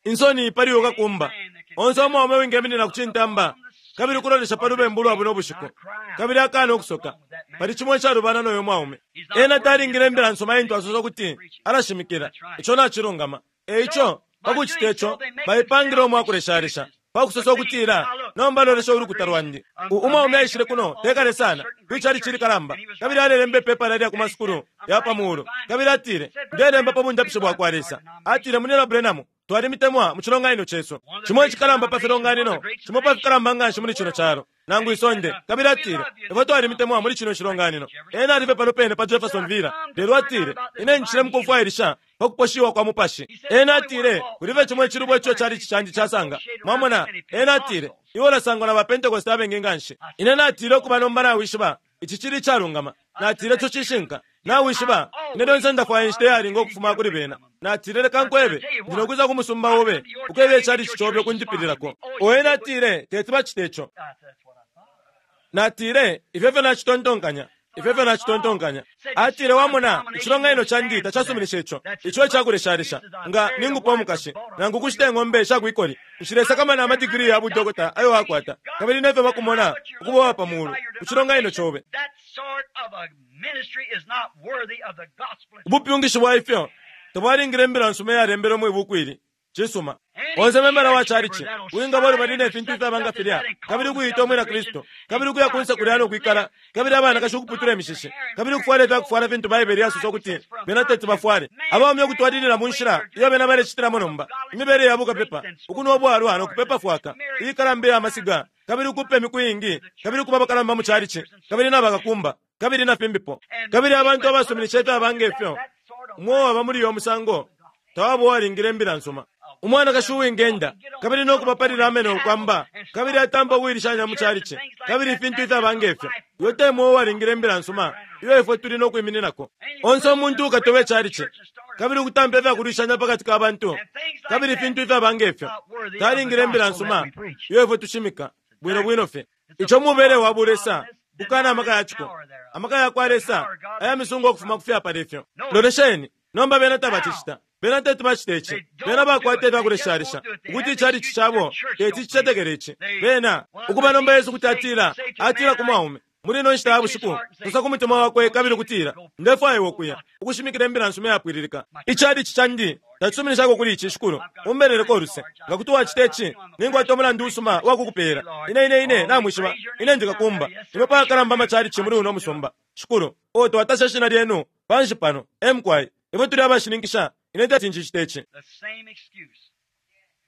Insoni pali uyo kakumba. Onse umwaume uwingeminina ku cintamba kabili ukulolesha pa lubembu lwa buno bushiku, kabili akana ukusoka, pali cimo icalubana noyo mwaume. Ena talingile imbila nsuma intu asosa ukuti alashimikila. Ico nacilungama. E ico, pa kucita ico, baipangile umwakuleshalesha pa kusosa ukutila, Nomba lolesha ulukuta lwandi. Umwaume aishile kuno te kale sana kwi calici likalamba, kabili alelemba ipepala lya ku masukulu ya pa muulu, kabili atile, Ndelemba pa bundapishi bwa kwa Lesa. Atile, Munyina Branham, twalimitemwa mu cilonganino cesu, cimo icikalamba pa filonganino, cimo pa fikalamba nga nshi muli cino calo nangu isonde. Kabili atile, Ifwe twalimitemwa muli cino cilonganino. Ena ali fye pano pene pa Jefferson Villa. Lelo atile, Ine ncile mukufwailisha pa kuposhiwa kwa mupashi. Ena atile, Kuli fye cimo icilubo ico chalichi candi casanga. Mwamona? Ena atile, Iwe ulasangwa na ba Pentecost abengi nganshi. Ine natile, Ukuba nomba nawishiba, ici cili icalungama. Natile, Ico cishinka. Nawishiba, ine lyonse ndafwaya inshita iyalinga ukufuma kuli bena. Natile, Leka nkwebe, ndi no kwisa ku musumba obe, ukweba ichalichi cobe ukundipililako. O, ena atile, teti bacite ico. Natile, Ifyo efyo nacitontonkanya. Ifyo efyo nacitontonkanya. Atile, Wamona, icilonganino candi tacasuminisha ico. Ico ecakuleshalesha. Nga ningupa umukashi, nangu ukushita ing'ombe sha kwikoli, nshilesakamana ama digiri ya budokota ayo wakwata, kabili nefyo bakumona ukuba uwa pa mulu ku cilonganino cobe. Ubupyungishi bwa ifyo tabwalingile imbila nsuma iyalembelwe mwi buku ili. Cisuma. Onse membala wa chalichi uwingaba ulubali ne fintu ifyaba nga filya, kabili ukuiita umwina Kristu, kabili ukuya kunse kulya no kwikala, kabili abanakashi ukuputula imishishi, kabili ukufwala ifya kufwala fintu Baibele yasosa ukuti bena teti bafwale, abaume ukutwalilila mu nshila iyo bena balecitilamo nomba, imibele ya bukapepa, ukunwa ubwalwa no kupepa fwaka, iikalamba iya masiga, kabili ukupa imiku iingi, kabili ukuba abakalamba mu chalichi, kabili na bakakumba, kabili na fimbipo. Kabili abantu abasuminisha ifyaba nge fyo, umo uwaba muli uyo musango, tawaba uwalingile imbila nsuma. Umwanakashi uwingenda, kabili no kubapalila ameno ukwamba, kabili atampa ukuilishanya mu chalichi, kabili ifintu ifyaba nge fyo, uyo te mweo uwalingile imbila nsuma iyo ifwe tuli no kwimininako. Onse umuntu ukatoba ichalichi, kabili ukutampa ifya kulwishanya pa kati ka bantu, kabili ifintu ifyaba nge fyo, talingile imbila nsuma iyo ifwe tushimika, bwino bwino fye. Ico mubele wa bulesa, ukana amaka ya ciko, amaka ya kwa Lesa aya misungo ukufuma ku fyapala ifyo. Lolesheni, nomba bena tabacicita. Bena teti bacite ici. Bena bakwata ifya kuleshalesha, ukuti ichalichi cabo teti cicetekele ici. Bena, ukuba nomba Yesu kuti atila, atila ku mwaume, muli ino nshita ya bushiku, sosa ku mutima wakwe kabili ukutila, Ndefwaya iwe ukuya, ukushimikila imbila nsuma iyapwililika. Ichalichi candi tacisuminishako kuli ici, Shikulu. Umbeleleko uluse. Nga kuti wacita ici, ninkwata umulandu usuma uwa kukupeela. Ine, ine, ine, namwishiba, ine ndi kakumba. Imwe pakalamba amachalichi muli uno musumba, Shikulu. Oh, twatasha Ishina Lyenu panshi pano. E mukwai. Ifwe tuli abashininkisha. Ine teti ncicite ici.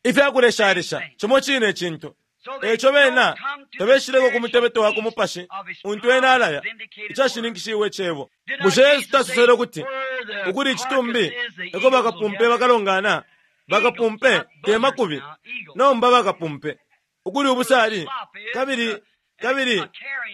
Ifyakuleshalesha, cimo cine icintu. Eico bena tabeshileko ku mutebeto wa ku mupashi untu ena alaya, icashininkishiwe Cebo. Bushe Yesu tasosele ukuti, Ukuli icitumbi, eko bakapumpe bakalongana? Bakapumpe, te makubi, nomba bakapumpe. Ukuli ubusali, kabili, kabili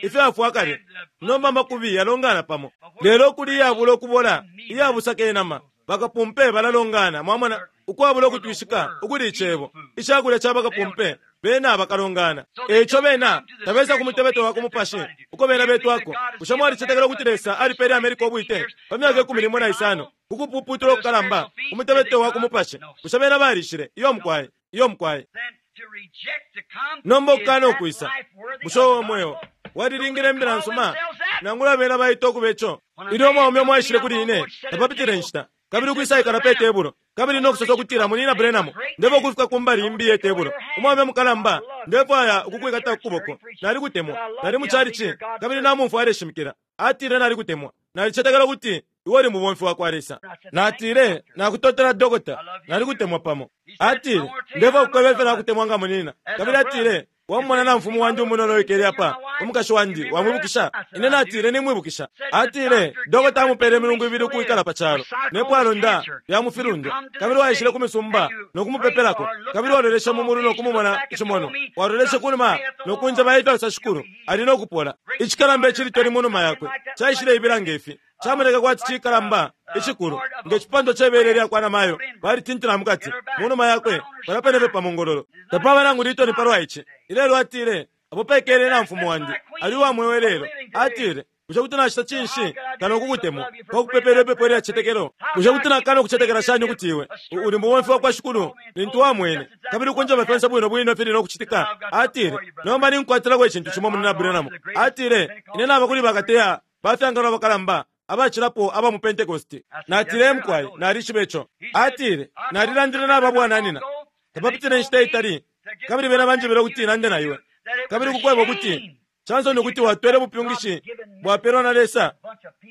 ifyafwa kale, nomba amakubi yalongana pamo. Lelo ukuli iyabula ukubola, iyabusaka inama, bakapumpe balalongana, mwamona, ukwabula ukutwishika, ukuli Icebo, icakulya ca bakapumpe, bena bakalongana. E ico bena tabesa ku mutebeto wa ku mupashi uko bena betwako. Bushe mwalicetekela ukuti Lesa alipele America ubwite pa myaka ikumi limo na isano ku kupuputula ukukalamba ku mutebeto wa ku mupashi? Bushe bena balishile? Iyo mukwai. Iyo mukwai. Nomba ukukana ukwisa, bushe uo mweo walilingile imbila nsuma? Nangula bena baita ukube co. Ilyo umwaume umo aishile kuli ine, tapapitile inshita, Kabili ukwisaikala pe tebulo, kabili no kusosa ukutila, Munyina Branham, ndefwaya ukufika ku mbali imbi ye tebulo. Umwaume mukalamba, ndefwaya ukukwikata ku kuboko. Nalikutemwa. Nali mu chalichi, kabili namumfwa aleshimikila. Atile, Nalikutemwa. Nalicetekela ukuti iwe uli mubomfi wa kwa Lesa. Natile, Nakutotela, dokota. Nalikutemwa pamo. Atile, Ndefwaya ukukweba ifyo nakutemwa nga munyina. Kabili atile, Wamumona namfumu wandi umunono uwikele apa, umukashi wandi, wamwibukisha? Ine natile, Nimwibukisha. Atile, Dokota amupele imilungu ibili ukwikala pa calo, ne pwalonda lya mufilundwa. Kabili waishile ku misumba no kumupepelako, kabili waloleshe mu mulu no kumumona icimonwa. Waloleshe kunuma no kunjeba ifyo asosa shikulu, ali no kupola. Icikalamba icilitoni mu numa yakwe caishileibila nge fi. Camoneke kwati cikalamba icikulu nge cipandwa ce bele lya kwa namayo balitintila mu kati mu numa yakwe palya pene fye pa mongololo. Tapaba nangu litoni palwa ici. Ilelo atile, Apo pekele namfumu wandi, ali uwa mweo ilelo. Atile, Bushe kuti nacita cinshi kano ukukutemwa pa kukupepela ipepo ilya cicetekelo? Bushe kuti nakana ukucetekela shani ukuti iwe uli mubomfi wa kwa Shikulu lintu wamwene kabili ukunjeba fyonse bwino bwino ifili no kucitika? Atile, Nomba ninkwatilako icintu cimo, Munyina Branham. Atile, Ine naba kuli bakateya ba fyangalo abakalamba abacilapo aba mu Pentekoste. Natile, Ee mukwai, nalishiba ico. Atile, Nalilandile naba bwananyina tapapitile inshita itali, kabili bena banjebele ukuti nande na iwe, kabili ukukweba ukuti cansoni ukuti watwele ubupyungishi bwapelwa na Lesa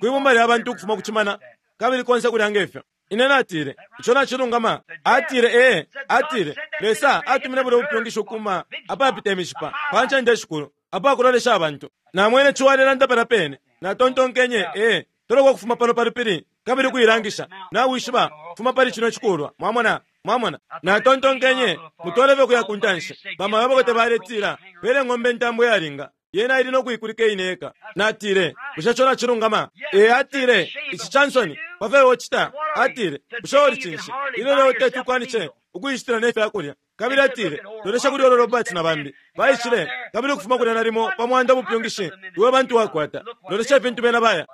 kwi bumba lya bantu ukufuma ku cimana, kabili konse kulya nge fyo. Ine natile, Ico nacilungama. Atile, Ee. Atile, Lesa atumine bulya bupyungishi ukuma apapita imishipa, pa ncende ishikulu, apakulolesha abantu. Namwene ciwa alelanda palya pene. Natontonkenye, Ee, toloko ukufuma pano pa lupili kabili ukuilangisha. Nawishiba, fuma pali cino cikulwa. Mwamona? Mwamona? Natontonkenye, Mutwale fye ukuya ku ntanshi. Bamayo abakote baletila, Pele ng'ombe intambo iyalinga. Yena ili no kuikulika iine yeka. Natile, Bushe ico nacilungama? Ee, atile, ici ca nsoni pa fyo iwe ucita. Atile, Bushe uli cinshi? Ilyo lelo teti ukwanishe ukuishitila ne fya kulya. Kabili atile, Lolesha kuli Oral Roberts na bambi. Baishile, kabili ukufuma kulya nalimo pa mwanda ubupyungishi iwe bantu wakwata. Lolesha ifintu bena baya.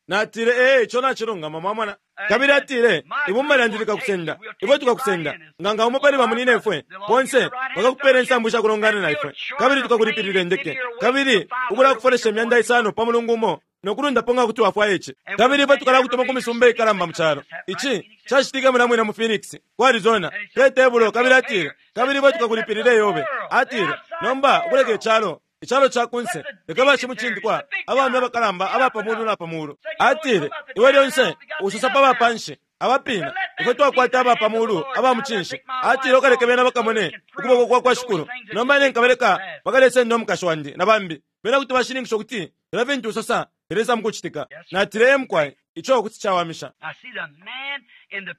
Natile, Ee, ico nacilungama, mwamona. Kabili atile, Ibumba lyandi likakusenda. Ifwe tukakusenda. Nga nga umo pali bamunyinefwe, bonse, bakakupela insambu sha kulongana na ifwe. Kabili tukakulipilila indeke. Kabili ukulakufolesha imyanda isano pa mulungu umo, no kulundapo nga kuti wafwaya ici. Kabili ifwe tukalakutuma ku misumba ikalamba mu calo. Ici cacitike mulya mwine mu Phoenix, ku Arizona, pe tebulo. Kabili atile, Kabili ifwe tukakulipilila iyobe. Atile, Nomba, ukuleka icalo Icalo ca ku nse, leka bashimucindikwa, abaume abakalamba aba pa mulu na pa mulu. Atile, Iwe lyonse usosa pa ba pa nshi, abapina. Ifwe twakwata aba pa mulu aba mucinshi. Atile, Ukaleke bena bakamone ukuboko kwa kwa Shikulu. Nomba ine nkabaleka bakalesenda umukashi wandi na bambi. Bena kuti bashininkisha ukuti filya fintu usosa filesa mukucitika. Natile, Ee mukwai, ico kuti cawamisha.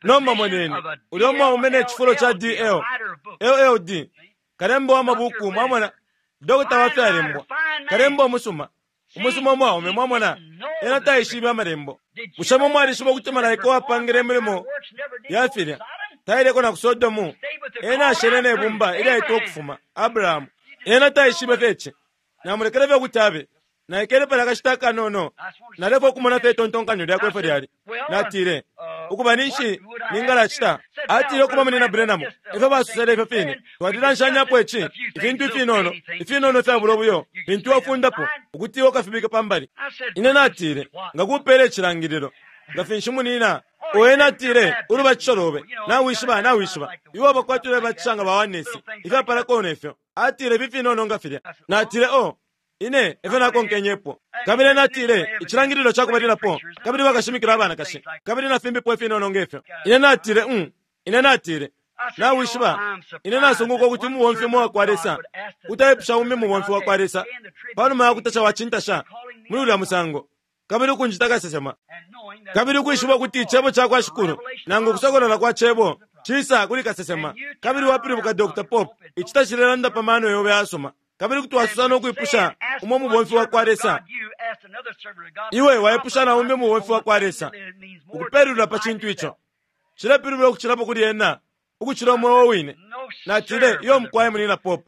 Nomba moneni ulya umwaume ne cifulo ca D.L. LLD. Kalemba wa mabuku, mwamona, dokota wa fyalembwa, kalemba umusuma, umusuma umwaume, mwamona, ena taishibe Amalembo. Bushe mwe mwalishiba ukuti malaika uwapangile imilimo ya filya taileko na ku Sodomu? Ena ashele ne bumba ilyaitwa ukufuma, Abrahamu. Ena taishibe fye ici. Namulekele fye ukuti abe. Naikele palya akashita akanono, nalefwaya ukumona fye itontonkanyo lyakwe ifyo lyali. Natile, Ukuba, ninshi ningalacita? Atile, Ukuba, Munyina Branham, ifyo basosele ifyo fine. Twalilanshanyapo ici, ifintu ifinono, ifinono ifyabula ubuyo, fintu iwe ufundapo, ukuti iwe ukafibike pa mbali. Ine natile, Nga kupela icilangililo, nga finshi, munyina? O ena atile, Ulubatisho lobe. Nawishiba, nawishiba. Iwe waba kwati ulebatisha nga ba Oneness, ifyapalako ne fyo. Atile, Ifi finono nga filya. Natile, O, Ine efyo nakonkenyepo. Kabili ena atile, Icilangililo ca kubalilapo, kabili bakashimikila abanakashi, kabili na fimbipo ifinono nge fyo. Ine natile, Um. Ine natile, Nawishiba, ine nasunguka ukuti umubomfi umo uwakwa Lesa kuti aipusha umbi mubomfi wakwa Lesa, panuma ya kutasha wacintasha muli ulya musango, kabili ukunjita kasesema, kabili ukwishiba ukuti Icebo cakwa Shikulu, nangu ukusokolola kwa Cebo, cisa kuli kasesema, kabili wapilibuka Dr. Pope, ici tacilelanda pa mano yobe ayasuma. Kabili kuti wasosa no kwipusha umo mubomfi wa kwa Lesa, iwe waipusha na umbi mubomfi wa kwa Lesa ukupelulula pa cintu ico cilepilibula ukucilapo kuli ena ukucila umweo wine. Natile, Iyo mukwai, Munyina Pope,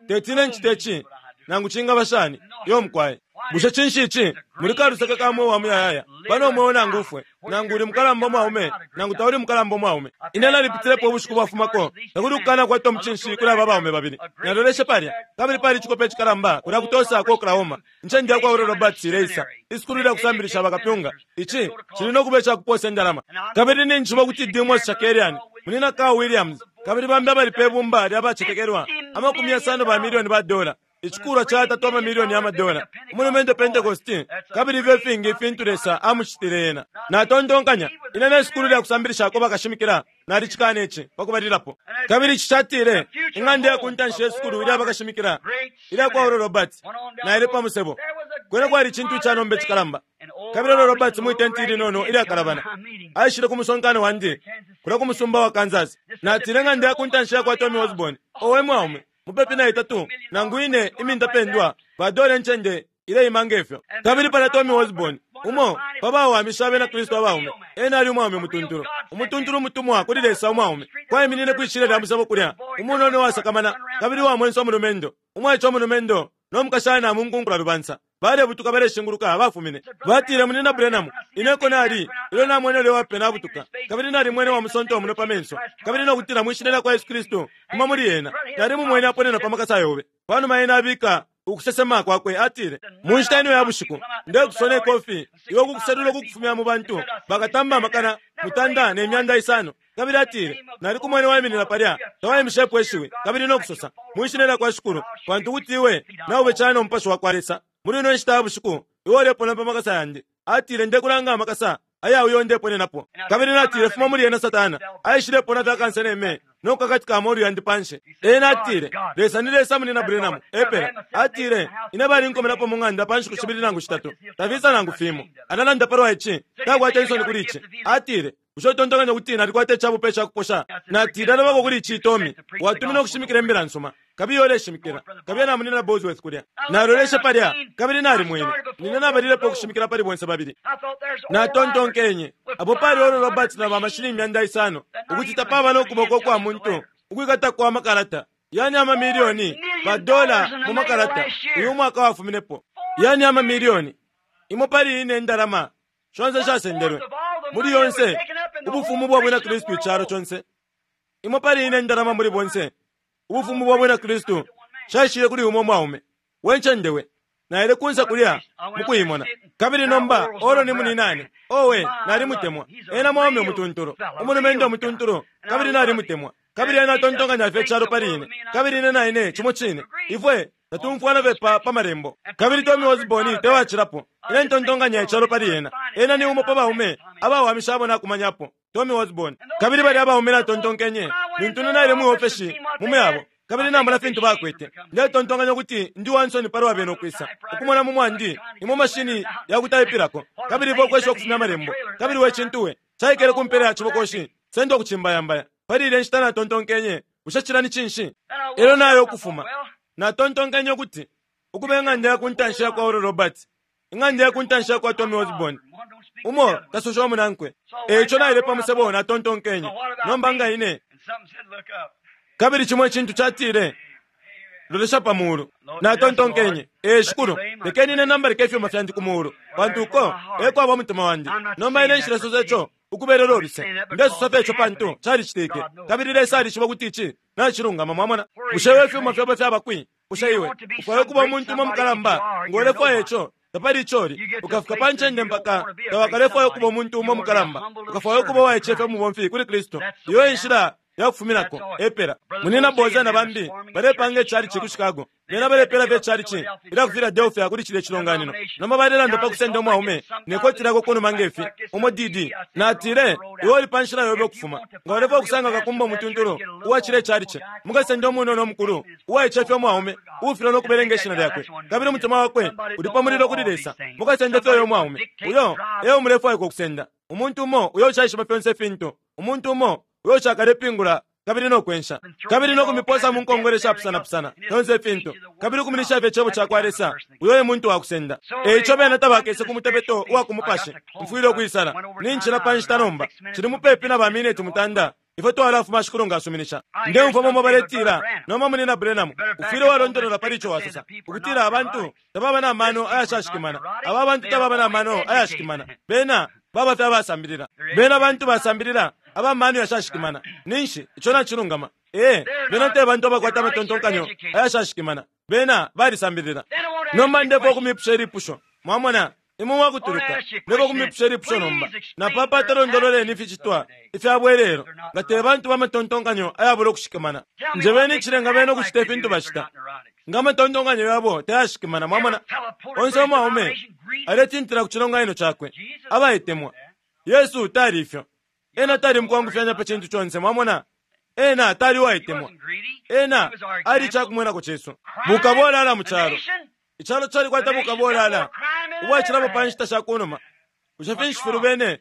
teti ine ncite ci nangu cingaba shani. Iyo mukwai. Bushe cinshi ici? Muli kaluseke ka mweo wa muyayaya. Pano mweo nangu ufwe, nangu uli mukalamba umwaume, nangu tauli mukalamba umwaume. Ine nalipitilepo ubushiku bwafumako, takuli kukana kwata umucinshi kuli aba baume babili. Naloleshe palya, kabili pali icikope icikalamba kulya ku Tulsa ku Oklahoma, incende yakwa Oral Roberts ileisa, isukulu lya kusambilisha bakapyunga. Ici cili no kuba ica kupoosa indalama. Kabili ninjishiba ukuti Demos Shakarian, Munyina Carl Williams, kabili bambi abali pe bumba lya bacetekelwa, 50 ba milioni ba dola, icikulwa ca yatatu amamilioni ya madola, umulumendo Pentecosti, kabili ifyo ifingi ifintu Lesa amucitile ena. Natontonkanya, ine ne sukulu lya kusambilishako bakashimikila, nalicikana ici, pa kubalilapo. Kabili ici catile, ing'anda ya ku ntanshi ye sukulu ilya bakashimikila, ilya kwa Oral Roberts, naile pa musebo. Kwena kwali icintu ica nomba icikalamba. Kabili Oral Roberts mwi tenti ilinono ilyakalabana, aishile ku musonkano wandi, kulya ku musumba wa Kansas. Natile, ing'anda ya ku ntanshi yakwa Tommy Osborn, owe mwaume, mupepi na itatu nangu ine imintapendwa ba dola incende ileima nge fyo. Kabili palya Tommy Osborn, umo pa bawamisha abena Kristu abaume, ena ali umwaume umutuntulu, umutuntulu umutumwa kuli Lesa umwaume, kwaiminine kwi shilya lya musebo kulya, umunono uwasakamana kabili uwa mwenso umulumendo, umwaice umulumendo no mukashana mu nkunkula lubansa, balebutuka baleshinguluka bafumine. Batile, Munyina Branham, ine eko nali ilyo namwene ulya uwapena abutuka, kabili nalimwene uwamusonta umunwe pa menso, kabili no kutila mwi Shina lyakwa Yesu Kristu, fuma muli ena. Nalimumwene aponena pa makasa yobe. Panuma ena abika ukusesema kwakwe, atile, Mu nshita ino ya bushiku, ndekusona ikofi, iwe ukukuselula ukukufumya mu bantu, bakatamba 500,000. Kabili atile, Nalikumwene waiminina palya, tawaimishepo ishiwi, kabili no kusosa, Mwi Shina lyakwa Shikulu, pantu ukuti iwe naube cana no Mupashi wakwa Lesa. Muli ino nshita ya bushiku, iwe ulepona pa makasa yandi. Atile, Ndekulanga amakasa aya uyo ndeponenapo. Kabili natile, Fuma muli ena, Satana. Aishilepona fye akanseneme no kukakatika amolu yandi panshi. Ena atile, Lesa ni Lesa, Munyina Branham. Epela. Atile, Ine balinkomenapo mu ng'anda pa nshiku shibili nangu shitatu. Tafisa nangu fimo. Alalanda palwa ici. Takwata insoni kuli ici. Atile, Bushe utontonkanya ukuti nalikwata icabupe ica kuposha? Natile, Alabako kuli ici, Tommy. Watuminwe ukushimikila Imbila nsuma. Kabiye uleshimikila. Kabiye na Munyina Bosworth kulya. Naloleshe palya, kabili nalimwene. Nine nabalilepo ukushimikila pali bonse babili. Natontonkenye, apo pali Oral Roberts na bamashini 500, ukuti tapaba no kuboko ukwa muntu ukwikata kwa makalata. Yani amamilioni ba dola mu makalata uyu mwaka wafuminepo. Yani amamilioni. Imo pali ine indalama shonse ishasendelwe muli yonse ubufumu bwa bwina Kristu icalo conse. Imo pali ine indalama muli bonse ubufumu bwa bwina Kristu shaishile kuli umo mwaume. We ncende we. Naile kunse kulya mukuimona. Kabili nomba Oro ni muninane. Owe, nalimutemwa. Ena mwaume umutuntulu, umulumendo umutuntulu, kabili nalimutemwa. Kabili ena atontonkanya fye icalo pali ine, kabili ine na ine cimo cine. Ifwe tatumfwana fye pa, pa Malembo. Kabili Tommy Osborn te wacilapo. Ine ntontonkanya icalo pali ena. Ena ni umo pa baume abawamisha abo nakumanyapo, Tommy Osborn. Kabili balya abaume natontonkenye, lintu ine naile mwi ofeshi mu myabo, kabili namona fintu bakwete, ndetontonkanya ukuti ndi wa nsoni palwa bena ukwisa, ukumona mu mwandi imo mashini ya kutaipilako, kabili ivo ukwesha ukufumya amalembo, kabili we cintu we, caikele ku mpela ya cibokoshi, senda ukucimbayambaya. Pali ilya nshita natontonkenye, Bushe cilya ni cinshi? Elyo naya ukufuma. Natontonkenye ukuti, Ukuba ing'anda ya ku ntanshi ya kwa Oral Roberts, ing'anda ya ku ntanshi ya kwa Tommy Osborn, umo tasosha umunankwe. E ico naile pa musebo, natontonkenye, Nomba nga ine. Kabili cimo icintu catile, Lolesha pa mulu. Natontonkenye, Ee Shikulu, lekeni ine nambalike ifyuma fyandi ku mulu, pantu uko e kwaba umutima wandi. Nomba ine nshilesosa ico ukubelela uluse. Ndesosa fye ico pantu calicitike, kabili Lesa alishiba ukuti ici nacilungama. Mwamona? Bushe iwe ifyuma fyobe fyaba kwi? Bushe iwe ufwaya ukuba umuntu umo mukalamba? Nga ulefwaya ico, tapali ico uli. Ukafika pa ncende mpaka tawakalefwaya ukuba umuntu umo mukalamba. Ukafwaya ukuba uwaicefya umubomfi kuli Kristu. Iyo e nshila ya kufuminako, epela. Munyina Boze na bambi balepanga icalici ku Chicago. Bena balepela fye icalici ilya ku Philadelphia kuli cilya cilonganino. Nomba balelanda pa kusenda umwaume ne koti lyakwe kunuma nge fi, umo D.D. Natile, Iwe uli pa nshila yobe ukufuma. Nga ulefwaya ukusanga kakumba umutuntulu uwa cilya icalici, mukasende umunono umukulu, uwaicefya umwaume, uufilwa no kubelenga ishina lyakwe, kabili umutima wakwe uli pa mulilo kuli Lesa. Mukasende fye uyo mwaume. Uyo eo mulefwaikwa ukusenda. Umuntu umo uyo ushaishiba fyonse ifintu. Umuntu umo uyo ushakalepingula kabili no kwensha, kabili no kumiposa mu nkongole shapusanapusana, fyonse ifintu, kabili ukuminisha fye Cebo cakwa Lesa, uyo e muntu wa kusenda. E ico bena tabakese ku mutebeto uwa ku mupashi. Mfwile ukwisala. Nincila pa nshita nomba. Cili mupepi na ba mineti mutanda. Ifwe twalafuma Shikulu nga asuminisha. Ndeumfwa bamo baletila, Nomba Munyina Branham, ufwile walondolola pali ico wasosa, ukutila abantu tababa na mano ayashashikimana. Aba bantu tababa na mano ayashikimana. Bena baba fye abasambilila. Bena bantu basambilila aba mano yashashikimana. Ninshi ico nacilungama? Ee, bena te bantu abakwata amatontonkanyo ayashashikimana. Bena balisambilila. Nomba ndefwaya ukumipusha ilipusho. Mwamona? Imwe mwakutuluka. Ndefwaya ukumipusha ilipusho nomba. Napapata londololeni ificitwa ifya bwelelo, nga te bantu ba matontonkanyo ayabula ukushikamana. Njebeni icilenga bena ukucita ifintu bacita, nga amatontonkanyo yabo tayashikimana. Mwamona? Onse umwaume aletintila ku cilonganino cakwe, abaitemwa. Yesu tali ifyo. Ena tali mukwangufyanya pa cintu conse. Mwamona? Ena tali uwaitemwa. Ena ali icakumwenako cesu. Bukabolala mu calo. Icalo calikwata bukabolala ubwacilapo pa nshita sha ku numa. Bushe finshi filubene?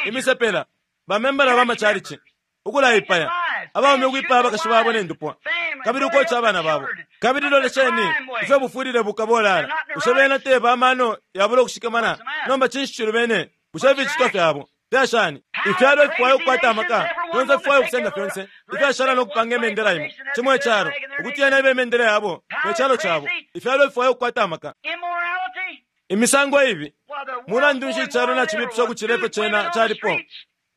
Imisepela, bamembala ba macalici, ukulaipaya, abaume ukwipaya abakashi babo ne ndupwa, kabili ukoca abana babo. Kabili lolesheni ifyo bufwilile bukabolala. Bushe bena te ba mano yabula ukushikamana? Nomba cinshi cilubene? Bushe ificitwa fyabo fya shani? Ifyalo ififwaya ukukwata amaka, fyonse fifwaya ukusenda fyonse ifyashala no kupanga imendela imo, cimo icalo, ukuti yena ibe imendela yabo ne calo cabo. Ifyalo ififwaya ukukwata amaka. Imisango ibi. Mulandu nshi icalo nacibipisha ukucila ifyo cena calipo?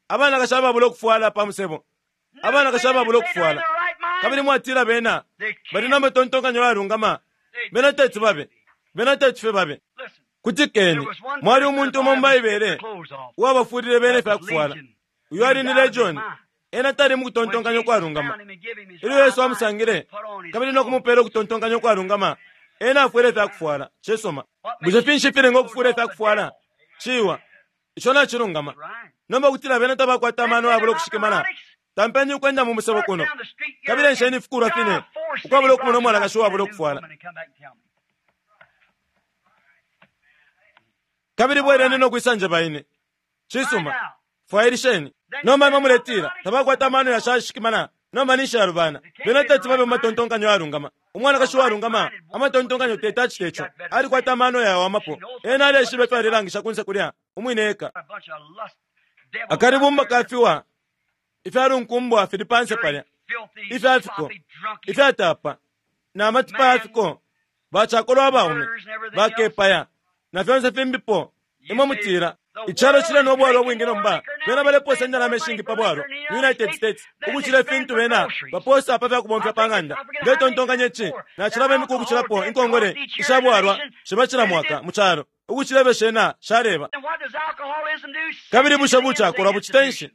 Abanakashi ababula ukufwala pa musebo, abanakashi ababula ukufwala. Kabili mwatila bena bali na matontonkanyo ayalungama? Bena teti babe. Bena teti fye babe. Kutikeni. Mwali umuntu umo mu Baibele uwabafulile bena ifya kufwala. Uyo ali ni Legion. Ena tali mu kutontonkanya ukwalungama. Ilyo Yesu amusangile kabili no kumupela ukutontonkanya ukwalungama, ena afwele ifya kufwala. Cisuma. Bushe finshi ifilenga ukufula ifya kufwala? Ciwa. Ico nacilungama. Nomba kutila bena tabakwata amano ayabula ukushikimana, tampeni ukwenda mu musebo kuno kabili ensheni ifikulwa fine ukwabula ukumona umwanakashi uwabula ukufwala. Kabili bweleni no kwisa njeba ine. Cisuma. Fwailisheni. Nomba imwe muletila, Tabakwata amano yashashikimana, nomba ninshi yalubana. Bena teti babe mu matontonkanyo ayalungama. Umwanakashi uwalungama amatontonkanyo teti acite ico. Alikwata amano yawamapo. Ena aleshiba ifyo alelangisha kunse kulya, umwine eka. Akalibumba ka fiwa ifya lunkumbwa fili panse palya, ifya fiko, ifyatapa, na matipa ya fiko, bacakolwa abaume, bakepaya, na fyonse fimbipo. Imwe mutila, Icalo cile no bwalwa ubwingi nomba. Bena balepoosa indalama ishingi pa bwalwa mu United States ukucila ifintu bena bapoosa pa fya kubomfya pa ng'anda. Ndetontonkanya ici nacilaba imiku ukucilapo inkongole isha bwalwa shiba cila mwaka mu calo ukucila ifyo shena shaleba. Kabili bushe bucakolwa bucita nshi?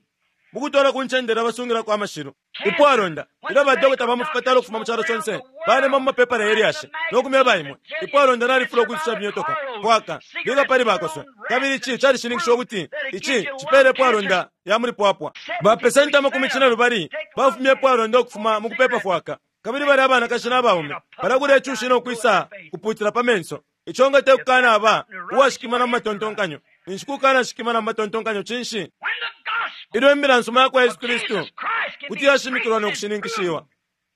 Bukutwala ku ncende ilya basungilako amashilu ipwalonda, ilyo badokota ba mu fipatala ukufuma mu calo conse balemba mu mapepala ye lyashi no kumyeba imwe, ipwalonda nalifula ukwisusha imyotoka, fwaka, bika pali bakoswe. Kabili ici calishininkishiwa ukuti ici cipeela ipwalonda ya muli pwapwa. Bapesenti amakumi cinelubali bafumya ipwalonda ukufuma mu kupeepa fwaka. Kabili balya abanakashi na baume balakula icushi no kwisa kupuutila pa menso. Ico nga te kukanaba uwashikimana mu matontonkanyo, ninshi kukanashikimana mu matontonkanyo cinshi? Ilyo imbila nsuma ya kwa Yesu Kristu kuti yashimikilwa no kushininkishiwa,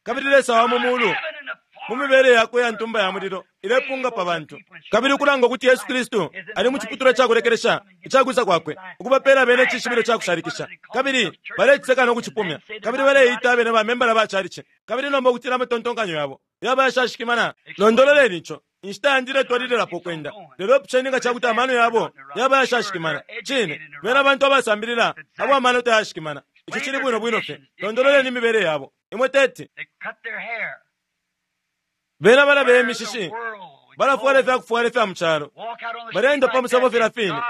kabili Lesa wa mu mulu mu mibele yakwe ya ntumba ya mulilo ilepunga pa bantu, kabili ukulanga ukuti Yesu Kristu ali mu ciputulwa ca kulekelesha ica kwisa kwakwe, ukubapeela bene icishibilo ca kushalikisha, kabili baleciseka no kucipumya, kabili baleita abene bamembala ba calici, kabili nomba ukutila amatontonkanyo yabo yaba ayashashikimana. Londololeni ico. Inshita yandi iletwalililapo ukwenda, lelo ipusheni nga ca kuti amano yabo yaba ayashashikimana. Cine, bena bantu abasambilila abo amano tayashikimana. Ico cili bwino bwino fye. Londololeni imibele yabo. Imwe teti. Bena balabeya imishishi, balafwala ifya kufwala ifya mu calo, baleenda pa musebo filya fine.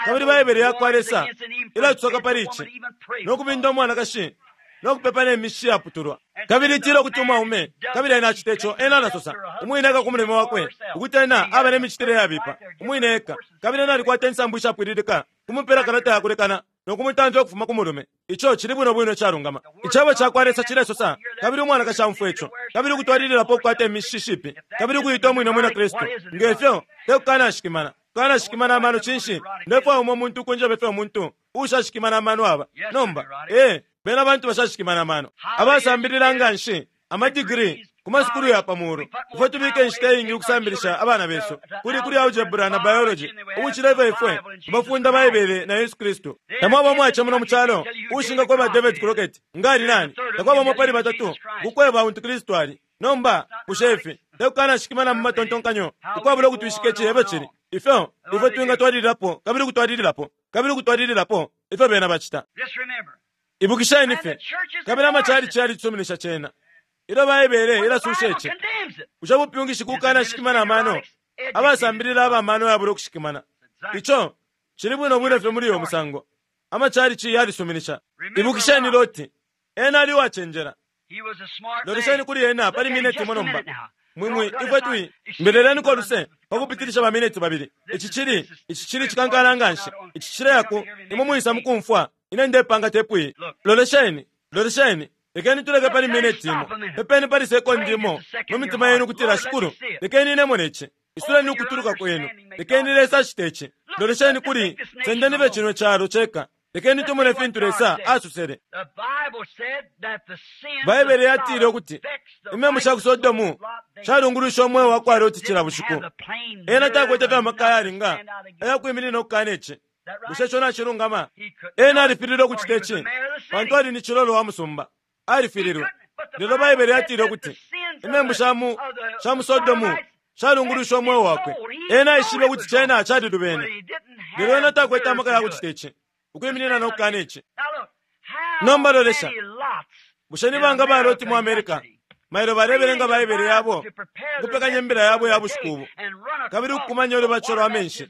Kabili Baibele ya kwa Lesa ilatusoka pali ici, no kubinda umwanakashi no kupepa ne mishishi yaputulwa. Kabili itila ukuti umwaume, kabili ena acita ico, ena alasosa, umwine eka ku mulimo wakwe, ukuti ena aba ne micitile yabipa, umwine eka, kabili ena alikwata insambu ishapwililika kumupela kalata ya kulekana no kumutamfya ukufuma ku mulume. Ico cili bwino bwino icalungama. Icebo ca kwa Lesa cilesosa, kabili umwanakashi aumfwa ico, kabili ukutwalililapo ukukwata imishishi ipi, kabili ukuita umwine Umwina Kristu, nge fyo, te kukanashikimana. Kukanashikimana amano cinshi? Ndefwaya umo muntu ukunjeba ifyo umuntu uushashikimana amano aba. Nomba, ee, bena bantu bashashikimana amano, abasambilila nga nshi, amadigiri. Ku masukulu ya pa muulu, ifwe tubika inshita iingi ukusambilisha abana besu kuli kuli algebra na biology ukucila ifyo ifwe tubafunda Baibele na Yesu Kristu. Tamwaba umwaice muno mu calo uushingakweba David Crockett nga ali nani. Takwaba umo pali batatu ukukweba untu Kristu ali. Nomba, bushe ifi te kukanashikimana mu matontonkanyo ukwabula ukutwishika ici efyo cili? Ifyo ifwe twingatwalililapo kabili ukutwalililapo kabili ukutwalililapo ifyo bena bacita. Ibukisheni fye, kabili amachalichi yalicisuminisha cena. Ilyo Baibele ilasusha ici, bushe bupyungishi kukanashikimana amano, abasambilila aba mano yabula ukushikimana? Ico cili bwino bwino fye muli uyo musango. Amachalichi yalisuminisha. Ibukisheni Loti, ena ali uwacenjela. Lolesheni kuli ena pali mineti imo nomba. Mwi, mwi, ifwe twi, mbeleleniko uluse pa kupitilisha ba mineti babili. Ici cili, ici cili cikankala nganshi. Ici cileya ku, imwe mwisa mukumfwa, ine ndepanga tepu iyi. Lolesheni, lolesheni, lekeni tuleke pali mineti imo. Pepeni pali sekondi imo mu mitima yenu ukutila, Shikulu, lekeni ine mone ici. Isuleni ukutuluka kwenu. Lekeni Lesa acite ici. Lolesheni kuli, sendeni fye cino calo ceka. Lekeni tumone fintu Lesa asosele. Baibele yatile ukuti imembu sha ku Sodomu shalungulusha umweo wa kwa Loti cila bushiku. Ena takwete fye amaka ayalinga aya kwiminina ukukana ici. Bushe ico nacilungama? Ena alifililwe ukucita ici pantu ali ni cilolo wa musumba. Alifililwe. Lelo Baibele yatile ukuti imembu sha mu sha mu Sodomu shalungulusha umweo wakwe. Ena aishibe ukuti cena calilubene. Lelo ena takwete amaka ya kucita ici, ukwiminina no kukana ici. Nomba lolesha. Bushe ni banga ba Loti mu America mailo balebelenga Baibele yabo, ukupekanya imbila yabo ya bushiku ubu, kabili ukukumanya ulubatisho lwa menshi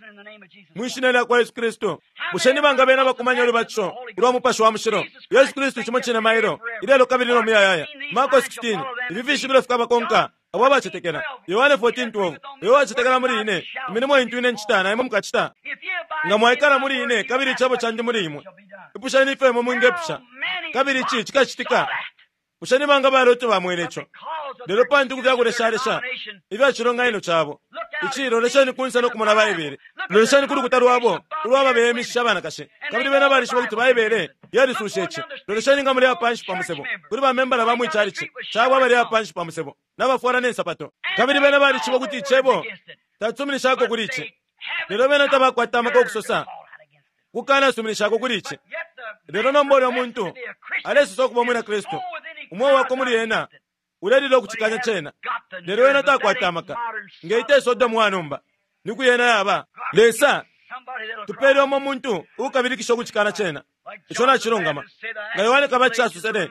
mwi Shina lya kwa Yesu Kristu? Bushe ni banga bena bakumanya ulubatisho ulwa Mupashi wa Mushilo? Yesu Kristu cimo cine mailo, ilelo kabili no muyayaya. Marko 16, ifi fishibilo fikabakonka abo abacetekela. Yohane 14:12, Uyo uwacetekela muli ine, imilimo intu ine ncita na imwe mukacita. Nga mwaikala muli ine kabili icebo candi muli imwe, ipusheni ifyo imwe mwingepusha, kabili ici cikacitika. Bushe ni banga ba Loti bamwene ico? Lelo pantu ku fyakuleshalesha ifya cilonganino cabo, ici lolesheni kunse no kumona Baibele. Lolesheni ku lukuta lwabo ulwa babeyemishisha abanakashi, kabili bena balishiba ukuti Baibele yalisusha ici. Lolesheni nga muleya panshi pa musebo, kuli ba membala ba mwi chalichi cabo abaleya panshi pa musebo, nabafwala ne nsapato, kabili bena balishiba ukuti Icebo tacisuminishako kuli ici. Lelo bena tabakwata amaka ukusosa kukanasuminishako kuli ici. Lelo nomba ulya muntu alesosa ukuba umwina Kristu, umweo wakwe muli ena ulelila ukucikanya cena, lelo ena takwata amaka. Nge ite Sodomu wa nomba, ni kwi yena yaba? Lesa, tupele umo muntu ukabilikisha ukucikana cena. Ico nacilungama. Nga Yohane Kabatisha asosele,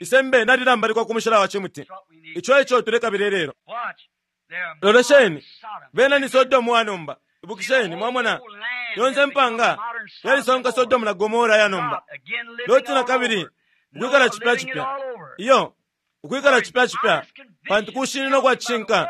Isembe nalilambalikwa ku mushila wa cimuti. Ico eco tulekabila ilelo. Lolesheni, bena ni Sodomu wa nomba. Ibukisheni, mwamona, yonse mpanga yalisonka Sodomu na Gomora ya nomba. Loti na kabili ukwikala cipya cipya. Iyo, ukwikala cipya cipya, pantu kushinina kwa cishinka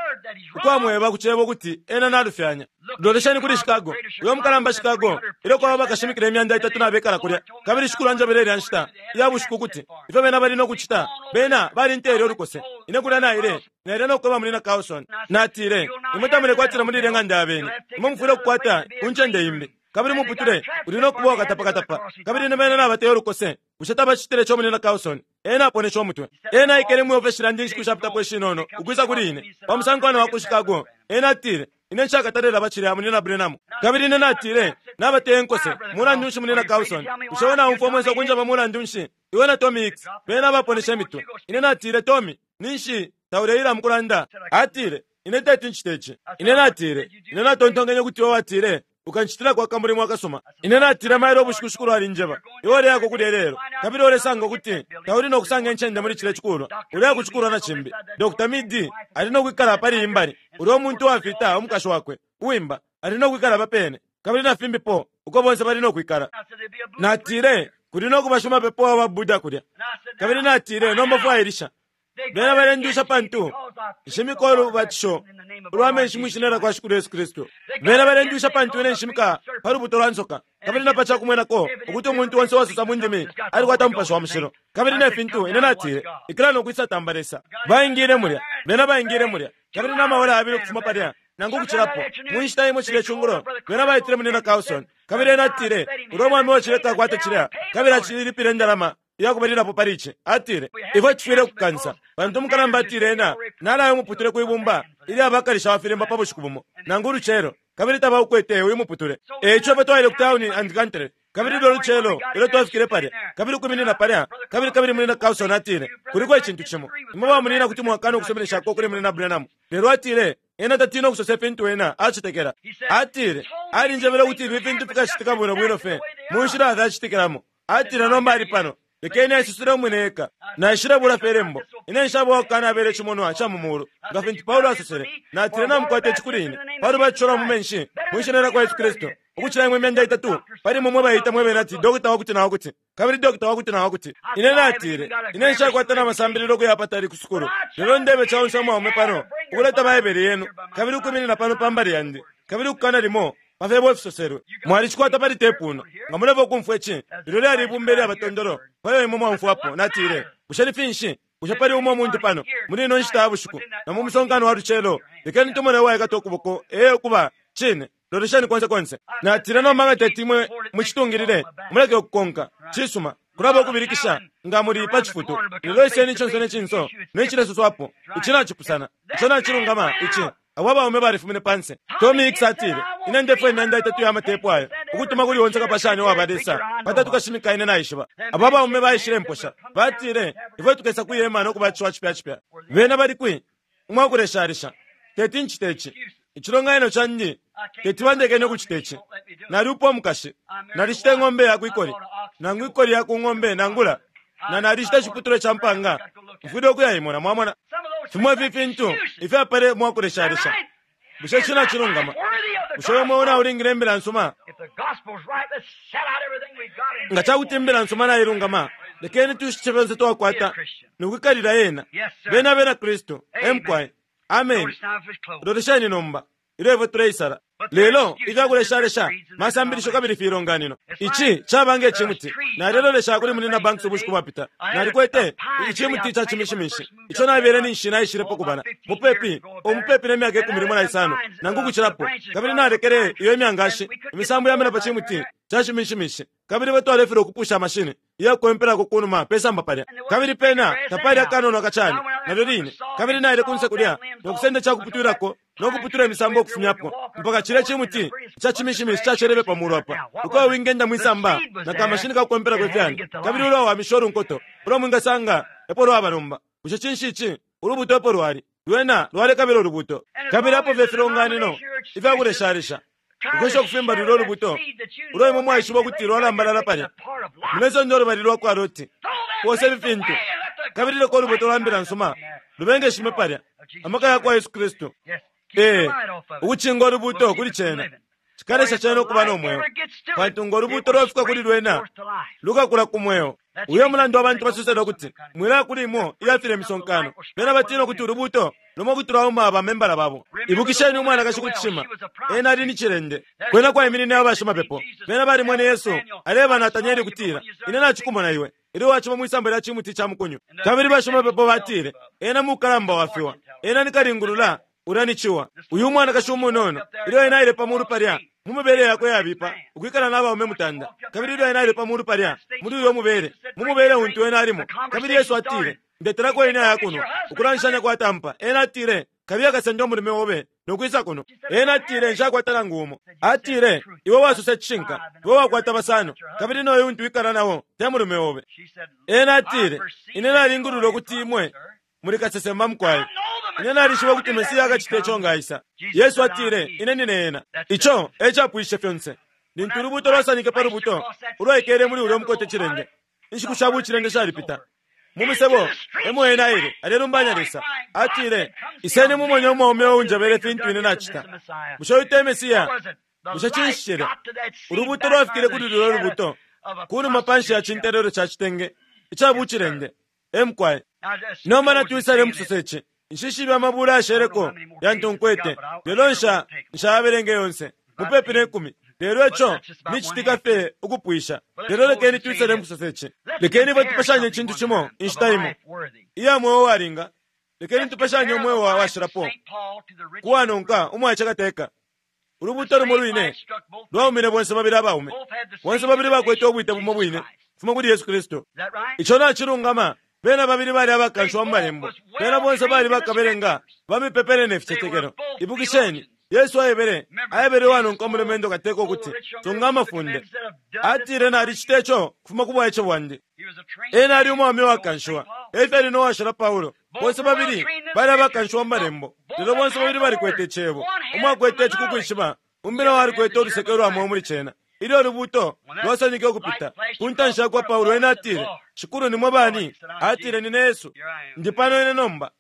ukwamweba ku cebo ukuti ena nalufyanya. Lolesheni kuli Chicago, uyo mukalamba Chicago, ilyo kwaba bakashimikila 300 na bekala kulya, kabili Shikulu anjebele ilya nshita iya bushiku ukuti ifyo bena bali no kucita, bena balinteele ulukose. Ine kulya naile, naile no kweba Munyina Carlson. Natile, Imwe tamulekwatila muli ilya ng'anda ya beni. Imwe mufwile ukukwata ku ncende imbi. Kabili umuputule uli no kuba uwakatapakatapa. Kabili ine bena nabateya ulukose. Bushe tabacitile ico, Munyina Carlson? Ena aponeshe umutwe. Ena aikele mwi ofeshi lyandi inshiku shapitapo ishinono, ukwisa kuli ine, pa musankwano wa ku Chicago. Ena atile, Ine nshakatale laba cilya, Munyina Branham. Kabili ine natile, Nabateya inkose. Mulandu nshi, Munyina Carlson? Bushe iwe naumfwa umwenso ukunjeba mulandu nshi? Iwe na Tommy Hicks, bena abaponeshe imitwe. Ine natile, Tommy, ninshi tauleila mukulanda? Atile, Ine teti ncite ici. Ine natile, Ine natontonkenye ukuti iwe watile ukancitilako akamulimo akasuma. Ine natile, Mailo ubushiku Shikulu alinjeba, iwe uleyako kulya ilelo, kabili ulesanga ukuti tauli no kusanga incende muli cilya cikulwa. Uleya ku cikulwa na cimbi. Dr. Mead ali no kwikala pali iyi mbali, ulya umuntu uwafita, umukashi wakwe, uwimba, ali no kwikala apa pene, kabili na fimbipo, uko bonse bali no kwikala. Natile, Kuli no kuba shimapepo wa baBuddha kulya. Kabili natile, Nomba fwailisha. Bena balendusha pantu nshimika ulubatisho ulwa menshi mwi Shina lyakwa Shikulu Yesu Kristu. Bena balendusha pantu ine nshimika pa lubuto lwa nsoka, kabili na pa ca kumwenako ukuti umuntu onse uwasosa mu ndimi alikwata Mupashi wa Mushilo. Kabili ne fintu, ine natile, Ikila no kwisa tamba Lesa. Baingile mulya, bena baingile mulya, kabili na maora yabili ukufuma palya, nangu ukucilapo, mu nshita imo cilya cungulo, bena baitile Munyina Carlson, kabili ena atile, Ulya umwaume wa cilya takwata cilya, kabili acililipila indalama. Iyakubalilapo pali ici. Atile, Ifwe tufwile ukukansa, pantu umukalamba atile ena nalaya umuputule kwi bumba ilya bakalisha wa filimba pa bushiku bumo, nangu ulucelo, kabili tabaukwete uyu muputule. E ico ifwe twaile ku Town and Country, kabili lulyo lucelo ilyo twafikile palya, kabili ukwiminina palya, kabili, kabili Munyina Carlson atile, Kuliko icintu cimo. Imwe ba munyina kuti mwakana ukusuminishako kuli Munyina Branham. Lelo atile, Ena tatina ukusosa ifintu ena acetekela. Atile, Alinjebele ukuti ifi fintu fikacitika bwino bwino fye mu nshila fyacitikilamo. Atile, Nomba ali pano. Lekeni aisusule umwine eka. Naishile bula fye Ilembo. Ine nshaba uwakukanabela icimonwa ca mu mulu, nga fintu Paulo asosele. Natile, Namukwata ici kuli ine, pa lubatisho lwa mu menshi, mwi Shina lyakwa Yesu Kristu, ukucila imwe imyanda itatu pali imwe mwe baiita mwe bene ati Dokota Wakuti-na-wakuti, kabili Dokota Wakuti-na-wakuti. Ine natile, Ine nshakwata na masambililo ukuya apatali ku sukulu, lelo ndebe caonse umwaume pano ukuleta Baibele yenu, kabili ukwiminina pano pa mbali yandi, kabili ukukana limo pa fyebo ifisoselwe. Mwalicikwata pali tepu uno. Nga mulefwaya ukumfwa ici, ilyo lyali ibumba ilya batondolo payo imwe mwaumfwapo. Natile, Bushe ni finshi? Bushe pali umo umuntu pano, muli ino nshita ya bushiku, na mu musonkano wa lucelo? Lekeni tumone uwaikata ukuboko. Ee, ukuba, cine. Lolesheni konse konse. Natile, Nomba nga teti imwe mucitungilile, muleke ukukonka. Cisuma. Kulaba ukubilikisha nga muli pa cifutu. Lelo iseni icinso ne cinso ne cilesoswapo. Ici nacipusana. Ico nacilungama. Ici. Abo abaume balifumine panse. Tommy Hicks atile, Ine ndefwaya imyanda itatu ya matepu ayo, ukutuma kuli onse kapashanya uwa balesa patatu kashimika ine naishiba. Abo abaume baishile mposha. Batile, Ifwe tukesa kwi hema no kubatishiwa cipya cipya. Bena bali kwi? Umwakuleshalisha. Teti ncite ici. Icilonganino candi teti bandekene ukucita ici. Nalyupa umukashi. Nalishita ing'ombe ya kwikoli, nangu ikoli ya ku ng'ombe, nangula na nalishita iciputulwa ca mpanga. Mfwile ukuyaimona, mwamona. Fimo ifi fintu ifyapale mwakuleshalisha. Bushe ici nacilungama? Bushe uyo mweo naulingile imbila nsuma? Nga ca kuti imbila nsuma nailungama, lekeni tushitishe fyonse twakwata no kwikalila yena. Beni Abena Kristu. E mukwai. Ameni. Lolesheni nomba. Ilyo ifwe tuleisala. Lelo ifya kuleshalesha masambilisho kabili filonganino. Ici caba nge cimuti. Nalelolesha kuli Munyina Banks ubushiku bwapita. Nalikwete icimuti ca cimishimishi ico nabele ninshi naishilepo kubala, mupepi, oh, mupepi ne myaka ikumi limo na isano nangu ukucilapo. Kabili nalekele iyo imyangashi, imisambo yamena pa cimuti ca cimishimishi. Kabili ifwe twalefilwa ukupusha mashini iya kukwempelako kunuma pe samba palya. Kabili pena tapali akanono akacani, nalyo line. Kabili naile kunse kulya no kusenda ica kuputwilako no kuputula imisambo ukufumyapo, mpaka cilya cimuti ca cimishimishi cacelele pa mulu apa, uko wingenda mwi samba na kamashini ka kukwempelako ifyani. Kabili ulwawamisha ulunkoto ulo mwingasanga epo lwaba nomba. Bushe cinshi ici? Ulubuto epo lwali. Lwena lwalekabila ulubuto. Kabili apo fye ifilonganino ifya kuleshalesha ukwesha ukufimba lulyo lubuto ulo imwe mwaishiba ukuti lwalambalala palya. Mulesonda ulubali lwa kwa Loti. Poosa ifi fintu, kabili leka ulubuto lwa Mbila nsuma lubengeshime palya, amaka yakwa Yesu Kristu. Ee, ukucinga ulubuto kuli cena, cikalesha cena ukuba no mweo, pantu ngo lubuto lwafika kuli lwena, lukakula ku mweo. Uyo mulandu abantu basosela ukuti, Mwilaya kuli imo iya filye misonkano. Bena batina ukuti ulubuto lumo kuti lwauma ba membala babo. Ibukisheni umwanakashi ku cishima, ena ali ni cilende. Kwena kwaiminine abashimapepo. Bena balimwene Yesu aleeba Natanieli ukutila, Ine nacikumona iwe, ilyo wacima mwi samba lya cimuti ca mukunyu. Kabili bashimapepo batile, Ena mukalamba wa fiwa. Ena ni kalingulula. Ulya ni ciwa. Uyu umwanakashi umunono, ilyo ena aile pa mulu palya, mu mibele yakwe iyabipa, ukwikala na baume mutanda, kabili ilyo ena aile pa mulu palya, muli uyo mubele, mu mubele untu ena alimo, kabili Yesu atile, Ndetelako ine aya kunwa. Ukulanshanya kwatampa. Ena atile, Kabiye kasende umulume obe no kwisa kuno. Ena atile, Nshakwata nangu umo. Atile, Iwe wasosa icishinka. Iwe wakwata basano, kabili noyu untu wikala nao te mulume obe. Ena atile, Ine nalingulula ukuti imwe muli kasesema mukwai. Ine nalishiba ukuti Mesia akacita ico nga aisa. Yesu atile, Ine nine ena. Ico e capwishishe fyonse. Lintu ulubuuto lwasanike pa lubuto ulwaikele muli ulya umukote cilende, inshiku sha bucilende shalipita. Mu musebo e mo ena aile, alelumbanya Lesa. Atile, Iseni mumone umwaume uunjebele fintu ine nacita. Bushe uyu te Mesia? Bushe cinshi cilya? Ulubuuto lwafikile kuli lulyo lubuto, ku numa panshi ya cintelelwe ca citenge ica bucilende. E mukwai. Nomba natwisale mukusosa ici. Nshishibe amabula ayasheleko yantu nkwete, lelo nsha, nshayabelenge yonse. Mupepi ne kumi. Lelo ico ni citika fye ukupwisha. Lelo lekeni twisale mukusosa ici. Lekeni ifwe tupashanye icintu cimo inshita imo, iya mweo uwalinga. Lekeni tupashanye umweo wa washilapo ku wanonka umwaice kateka. Ulubuuto lumo lwine lwaumine bonse babili abaume. Bonse babili bakwete ubwite bumo bwine kufuma kuli Yesu Kristu. Ico nacilungama. Bena babili bali abakanshiwa mu Malembo. Bena bonse bali bakabelenga ba mipepele ne ficetekelo. Ibukisheni, Yesu aebele, aebele uwanonka umulumendo kateka ukuti, Sunga amafunde. Atile, Nalicita ico kufuma ku bwaice bwandi. Ena ali umwaume uwakanshiwa. E fyali no washala Paulo. Bonse babili bali abakanshiwa mu Malembo, lelo bonse babili balikwete Icebo. Umo akwete ici ku kwishiba, umbi na o alikwete uluseke ulwa mweo muli cena. Ilyo ulubuuto lwasanike ukupita ku ntanshi ya kwa Paulo, ena atile, Shikulu, ni mwe bani? Atile, Nine Yesu. Ndi pano ine nomba.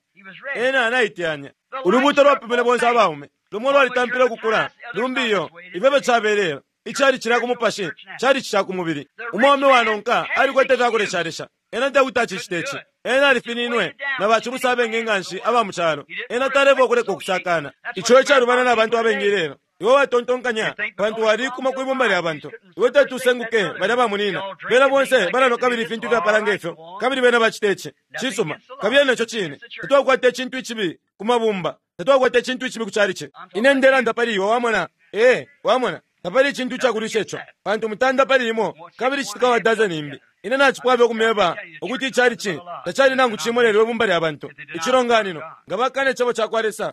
Ena naiteyanya. Ulubuuto lwapimine bonse abaume. Lumo lwalitampile ukukula, lumbi iyo. Ifyo efyo cabele. Icali cilya ku mupashi cali ca ku mubili. Umwaume uwanonka alikwete ifya kuleshalesha. Ena tekuti acicite ici. Ena alifininwe na bacibusa abengi nganshi aba mu calo. Ena talefwaya ukuleka ukusakana. Ico e calubana na bantu abengi ilelo. Iwe watontonkanya pantu walikuma kwi bumba lya bantu. Iwe teti usenguke balya bamunina. Bena bonse balanwa kabili ifintu ifyapala nge fyo, kabili bena bacita ici. Cisuma, kabiye neco cine. Tatwakwata icintu icibi ku mabumba. Tatwakwata icintu icibi ku calici. Ine ndelanda pali iwe, wamona. Ee, wamona. Tapali icintu icakulwisha ico, pantu mutanda pali imo kabili citika wa dazeni imbi. Ine nacipwafye ukumyeba ukuti icalici tacali nangu cimo lelo ibumba lya bantu, icilonganino, nga bakana Icebo cakwa Lesa.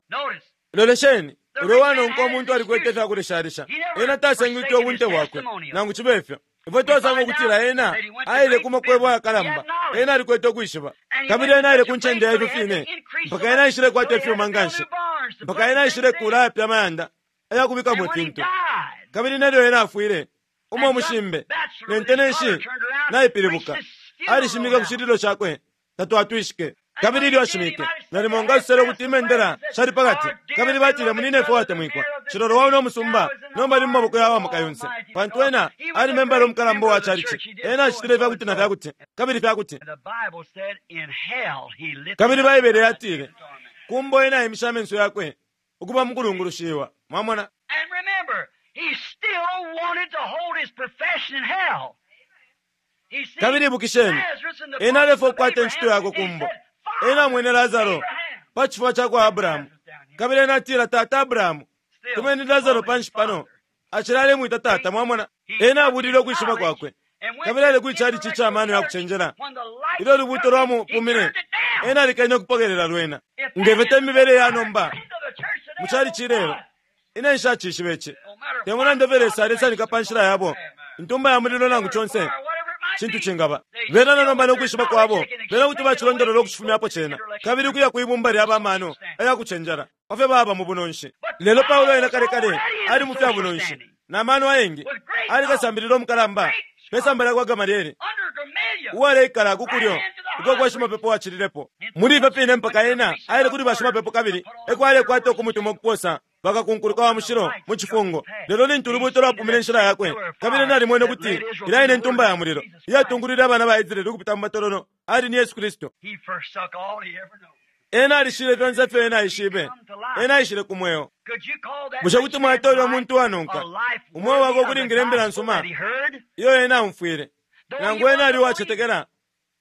Lolesheni, ulyo uwanonka umuntu alikwete ifya kuleshalesha. Ena tasengwike ubunte bwakwe, nangu cibe fyo. Ifwe twasanga ukutila ena aile ku makwebo ayakalamba. Ena alikwete ukwishiba. Kabili ena aile ku ncende ya ifyo fine mpaka ena aishilekwata ifyuma nganshi, mpaka ena aishilekuula ayapya amayanda ayakubikamo ifintu. Kabili nelyo ena afwile, umo umushimbe, ne ntenenshi naipilibuka, alishimike ku cililo cakwe, tatwatwishike. Kabili ilyo ashimike, nalimo nga asosele ukuti imendela shali pa kati, kabili batile, Munyinefwe uwatemwikwa, cilolo wa uno musumba nomba ali mu maboko ya wa Maka yonse, pantu ena ali membala umukalamba uwa calici. Ena acitile ifya kuti na fya kuti, kabili fya kuti. Kabili Baibele yatile, Ku mbo ena aimishe amenso yakwe ukuba mukulungulushiwa. Mwamona? And remember, he still wanted to hold his profession in hell. He seen Kabili ibukisheni, Lazarus in the ena bosom alefwaya of ukukwata incito Abraham. yakwe ku He mbo. said, Ena Father, amwene Lasaro Abraham. pa cifuba ca kwa Abrahamu. Kabili ena atila, Tata Abrahamu, Still tumeni Lasaro called him panshi pano. father. Acila alemwita tata, mwamona. Ena abulile ukwishiba kwakwe. Kabili aile kwi chalichi ica mano ya kucenjela. Ilyo ulubuuto lwamupumine, ena alikene ukupokelela lwena. Nge fyo te mibele ya nomba mu chalichi ilelo. Ine nshacishiba ici. Te mulandu ifyo Lesa alesanika pa nshila yabo, intumba ya mulilo nangu conse cintu cingaba. Bena na nomba no kwishiba kwabo, bena kuti bacilondolola ukucifumyapo cena, kabili ukuya kwi bumba lya bamano aya kucenjela pa fyo baba mu bunonshi. Lelo Paulo ena kale kale ali mu fya bunonshi, na mano ayengi, ali kasambilila umukalamba pe samba lya kwa Gamaliele, uwaleikala ku kulyo ukwa kwa shimapepo wacililepo. Muli ifyo fine mpaka ena aile kuli bashimapepo kabili eko alekwata ukumutuma ukuposa bakakunkuluka wa mushilo mu cifungo. Lelo lintu ulubuuto lwapumine inshila yakwe, kabili ena alimwene ukuti ilya ine Ntumba ya Mulilo iyatungulwile abana ba Israele ukupita mu matololo ali ni Yesu Kristu. Ena alishile fyonse ifyo ena aishibe. Ena aishile ku mweo. Bushe kuti mwaita ulya muntu uwanonka umweo wakwe ukulingila imbila nsuma iyo ena aumfwile, nangu ena ali uwacetekela?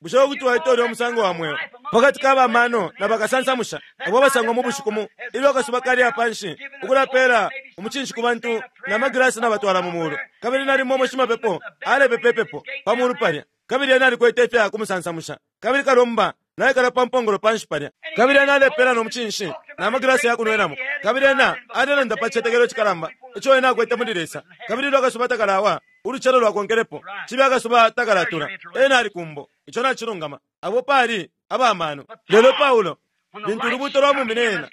Bushe kuti waita ulya umusango wa mweo pa kati ka ba mano na bakasansamusha abo abasangwa mu bushiku mu ilyo akasuba kaliya pa nshi, ukulapeela umucinshi ku bantu na magilasi nabatwala mu muulu, kabili nalimo umo shimapepo alepepa ipepo pa muulu palya, kabili ena alikwete ifya kumusansamusha, kabili kalomba naikala pa mpongolo pa nshi palya, kabili ena alepeela no mucinshi na magilasi ya kunwenamo, kabili ena alelanda pa citetekelo icikalamba ico ena akwete muli Lesa, kabili ilyo akasuba takalawa, ulucelo lwakonkelepo, cibe akasuba takalatula, ena ali kumbo. Ico nacilungama. Abo pali aba mano. Lelo Paulo, lintu ulubuuto lwamumine ena,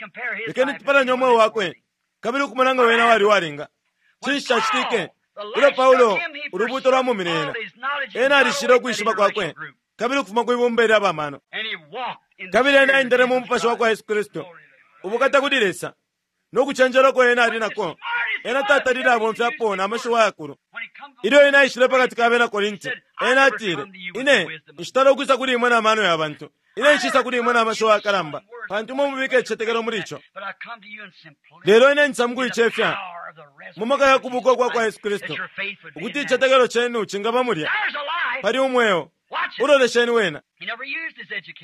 lekeni tupalanye umweo wakwe kabili ukumona nga wena wali uwalinga. Cinshi cacitike? Ilyo Paulo ulubuuto lwamumine ena, ena alishile ukwishiba kwakwe kabili ukufuma kwi bumba ilya ba mano. Kabili ena aendele mu mupashi wa kwa Yesu Kristu. Ubukata kuli Lesa! No kucenjela uko ena ali nako, ena tatalile abomfyapo na mashiwi ayakulu. Ilyo ena aishile pa kati ka bena Korinti, ena atile, Ine nshitala ukwisa kuli imwe na mano ya bantu. Ine nshisa kuli imwe na mashiwi ayakalamba, pantu imwe mubika icitetekelo muli ico. Lelo ine njisa mu kuicefya, mu maka ya kubuka ukwa kwa Yesu Kristu, ukuti icitetekelo cenu cingaba mulya. Pali umweo. Ulolesheni wena.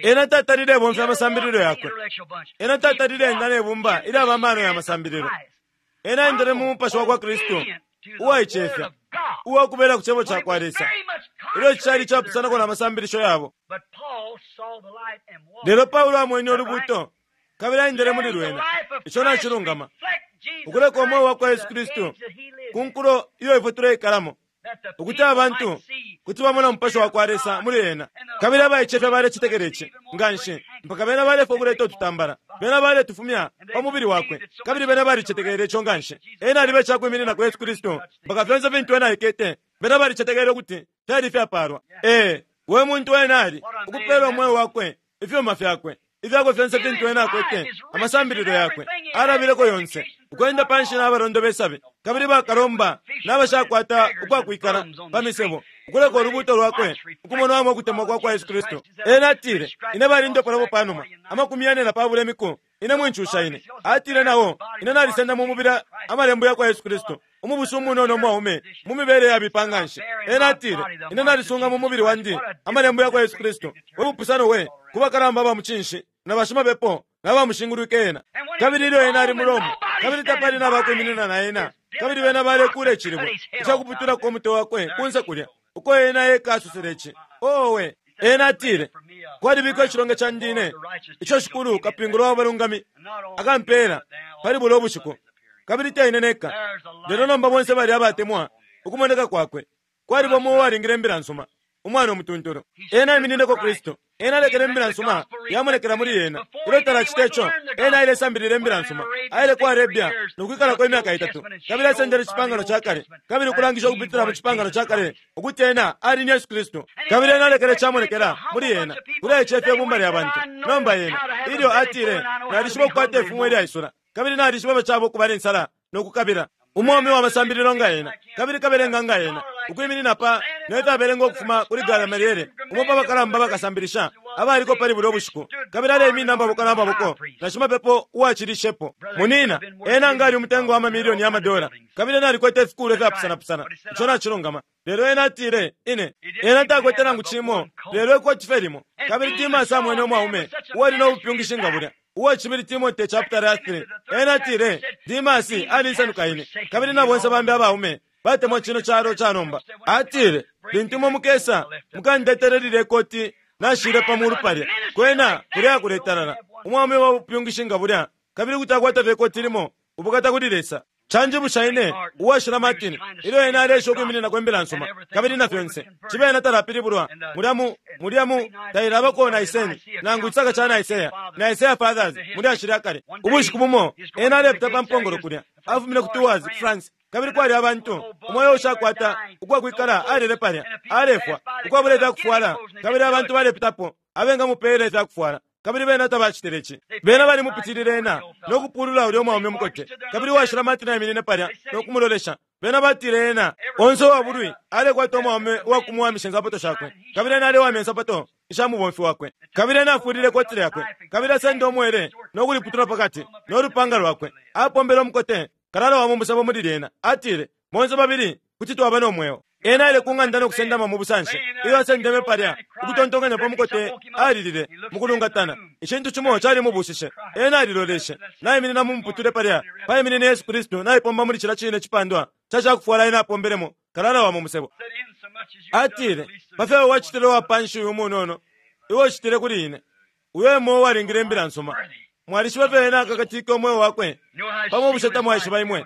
Ena tatalile bomfya amasambililo yakwe. Ena tatalile enda ne bumba ilya ba mano ya masambililo. Ena aendele mu mupashi wa kwa Kristu uwaicefya, uwakubela ku cebo ca kwa Lesa, ilyo cali icapusanako na masambilisho yabo. Lelo Paulo amwene ulubuuto kabili aendele muli lwena. Ico nacilungama, ukuleka umweo wa kwa Yesu Kristu ku nkulo iyo ifwe tuleikalamo, ukuti abantu kuti bamona umupashi wa kwa Lesa muli ena. Kabili abaicefya balecetekela ici nga nshi mpaka bena balefwa ukuleta ututambala, bena baletufumya pa mubili wakwe, kabili bena balicetekele ico nga nshi. Ena aliba icakwimininako Yesu Kristu mpaka fyonse fintu ena aikete, bena balicetekele ukuti fyali ifyapaalwa. Ee, we muntu ena ali, ukupeela umweo wakwe, ifyuma fyakwe, ifyakwe fyonse fintu ena akwete, amasambililo yakwe, alabileko yonse, ukwenda panshi n'abalondo besabi, kabili bakalomba n'abashakwata ukwakwikala pa misebo, ukuleka ulubuuto lwakwe ukumonwamo ukutemwa kwa kwa Yesu Kristu. Ena atile, Ine balindopolapo pa numa 42 imiku, ine mwincusha ine. Atile nao, Ine nalisenda mu mubili amalembo ya kwa Yesu Kristu, umubusu umunono umwaume mu mibele yabipa nga nshi. Ena atile, Ine nalisunga mu mubili wandi amalembo ya kwa Yesu Kristu. We bupusano we ku bakalamba ba mucinshi na bashimapepo na bamushingulwike ena! Kabili ilyo ena ali mu Roma, kabili tapali na bakwiminina na ena, kabili bena balekuula icilibwe icakuputulako umutwe wakwe kunse kulya, uko ena eka asosele ici. Owe! Ena atile, Kwalibikwa icilonge candi ine, ico Shikulu, kapingula wa balungami, akampeela pali bulya ubushiku, kabili te ine neka, lelo nomba bonse balya abatemwa ukumoneka kwakwe. Kwaliba umo uwalingile imbila nsuma, umwana umutuntulu. Ena aiminineko Kristu. Ena alekele imbila nsuma yamonekela muli ena. Ilyo talacita ico, ena ailesambilila imbila nsuma. Aile ku Arabia no kwikalako imyaka itatu, kabili asendele Icipangano ca Kale, kabili ukulangisha ukupitila mu Cipangano ca Kale ukuti ena ali ni Yesu Kristu. Kabili ena alekele camonekela muli ena, kuli aicefya ibumba lya bantu. Nomba ena, ilyo atile, Nalishiba ukukwata ifumo ilyaisula, kabili nalishiba ifyo caba ukuba ne nsala no kukabila. Umwaume wa masambililo nga ena, kabili kabelenga nga ena, ukwiminina pa ne fyo abelenga ukufuma kuli Gamaliele, umo pa bakalamba bakasambilisha abaliko pali bulya bushiku, kabili aleiminina amaboko na maboko na shimapepo uwacilishepo. Munina, ena nga ali umutengo wa mamilioni ya madola, kabili ena alikwete ifikuulwa ifyapusanapusana. Ico nacilungama. Lelo ena atile, Ine. Ena takwete nangu cimo lelo ikoti fye limo. Kabili Timasi amwene umwaume uwali no bupyungishi nga bulya. Uwa Cibili Timote chaputala 3. Ena atile, Dimasi alinsanuka ine, kabili na bonse bambi abaume batemwa cino calo ca nomba. Atile, Lintu imwe mukesa, mukandetele lilye koti nashile pa mulu palya. Kwena kulya kuletalala. Umwaume wa bupyungishi nga bulya, kabili kuti akwata fye ikoti limo. Ubukata kuli Lesa! Canjibusha ine, Uwashila Martin, ilyo ena aleesha ukwimininako Imbila nsuma, kabili na fyonse, cibe ena talapilibulwa mulya mu, mulya mu, tailabako Nicene, nangu icisaka ca Nicaea, Nicaea Fathers, mu lyashi lya kale. Ubushiku bumo, ena alepita pa mpongolo kulya, afumine ku Tours, ku France, kabili kwali abantu, umo uyo ushakwata ukwakwikala alele palya, alefwa, ukwabula ifyakufwala, kabili abantu balepitapo, abengamupeela ifyakufwala. Kabili bena tabacitile ici. Bena balimupitilile ena, no kupulula ulyo mwaume mukote. Kabili uwashila Martin aiminine palya no kumulolesha. Bena batile ena, onse uwa bulwi, alekwata umwaume uwa kumuwamisha insapato shakwe. Kabili ena alewamya insapato isha mubomfi wakwe. Kabili ena afulile ikoti lyakwe, kabili asenda umwele no kuliputula pakati, no lupanga lwakwe. Apombele umukote kalala wa mu musebo muli lyena. Atile, Bonse babili kuti twaba no mweo. Ena aile ku ng'anda no kusendama mu busanshi. Ilyo asendeme palya, ukutontonkanya pa mukote, alilile mukulungatana. Icintu cimo calimubushishe. Ena aliloleshe. Naiminina mu muputule palya, paiminine Yesu Kristu naipomba muli cilya cine cipandwa ca cakufwala ena apombelemo kalala wa mu musebo. Atile, Pa fyo iwe wacitile uwa panshi uyu umunono, iwe ucitile kuli ine. Uyo e mweo uwalingile Imbila nsuma. Mwalishiba ifyo ena akakatike umweo wakwe pamo, bushe tamwaishiba imwe?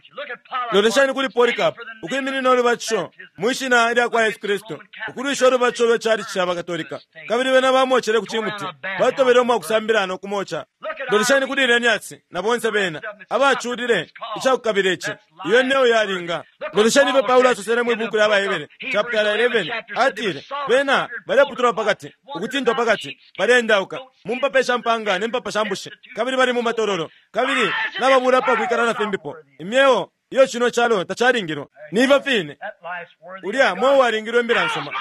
Lolesheni kuli Polycarp ukwiminina ulubatisho mwi shina lya kwa Yesu Kristu, ukulwisha ulubatisho lwe chalichi ca baKatolika, kabili bena bamocele ku cimuti, batobele umwa kusambila no kumoca. Lolesheni kuli Irenaeus na bonse bena abaculile icakukabila ici. Iyo myeo yalinga. Lolesheni ifyo Paulo asosele mwi buuku lya AbaHebere chaputala 11, atile, Bena baleputulwa pa kati, ukutintwa pa kati, baleendauka mu mpapa isha mpaanga ne mpapa sha mbushi, kabili bali mu matololo, kabili nababula apa kwikala na fimbipo, imyeo iyo cino calo tacalingilwa. Ni ifyo fine, ulya mweo walingilwe imbila nsuma.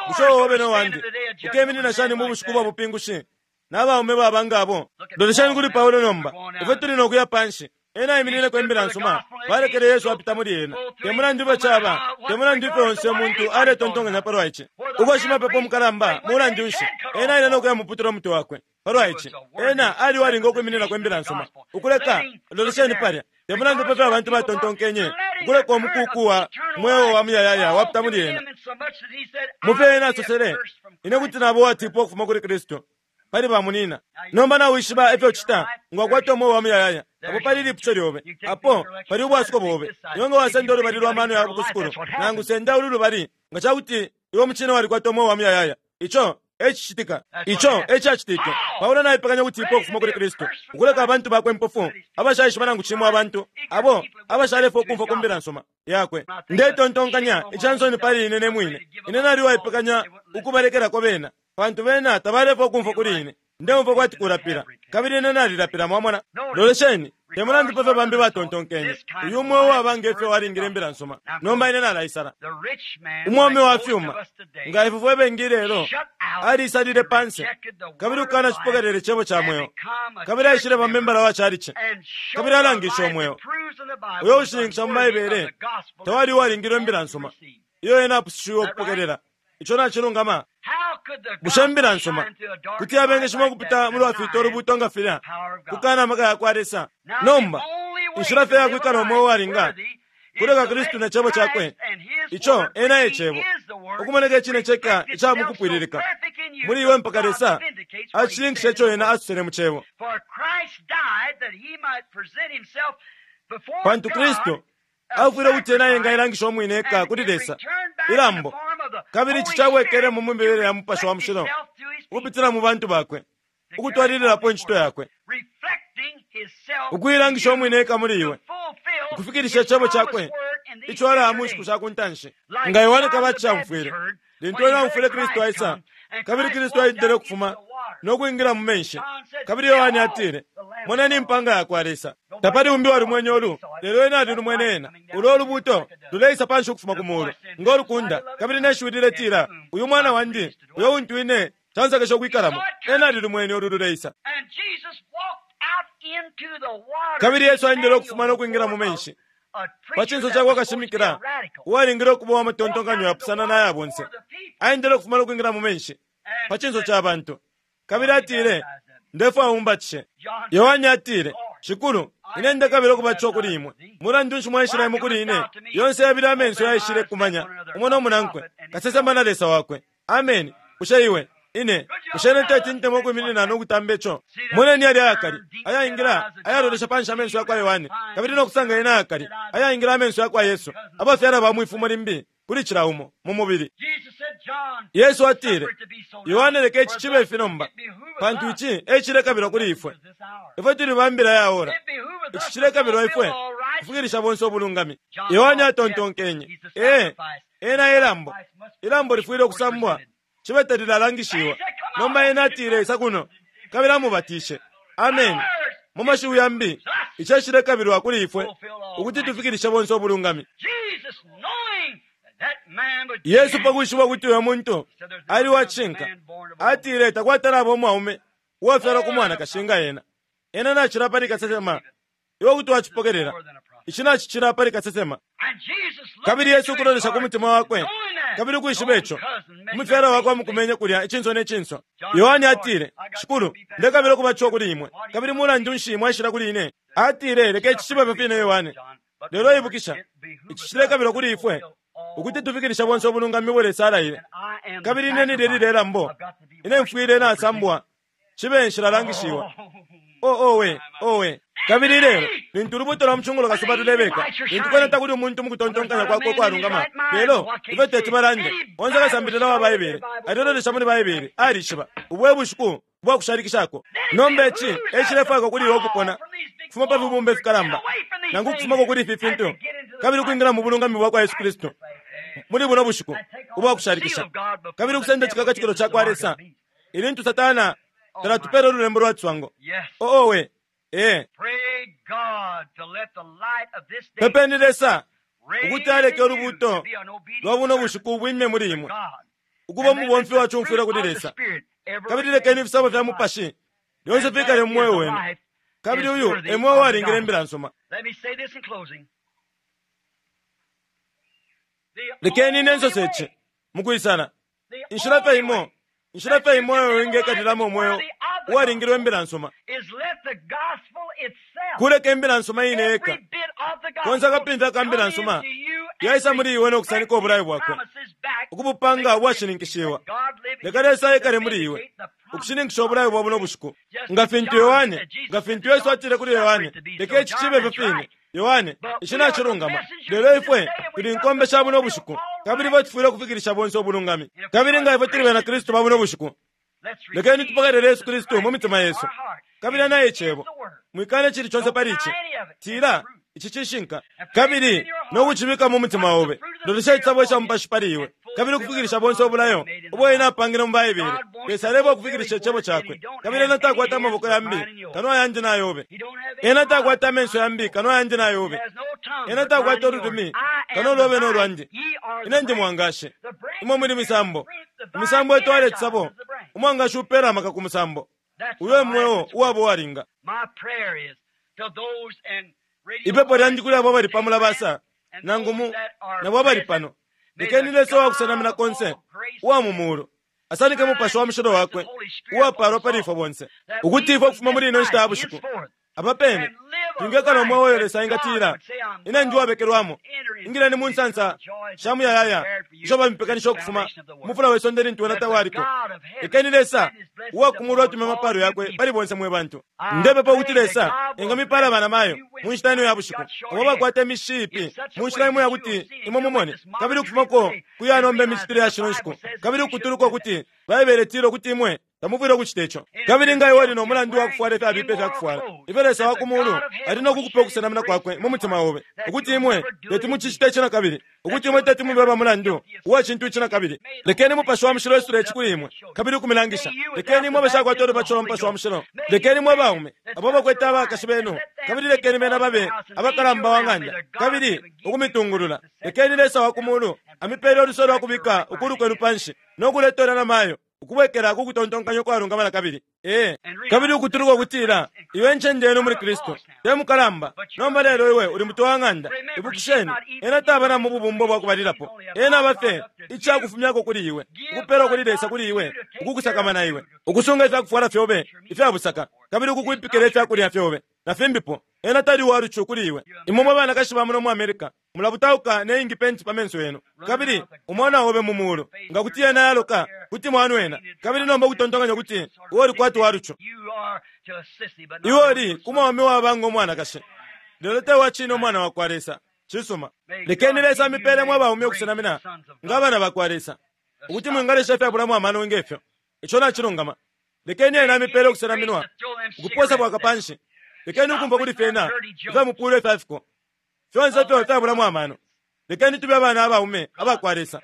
Bushe obe no wandi ukeminina shani mu bushiku bwa bupingushi na baume baba nga abo? Lolesheni kuli Paulo nomba, ifwe tuli no kuya panshi. Ena aiminineko Imbila nsuma. Balekele Yesu apita muli ena. Te mulandu ifyo caba, te mulandu ifyo onse umuntu aletontonkanya palwa ici, uko shimapepo mukalamba, mulandu nshi, ena aile no kuyamuputula umutwe wakwe, palwa ici. Ena ali uwalinga ukwimininako Imbila nsuma. Ukuleka, lolesheni palya. Te mulandu pa fyo abantu batontonkenye, ukuleka umukuku wa mweo wa muyayaya wapita muli ena. Mu fyo ena asosele, ine kuti naba uwatipwa ukufuma kuli Kristu pali bamunina. Nomba nawishiba ifyo ucita nga wakwata umweo wa muyayaya. Apo pali ilipusho lyobe. Apo pali ubwasuko bobe. Iwe nga wasenda ulubali lwa mano ya ku sukulu, nangu senda ulu lubali, nga ca kuti iwe mucine walikwata umweo wa muyayaya. Ico e cicitika. Ico e cacitike. Paulo naipekanya ukutipwa ukufuma kuli Kristu, ukuleka abantu bakwe impofu, abashaishiba nangu cimo abantu, abo abashalefwa ukumfwa ku mbila nsuma yakwe. Ndetontonkanya ica nsoni pali ine ne mwine. Ine nali uwaipekanya ukubalekelako bena, pantu bena tabalefwa ukumfwa kuli ine. Ndeumfwa kwati kulapila, kabili ine nalilapila, mwamona. Lolesheni, te mulandu pa fyo bambi batontonkenye, uyu mweo uwaba nge fyo walingile imbila nsuma. Nomba ine nalaisala. Umwaume wa fyuma, nga ifwe fwe bengi ilelo, aliisalile panse, kabili ukukanacipokelela icebo ca mweo, kabili aishileba membala wa calici, kabili alangishe umweo uyo ushininkisha mu Baibele tawali uwalingilwe imbila nsuma iyo ena apusushiwe ukupokelela. Ico nacilungama. Bushe imbila nsuma kuti yabengeshima ukupita mu lwafiita ulubuuto nga filya, kukana amaka ya kwa Lesa? Nomba, inshila fye ya kwikala umweo uwalinga kuleka Kristu ne Cebo cakwe, ico ena e Cebo, ukumoneka icine ceka ica mu kupwililika muli iwe mpaka Lesa acishininkisha ico ena asosele mu Cebo. Pantu Kristu afwile ukuti ena engailangisha umwine eka kuli Lesa, ilambo, kabili ici cabwekelemo mu mibele ya Mupashi wa Mushilo ukupitila mu bantu bakwe, ukutwalililapo incito yakwe, ukuilangisha umwine eka muli iwe, ukufikilisha icebo cakwe ico alaya mu nshiku sha ku ntanshi. Nga Yohane Kabatisha aumfwile, lintu ena aumfwile Kristu aisa, kabili Kristu aendele ukufuma no kwingila mu menshi, kabili Yohane atile, Moneni impanga ya kwa Lesa. Tapali umbi uwalimwene ulu, lelo ena alilumwene ena. Ulo ulubuuto luleisa panshi ukufuma ku muulu, ngo lukunda, kabili ne shiwi liletila, Uyu Mwana wandi, uyo untu ine cansakesha ukwikalamo. Ena alilumwene ulu luleisa. Kabili Yesu aendele ukufuma no kwingila mu menshi, pa cinso ca kwa kashimikila uwalingile ukuba uwa matontonkanyo yapusana na ya bonse. Aendele ukufuma no kwingila mu menshi, pa cinso ca bantu. Kabili atile, Ndefwaya mumbatishe. Yohane atile, Shikulu, ine ndekabila ukubatishiwa kuli imwe. Mulandu nshi mwaishila imwe kuli ine? Yonse yabili amenso yaishile kumanya umo no munankwe, kasesema na Lesa wakwe. Ameni. Bushe iwe, ine, bushe ine teti ntemwe ukwiminina no kutamba ico? Moneni yalya ayakali, ayaingila, ayalolesha panshi amenso yakwa Yohane, kabili no kusanga yena ayakali, ayaingila amenso yakwa Yesu, abafyala ba mwifumo limbi, kuli cila umo, mu mubili. Yesu atile, Yohane leka ici cibe ifi nomba, pantu ici e cilekabilwa kuli ifwe. Ifwe tuli ba mbila ya ora. Ici cilekabilwa ifwe kufikilisha bonse ubulungami. Yohane atontonkenye, Ee, ena e lambo. Ilambo lifwile ukusambwa, cibe talilalangishiwa. Nomba ena atile, Isa kuno, kabili amubatishe. Ameni. Mu mashiwi yambi, ici e cilekabilwa kuli ifwe ukuti tufikilishe bonse ubulungami. Yesu pa kwishiba ukuti uyo muntu ali wa cishinka, atile takwatalaba umwaume uwafyalwa ku mwanakashi nga ena. Ena nacila pali kasesema. Iwe kuti wacipokelela. Ici nacicila pali kasesema. Kabili Yesu ukulolesha ku mutima wakwe, kabili ukwishiba ico, umufyala wakwe amukumenye kulya icinso ne cinso. Yohane atile, Shikulu, ndekabila ukubatishiwa kuli imwe, kabili mulandu nshi mwaishila kuli ine? Atile, Leka ici cibe fyo fine, Yohane. Lelo ibukisha, ici cilekabilwa kuli ifwe ukuti tufikilishe bonse ubulungami ubo Lesa alaile. Kabili ine nilye lilye lambo, ine mfwile nasambwa, cibe nshilalangishiwa. Oh, owe, owe. Kabili ilelo, lintu ulubuuto lwa mucungulo kasuba lulebeka, lintu kwena takuli umuntu mu kutontonkanya kwakwe ukwalungama, lelo ifyo teti balande, onse kasambilila wa Baibele, alilolesha muli Baibele, alishiba, ubu e bushiku ubwa kushalikishako. Nomba ici e cilefwaikwa kuli iwe ukupona, ukufuma pa fibumba ifikalamba, nangu ukufumako kuli ifi fintu, kabili ukwingila mu bulungami bwa kwa Yesu Kristu muli buno bushiku ubwa kushalikisha, kabili ukusenda icikakatikilo ca kwa Lesa, ilintu Satana talatupela ululembo lwa ciswango. Oh, owe, ee. Pepeni Lesa ukuti aleke ulubuuto lwa buno bushiku bwime muli imwe, ukuba umubomfi wa cumfwila kuli Lesa, kabili lekeni ifisabo fya Mupashi lyonse fikale mu mweo wenu. Kabili uyu e mweo uwalingile imbila nsuma. Lekeni ine nsose ici mukwisala. Inshila fye imo, inshila fye imo iyo wingekatilamo umweo uwalingilwe imbila nsuma, kuleka imbila nsuma iine yeka, Konse akapimfya ka mbila nsuma yaisa muli iwe no kusanika ubulayo bwakwe, ukubupanga ubwashininkishiwa. Leka Lesa ekale muli iwe, ukushininkisha ubulayo bwa buno bushiku. Nga fintu Yohane, nga fintu Yesu atile kuli Yohane, leka ici cibe ifyo fine. Yohane, ici nacilungama. Lelo ifwe tuli nkombe sha buno bushiku, kabili ifwe tufwile ukufikilisha bonse ubulungami. Kabili nga ifwe tuli bena Kristu ba buno bushiku, lekeni tupokelele Yesu Kristu mu mitima yesu. Kabili ena e Cebo. Mwikana icili conse pali ici. Tila, Ici cishinka. Kabili no kucibika mu mutima obe. Lolesha icisabo ica Mupashi pali iwe, kabili ukufikilisha bonse ubulayo ubo Ena apangile mu Baibele. Lesa aleba ukufikilisha Icebo Cakwe. Kabili Ena takwata amaboko yambi kano ayandi na yobe. Ena takwata amenso yambi kano ayandi na yobe. Ena takwata ululimi kano ulobe no lwandi. Ine ndi mwangashi, imwe muli misambo. Imisambo itwala icisabo, umwangashi upela amaka ku musambo. Uyo e mweo uwaba uwalinga. Ipepo lyandi kuli abo abali pa mulabasa nangu mu nabo abali pano, lekeni Lesa uwa kusenamina konse uwa mu muulu asanike Mupashi wa Mushilo wakwe uwapaalwa pali ifwe bonse, ukuti ifwe ukufuma muli ino nshita ya bushiku apa pene twingekala umweo uyo Lesa engatila, Ine ndi uwabekelwamo, ingileni mu nsansa sha muyayaya isho bamipekanisha ukufuma ku mufula we sonde lintu wena tawaliko. Lekeni Lesa uwa ku mulu atume amapaalo yakwe pali bonse mwe bantu. Ndepepa ukuti Lesa engamipaala banamayo mu nshita ino ya bushiku, abo abakwata imishishi iipi mu nshila imo yakuti imwe mumone, kabili ukufumako ku ya nomba imicitile ya shino nshiku, kabili ukutuluka ukuti Baibele itila ukuti imwe tamufwile ukucita ico. Kabili nga iwe uli no mulandu wa kufwala ifyabipa ifya kufwala, ifyo Lesa wa ku mulu ali no kukupa ukusenamina kwakwe mu mutima obe, ukuti imwe teti mucicite ici na kabili, ukuti imwe teti mube aba mulandu uwa cintu ici na kabili. Lekeni Mupashi wa Mushilo esule ici kuli imwe kabili ukumilangisha. Lekeni imwe abashakwata ulubatisho lwa Mupashi wa Mushilo, lekeni mwe baume abo abakwete abakashi benu, kabili lekeni bena babe abakalamba wa ng'anda kabili ukumitungulula. Lekeni Lesa wa ku mulu amipele uluse lwa kubika ukulu kwenu panshi no kuleta ulya namayo ukubwekela ku kutontonkanya ukwalungama na kabili. Ee. Kabili ukutuluka ukutila, Iyo e ncende yenu muli Kristu. Te mukalamba, nomba lelo iwe uli mutwe wa ng'anda. Ibukisheni, Ena taba na mu bubumbo bwa kubalilapo. Ena aba fye ica kufumyako kuli iwe, ukupelwa kuli Lesa kuli iwe, ukukusakamana iwe, ukusunga ifya kufwala fyobe ifya busaka, kabili ukukwipikila ifya kulya fyobe, na fimbipo. Ena tali uwa lucu kuli iwe. Imwe mwe banakashi ba muno mu America, mulabutauka ne ingi penti pa menso yenu, kabili umwana obe mu mulu, nga kuti yena yaloka, kuti mwanwena, kabili nomba ukutontonkanya ukuti iwe uli kwati wa lucu. Iwe uli ku mwaume uwaba ngo mwanakashi, lelo te wa cine umwana wakwa Lesa. Cisuma. Lekeni Lesa amipele mwe baume ukusenamina nga abana bakwa Lesa, ukuti mwingalesha ifyabulamo amano nge fyo. Ico nacilungama. Lekeni Ena amipele ukusenaminwa, ukuposa bwaka panshi. Lekeni ukumfwa kuli fyena ifya mupulo ifya fiko. Fyonse ifyo ifyabulamo amano. Lekeni tube abana abaume abakwa Lesa,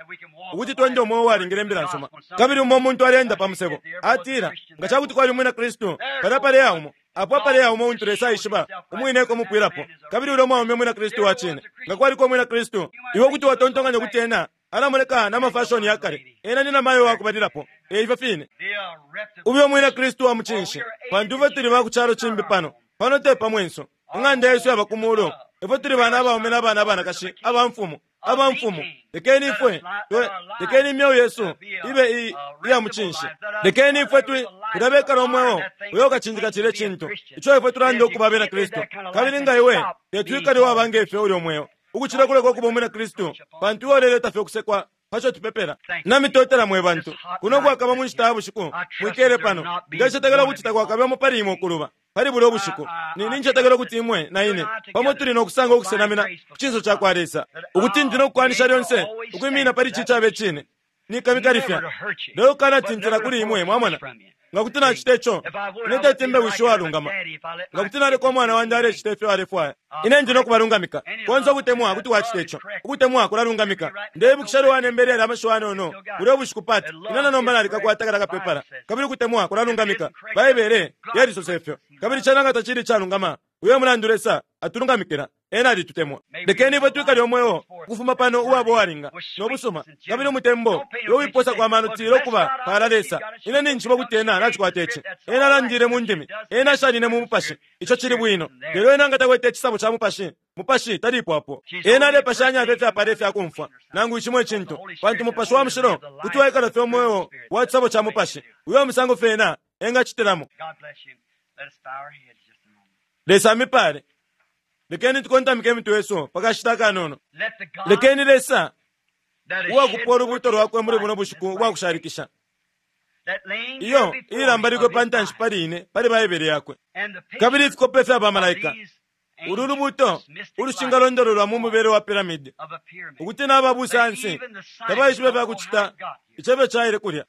ukuti twende umweo uwalingile Imbila nsuma. Kabili umo umuntu aleenda pa musebo, atila, Nga ca kuti kwali umwina Kristu palya paleya umo, apo apaleya umo untu Lesa aishiba umwine eko umupwilapo, kabili ulya mwaume mwina Kristu wa cine. Nga kwaliko umwina Kristu, iwe kuti watontonkanya ukuti ena alamoneka na mafashoni ya kale. Ena ni namayo wa kubalilapo. E ifyo fine. Ube umwina Kristu wa mucinshi, pantu ifwe tuli ba ku calo cimbi pano. Pano te pa mwenso. Ing'anda yesu yaba ku mulu. Ifwe tuli bana abaume na bana abanakashi aba Mfumu, aba Mfumu. Lekeni ifwe, twe, lekeni imyeo yesu ibe i, iya mucinshi. Lekeni ifwe twi, tulabekala umweo uyo ukacindika cilye cintu ico ifwe tulanda ukuba abena Kristu. Kabili nga iwe teti wikale uwaba nge fyo ulyo mweo, ukucila kuleka ukuba umwina Kristu, pantu iwe uleleta fye ukusekwa pa co tupepela. Namitotela mwe bantu. Kuno kwakaba mu nshita ya bushiku, mwikele pano. Ndecetekela ukuti takwakabemo pali imwe ukuluba pali bulya ubushiku. Ni, nincetekela ukuti imwe na ine pamo tuli no kusanga ukusenamina ku cinso ca kwa Lesa, ukuti ndi no kukwanisha lyonse ukwimina pali ici icabe cine. Nikamikalifya, lelo kukanatintila kuli imwe, mwamona. Nga kuti nacita ico, ine teti mbe wishi uwalungama. Nga kuti naleka umwana wandi alecita ifyo alefwaya, ine ndi no kubalungamika. Konse ukutemwa kuti kwacita ico. Ukutemwa kulalungamika. Ndeibukisha ilyo wanembele yalya amashiwi ayanono bulya ubushiku, Pat. Ine na nomba nalikakwata kalya kapepala. Kabili ukutemwa kulalungamika. Baibele yalisosa ifyo. Kabili cena nga tacili icalungama, uyo e mulandu Lesa atulungamikila. Ena alitutemwa. Lekeni ifwe twikale umweo ukufuma pano uwaba uwalinga, no busuma, kabili umutembo, uyo uwiposako amano tila ukuba paala Lesa. Ine ninjishiba ukuti ena nacikwata ici. Ena alandile mu ndimi. Ena ashanine mu Mupashi. Ico cili bwino. Lelo ena nga takwete icisabo ca Mupashi, Mupashi talipwapo. Ena alepashanya fye ifyapala ifya kumfwa, nangu cimo icintu, pantu Mupashi wa Mushilo kuti waikala fye umweo wa cisabo ca Mupashi. Uyo e musango fye ena engacitilamo. Lesa amipale. Lekeni tukontamike imitwe yesu pakashita akanono. Lekeni Lesa uwakupa ulubuuto lwakwe muli buno bushiku ubwakushalikisha, iyo iilambalikwe pa ntanshi pali ine pali Baibele yakwe kabili ifikope fya bamalaika, ulu lubuuto ulushingalondololwa mu mubele wa piramidi, ukuti naba busayansi tabaishiba ifya kucita icebo caile kulya.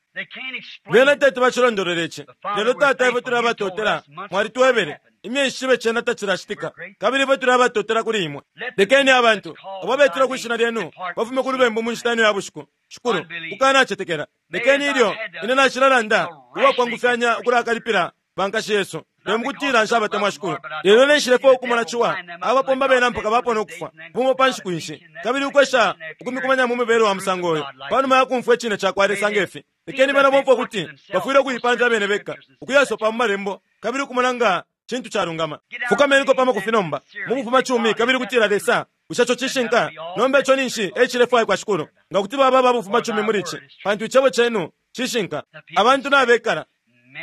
Bena teti bacilondolole ici. Lelo, Tata, ifwe tuli abatotela. Mwalitwebele imyeshi cibe cena tacilacitika, kabili ifwe tuli abatotela kuli imwe. Lekeni abantu abo betila kwi shina lyenu bafume ku lubembu mu nshita ino ya bushiku, Shikulu, kukanacetekela. Lekeni ilyo ine nacilalanda uwakwangufyanya ukulakalipila bankashi yesu, te mukutila nshabatemwa, Shikulu, lelo neshilefwaya ukumona ciwa abapomba bena mpaka bapona ukufwa bumo pa nshiku ishi, kabili ukwesha ukumikumanya mu mibele wa musango uyo panuma ya kumfwa icine ca kwa Lesa nge fi. Lekeni bena bomfwe ukuti bafwile ukuipamfya abene beka, ukuyasopa mu malembo kabili ukumona nga cintu calungama. Fukameniko pa makufi nomba mu bufumacumi kabili kutila, Lesa, bushe ico cishinka? Nomba ico ninshi e cilefwaikwa, Shikulu, nga kuti baba aba bufumacumi muli ici, pantu Icebo Cenu cishinka. Abantu nabekala,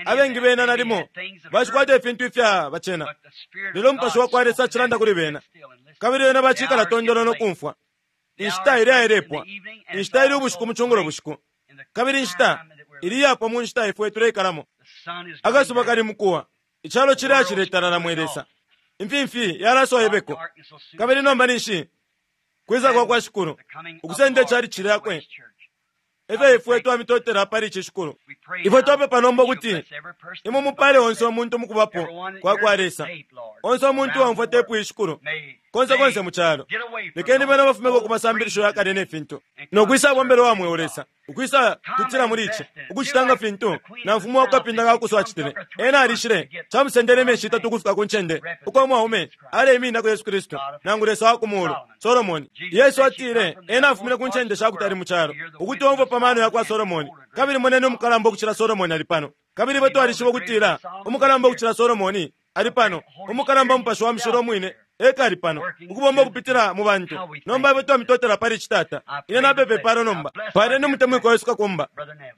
abengi bena nalimo bashikwata ifintu ifya bacena, lelo Umupashi wa kwa Lesa acilanda kuli bena, kabili bena bacikala tondolo no kumfwa. Inshita ili ailepwa, inshita ili ubushiku mu cungulo bushiku, kabili inshita ili iyapwa mu nshita ifwe tuleikalamo. Akasuba kali mukuwa, icalo cili aciletalala, mwe Lesa. Imfimfi yalaswa ibeko, kabili nomba ninshi kwisa kwa kwa Shikulu ukusenda icalici lyakwe. Efyo ifwe twamitotela pali ici, Shikulu. Ifwe twapepa nomba ukuti imwe mupale onse umuntu mukubapo kwa kwa Lesa, onse umuntu uwaumfwa tepu iyi, Shikulu, konse konse mu calo. Lekeni bena bafumeko ku masambilisho ya kale ne fintu, no kwisa bombela uwa mweo Lesa, ukwisa tutila muli ici, ukucita nga fintu namfumu wa ku kapinda ka kuso acitile. Ena alishile, camusendele imyeshi itatu ukufika ku ncende uko umwaume aleimininako Yesu Kristu, nangu Lesa wa ku muulu, Solomone. Yesu atile ena afumine ku ncende sha kutali mu calo, ukuti omfwe pa mano ya kwa Solomone. Kabili moneni umukalamba ukucila Solomone ali pano. Kabili ifwe twalishiba ukutila umukalamba ukucila Solomone ali pano, umukalamba Mupashi wa Mushilo umwine eka ali pano, ukubomba ukupitila mu bantu. Nomba ifwe twamitotela pali ici, Tata. Ine napepa ipalo nomba. Paleni umutemwikwa wesu kakumba,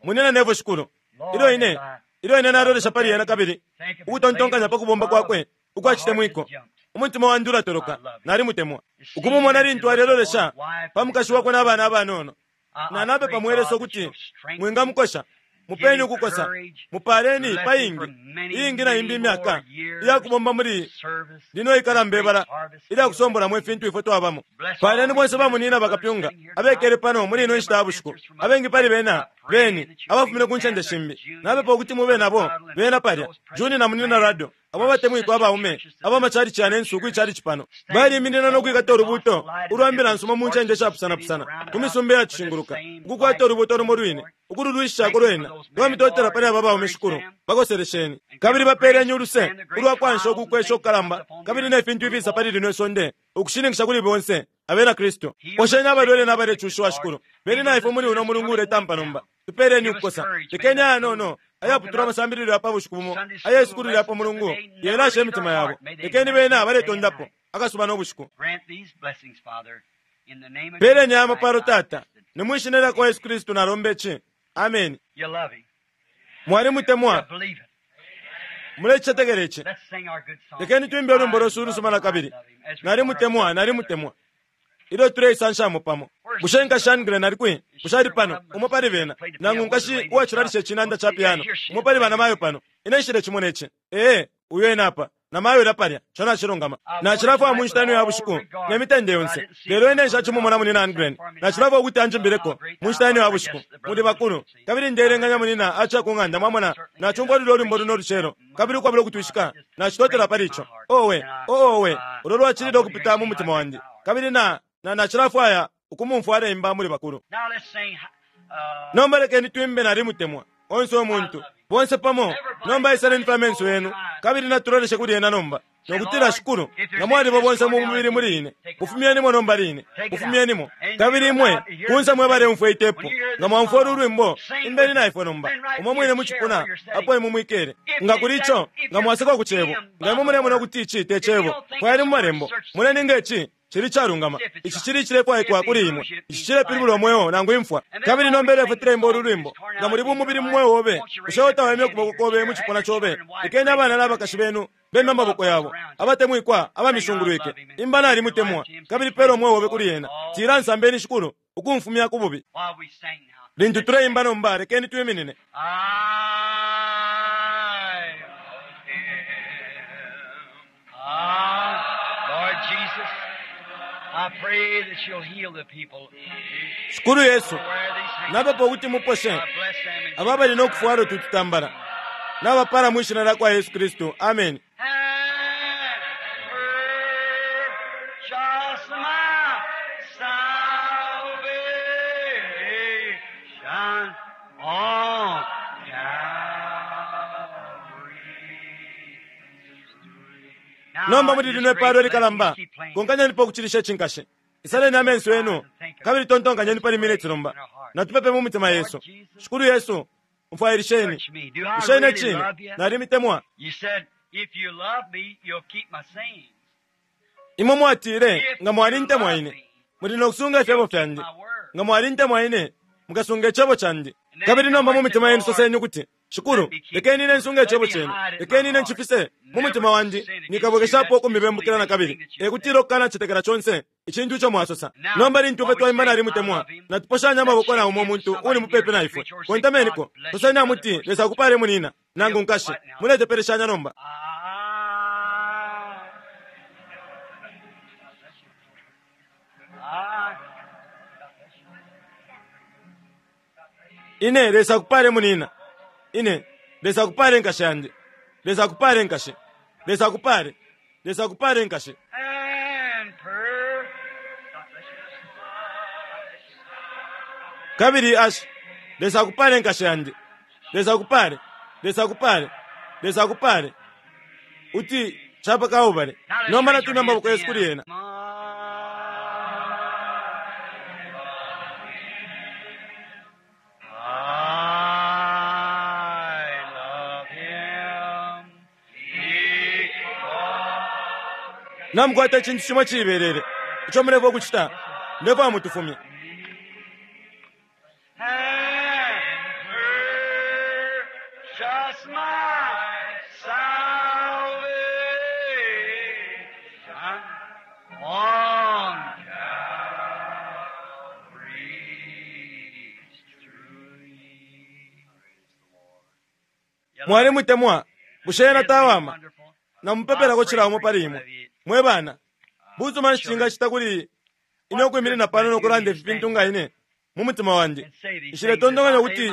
Munyina Neville, Shikulu. Ilyo ine, ilyo ine nalolesha pali ena kabili ukutontonkanya pa kubomba kwakwe ukwa citemwiko, umutima wandi ulatoloka. Nalimutemwa. Ukumumona lintu alelolesha pa mukashi wakwe na bana abanono. Na napepa mwe Lesa ukuti mwingamukosha. Mupeni ukukosa. Mupaaleni pa ingi, iingi na imbi imyaka iya kubomba muli lino ikalamba ibala ilya kusombolamo ifintu ifwe twabamo. Paaleni bonse bamunyina bakapyunga abekele pano muli ino nshita ya bushiku, abengi pali bena beni abafumine ku ncende shimbi. Napepa ukuti mube nabo bena palya, Juni na Munyina Ruddell, abo abatemwikwa abaume aba macalici yanensu kwi calici pano, baliiminina no kwikata ulubuuto ulwa mbila nsuma mu ncende ishapusanapusana ku misumba iyatushinguluka, ukukwata ulubuuto lumo lwine, ukululwishishako lwena. Twamitotela pali aba baume, Shikulu. Bakoselesheni, kabili bapeeleni uluse ulwa kwansha uku kwesha ukukalamba kabili ne fintu ifiisa pali lino isonde, ukushininkisha kuli bonse Abena Kristu. Posheni abalwele na balecushiwa, Shikulu. Beni na ifwe muli uno mulungu uletampa nomba. Tupeeleni ukukosa. Lekeni ayanono ayaputulwa amasambililo ya pa bushiku bumo aye sukulu lya pa Mulungu yelashe imitima yabo. Lekeni bena baletondapo akasuba no bushiku. Peeleni aya mapalo, Tata. Ni mwi shina lya kwa Yesu Kristu nalomba ici. Ameni. Mwalimutemwa? Mulecicetekela ici? Lekeni twimbe ulwimbo lwesu ulusuma na kabili. Nalimutemwa, nalimutemwa. Ilyo tuleisanshamo pamo. Bushe Nkashi Ungren ali kwi? Bushe ali pano? Umo pali bena. Nangu nkashi uwacilalisha icinanda ca piano. Umo pali banamayo pano. Ine nshilecimona ici. Ee, uyo ena apa. Namayo ulya palya. Ico nacilungama. Nacilafwaya mu nshita ino ya bushiku, ne mitende yonse. Lelo ine nshacimumona Munyina Ungren. Nacilafwaya ukuti anjimbileko, mu nshita ino ya bushiku. Muli bakulu. Kabili ndeelenganya munyina aciya ku ng'anda, mwamona. Nacumfwa lulyo lwimbo luno lucelo. Kabili ukwabula ukutwishika, nacitotela pali ico. Owe, oo, owe, ulo lwacilile ukupita mu mutima wandi. Kabili na, na, nacilafwaya ukumumfwa aleimba muli bakulu. Nomba lekeni twimbe Nalimutemwa, onse umuntu, bonse pamo. Nomba isaleni fye amenso yenu, kabili natuloleshe kuli Ena nomba, no kutila, Shikulu, nga mwaliba bonse mu mubili muli ine, bufumyenimo nomba line. Bufumyenimo. Kabili imwe, kunse mwe baleumfwa itepu, nga mwaumfwa ulu lwimbo, imbeni na ifwe nomba, umo mwine mu cipuna apo imwe mwikele. Nga kuli ico, nga mwasekwa ku Cebo, nga imwe mulemona ukuti ici te Cebo, fwayeni mu Malembo, moneni nga ici. Cili icalungama. Ici cili icilefwaikwa kuli imwe. Ici cilepilibula umweo nangu imfwa. Kabili nomba ilyo ifwe tuleimba ulu lwimbo, nga muli bumubili mu mweo obe, bushe utawemye ukuboko kobe mu cipuna cobe? Lekeni abana na bakashi benu bemye amaboko yabo, abatemwikwa abamishungulwike. Imba nalimutemwa, kabili pela umweo obe kuli ena. Tila, Nsambeni Shikulu ukumfumya ku bubi. While we sing now. Lintu tuleimba nomba, lekeni twiminine. I love him. Ah, Lord Jesus, I pray that you'll heal the people. Shikulu Yesu, Wear these napepa ukuti muposhe God bless them in aba bali no kufwala utu tutambala nabapala mwi shina lya kwa Yesu Kristu. Amen. And purchase my salvation on Calvary's tree. Nomba muli lino ipalo likalamba, konkanyenipo ukucilisha icinkashe. Isaleni amenso yenu kabili tontonkanyeni pali miniti nomba. Natupepe mu mitima yesu. Shikulu Yesu, mfwailisheni. Search me. Do I Bushe ine really cine love you? nalimitemwa? You said, if you love me, you'll keep my sayings. Imwe mwatile nga mwalintemwa ine, muli no kusunga ifyebo fyandi. Nga mwalintemwa ine, mukasunga icebo candi. Kabili nomba mu mitima yenu soseni ukuti, Shikulu, lekeni ine nsunge icebo cenu, lekeni ine ncifise mu mutima wandi, nikabwekeshapo ukumibembukila na kabili. E kutila ukukanacetekela conse icintu ico mwasosa. Nomba lintu ifwe twaimba nalimutemwa, natuposhanya amaboko na umo muntu uli mupepi na ifwe. Kontameniko, soseni amuti, Lesa akupale munina, nangu nkashi. Muletepeleshanya nomba. I, I, Ine Lesa akupale munina. Ine Lesa akupale nkashi yandi. Lesa akupale nkashi. Lesa akupale. Lesa akupale nkashi. and per. Kabili ashi. Lesa akupale nkashi yandi. Lesa akupale. Lesa akupale. Lesa akupale. Uti chapa kaubale. Nomba natumya amaboko yesu kuli ena. I love him because Namukwata icintu cimo ciibelele. Ico mulefwa ukucita. Ndefwa mutufumye. and purchased my salvation on Calvary's tree. Mwalimutemwa. Bushe ena tawama. Namupepelako cila umo pali imwe. Mwe bana, busuma nshi cingacita kuli ine ukwiminina pano no kulanda ifi fintu nga ine mu mutima wandi. Nshiletontonkanya ukuti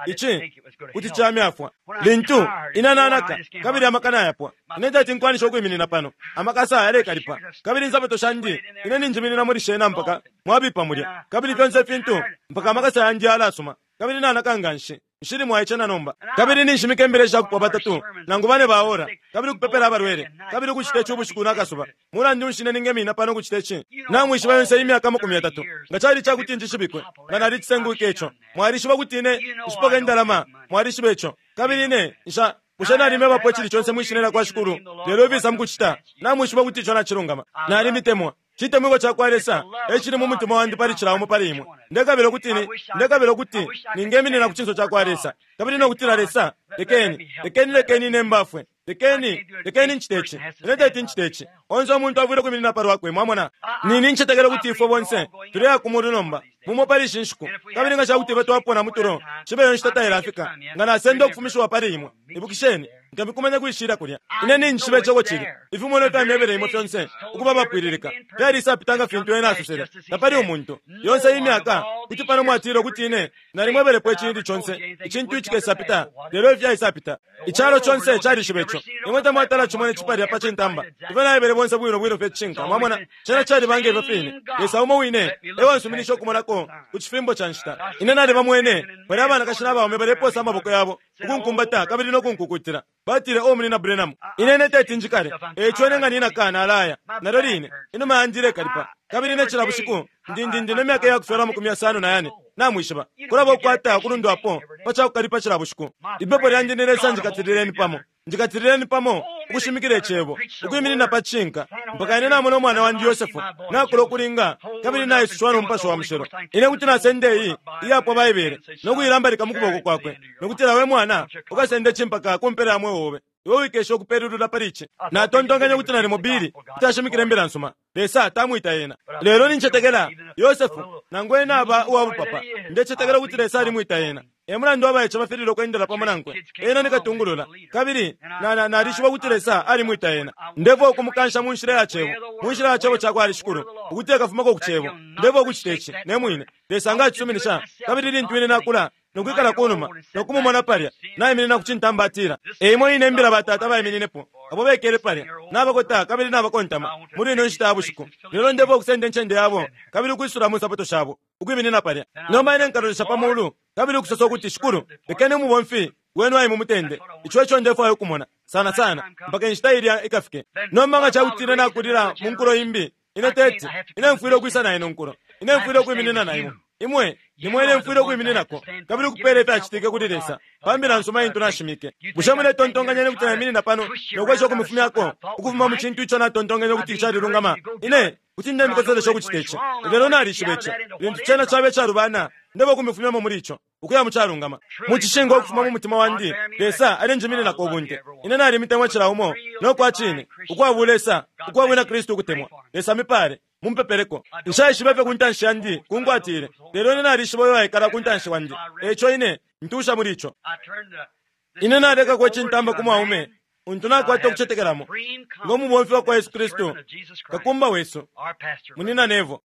ici kuti camyafwa. Lintu ine nanaka kabili amaka nayapwa, ine tati nkwanisha ukwiminina pano, amakasa yalekalipa kabili insapato shandi ine ninjiminina muli shena mpaka mwabipa mulya, kabili fyonse ifintu mpaka amakasa yandi yalasuma kabili nanaka nga nshi. Nshili mwaice na nomba kabili ninshimika imbele shakupwa batatu nangu bane baora kabili ukupepela abalwele kabili ukucita ici ubushiku nakasuba. Mulandu nshi ine ningemina pano ukucita ici? Namwishiba yonse imyaka 30 nga cali cakuti njishibikwe nga nalicisengwike ico. Mwalishiba kuti ine nshipoka indalama, mwalishiba ico. Kabili ine nsha bushe nalimebapo icili conse mwishina lya kwa Shikulu, lelo ifisa mukucita namwishiba kuti ico nacilungama. Nalimitemwa. Citemwiko ca kwa Lesa ecili mu mutima wandi pali cila umo pali imwe. Ndekabila ukuti ni ndekabila ukuti ningeminina ku cinso ca kwa Lesa kabili no kutila, Lesa, lekeni lekeni lekeni ine mbafwe, lekeni lekeni ncite ici, ine teti ncite ici. Onse umuntu afwile ukwiminina pa lwakwe. Mwamona, nini ncetekela ukuti ifwe bonse tuleya ku mulu nomba mumo pali ishi nshiku, kabili nga cakuti ifwe twapona mutulo cibe iyo nshita tailafika, nga nasenda ukufumishiwa pali imwe. Ibukisheni, nkamikumanya kwishila kulya. Ine ninjishiba icebo cili ifimonwa ifyamyebele imwe fyonse ukuba abapwililika fyalisapita nga fintu ena asosele. Tapali umuntu yonse iyi myaka kuti pano mwatile ukuti ine nalimwebelepo icintu conse icintu icikesapita, lelo ifyaisapita. Icalo conse calishiba ico. Imwe tamwatala cimone cipalya pa cintamba. Ifyo naebele bonse bwino bwino fye cishinka. Mwamona, cena calibanga ifyo fine. Lesa umo wine ewansuminisha ukumonako ku cifimbo ca nshita. Ine nalibamwene bali abanakashi n'abaume baleposa amaboko yabo ukunkumbata kabili no kunkukutila. Batile, o munina Branham, ine ine teti njikale. Eco ine nga ninaka nalaya. Nalyo line inuma yandi ilekalipa kabili ine cila bushiku ndindindi ne myaka iyakufyalwa 54. Namwishiba kulaba ukukwata ukulundwapo pa cakukalipa cila bushiku. Ipepo lyandi ni Lesa, njikatilileni pamo, njikatilileni pamo ukushimikila icebo, ukwiminina pa cishinka. Mpaka ine namona umwana wandi Yosefu nakula ukulinga kabili naisushiwa no Mupashi wa Mushilo. Ine kuti nasenda iyi iyapwa Baibele no kuilambalika mu kuboko kwakwe, no kutila, We mwana, ukasende ci mpaka ku mpela ya mweo obe. Iwe wikesha ukupelulula pali ici. Natontonkanya ukuti nalimo Billy kuti ashimikila imbila nsuma. Lesa tamwita ena. Lelo nincetekela, Yosefu, nangu ena aba uwa bupapa, ndecetekela ukuti Lesa alimwita ena. E mulandu abaice bafililwe ukwendela pamo nankwe. Ena ni katungulula, kabili na, na, nalishiba ukuti Lesa alimwita ena. Ndefwaya ukumukansha mu nshila ya Cebo, mu nshila ya Cebo cakwa Shikulu, ukuti ekafumako ku Cebo. Ndefwaya ukucita ici, ne mwine. Lesa nga acisuminisha, kabili lintu ine nakula, no kwikala kunuma, no kumumona palya, naiminina ku cintamba atila, E imo ine mbila batata baimininepo, abo bekele palya, nabakota kabili nabakontama, muli ino nshita ya bushiku. Lelo ndefwaya ukusenda incende yabo, kabili ukwisula mu nsapato shabo, ukwiminina palya. Nomba ine nkalolesha pa mulu, kabili ukusosa ukuti, Shikulu, lekeni umubomfi wenu aye mu mutende. Ico eco ndefwaya ukumona, sana sana, mpaka inshita ilya ikafike. Nomba nga ca kuti ine nakulila mu nkulo imbi, ine teti, ine mfwile ukwisa na ino nkulo. Ine mfwile ukwiminina na imwe. Imwe nimwe ine mfwile ukwimininako, kabili ukupeela ifyacitike kuli Lesa pa mbila nsuma intu nashimike. Bushe muletontonkanya ukuti naiminina pano no kwesha ukumufumyako ukufuma mu cintu ico natontonkenye ukuti calilungama? Ine kuti ndemikoselesha ukucita ici, lelo nalishiba ici, lintu cena caba icalubana, ndeba ukumifumyamo muli ico, ukuya mu calungama. Mu cishinka ukufuma mu mutima wandi, Lesa alenjimininako ubunte. Ine nalimitemwa cila umo, no kwa cine, ukwa bulesa, ukwa bwina Kristu ukutemwa. Lesa amipaale. Mumpepeleko. Nshaishiba ifyo ku ntanshi yandi kunkwatile, lelo ine nalishiba uyo waikala ku ntanshi wandi, e ico ine ntuusha muli ico. Ine nalekako icintamba ku mwaume untu nakwata ukucetekelamo ngo mubomfi wa kwa Yesu Kristu, kakumba wesu, Munyina Neville.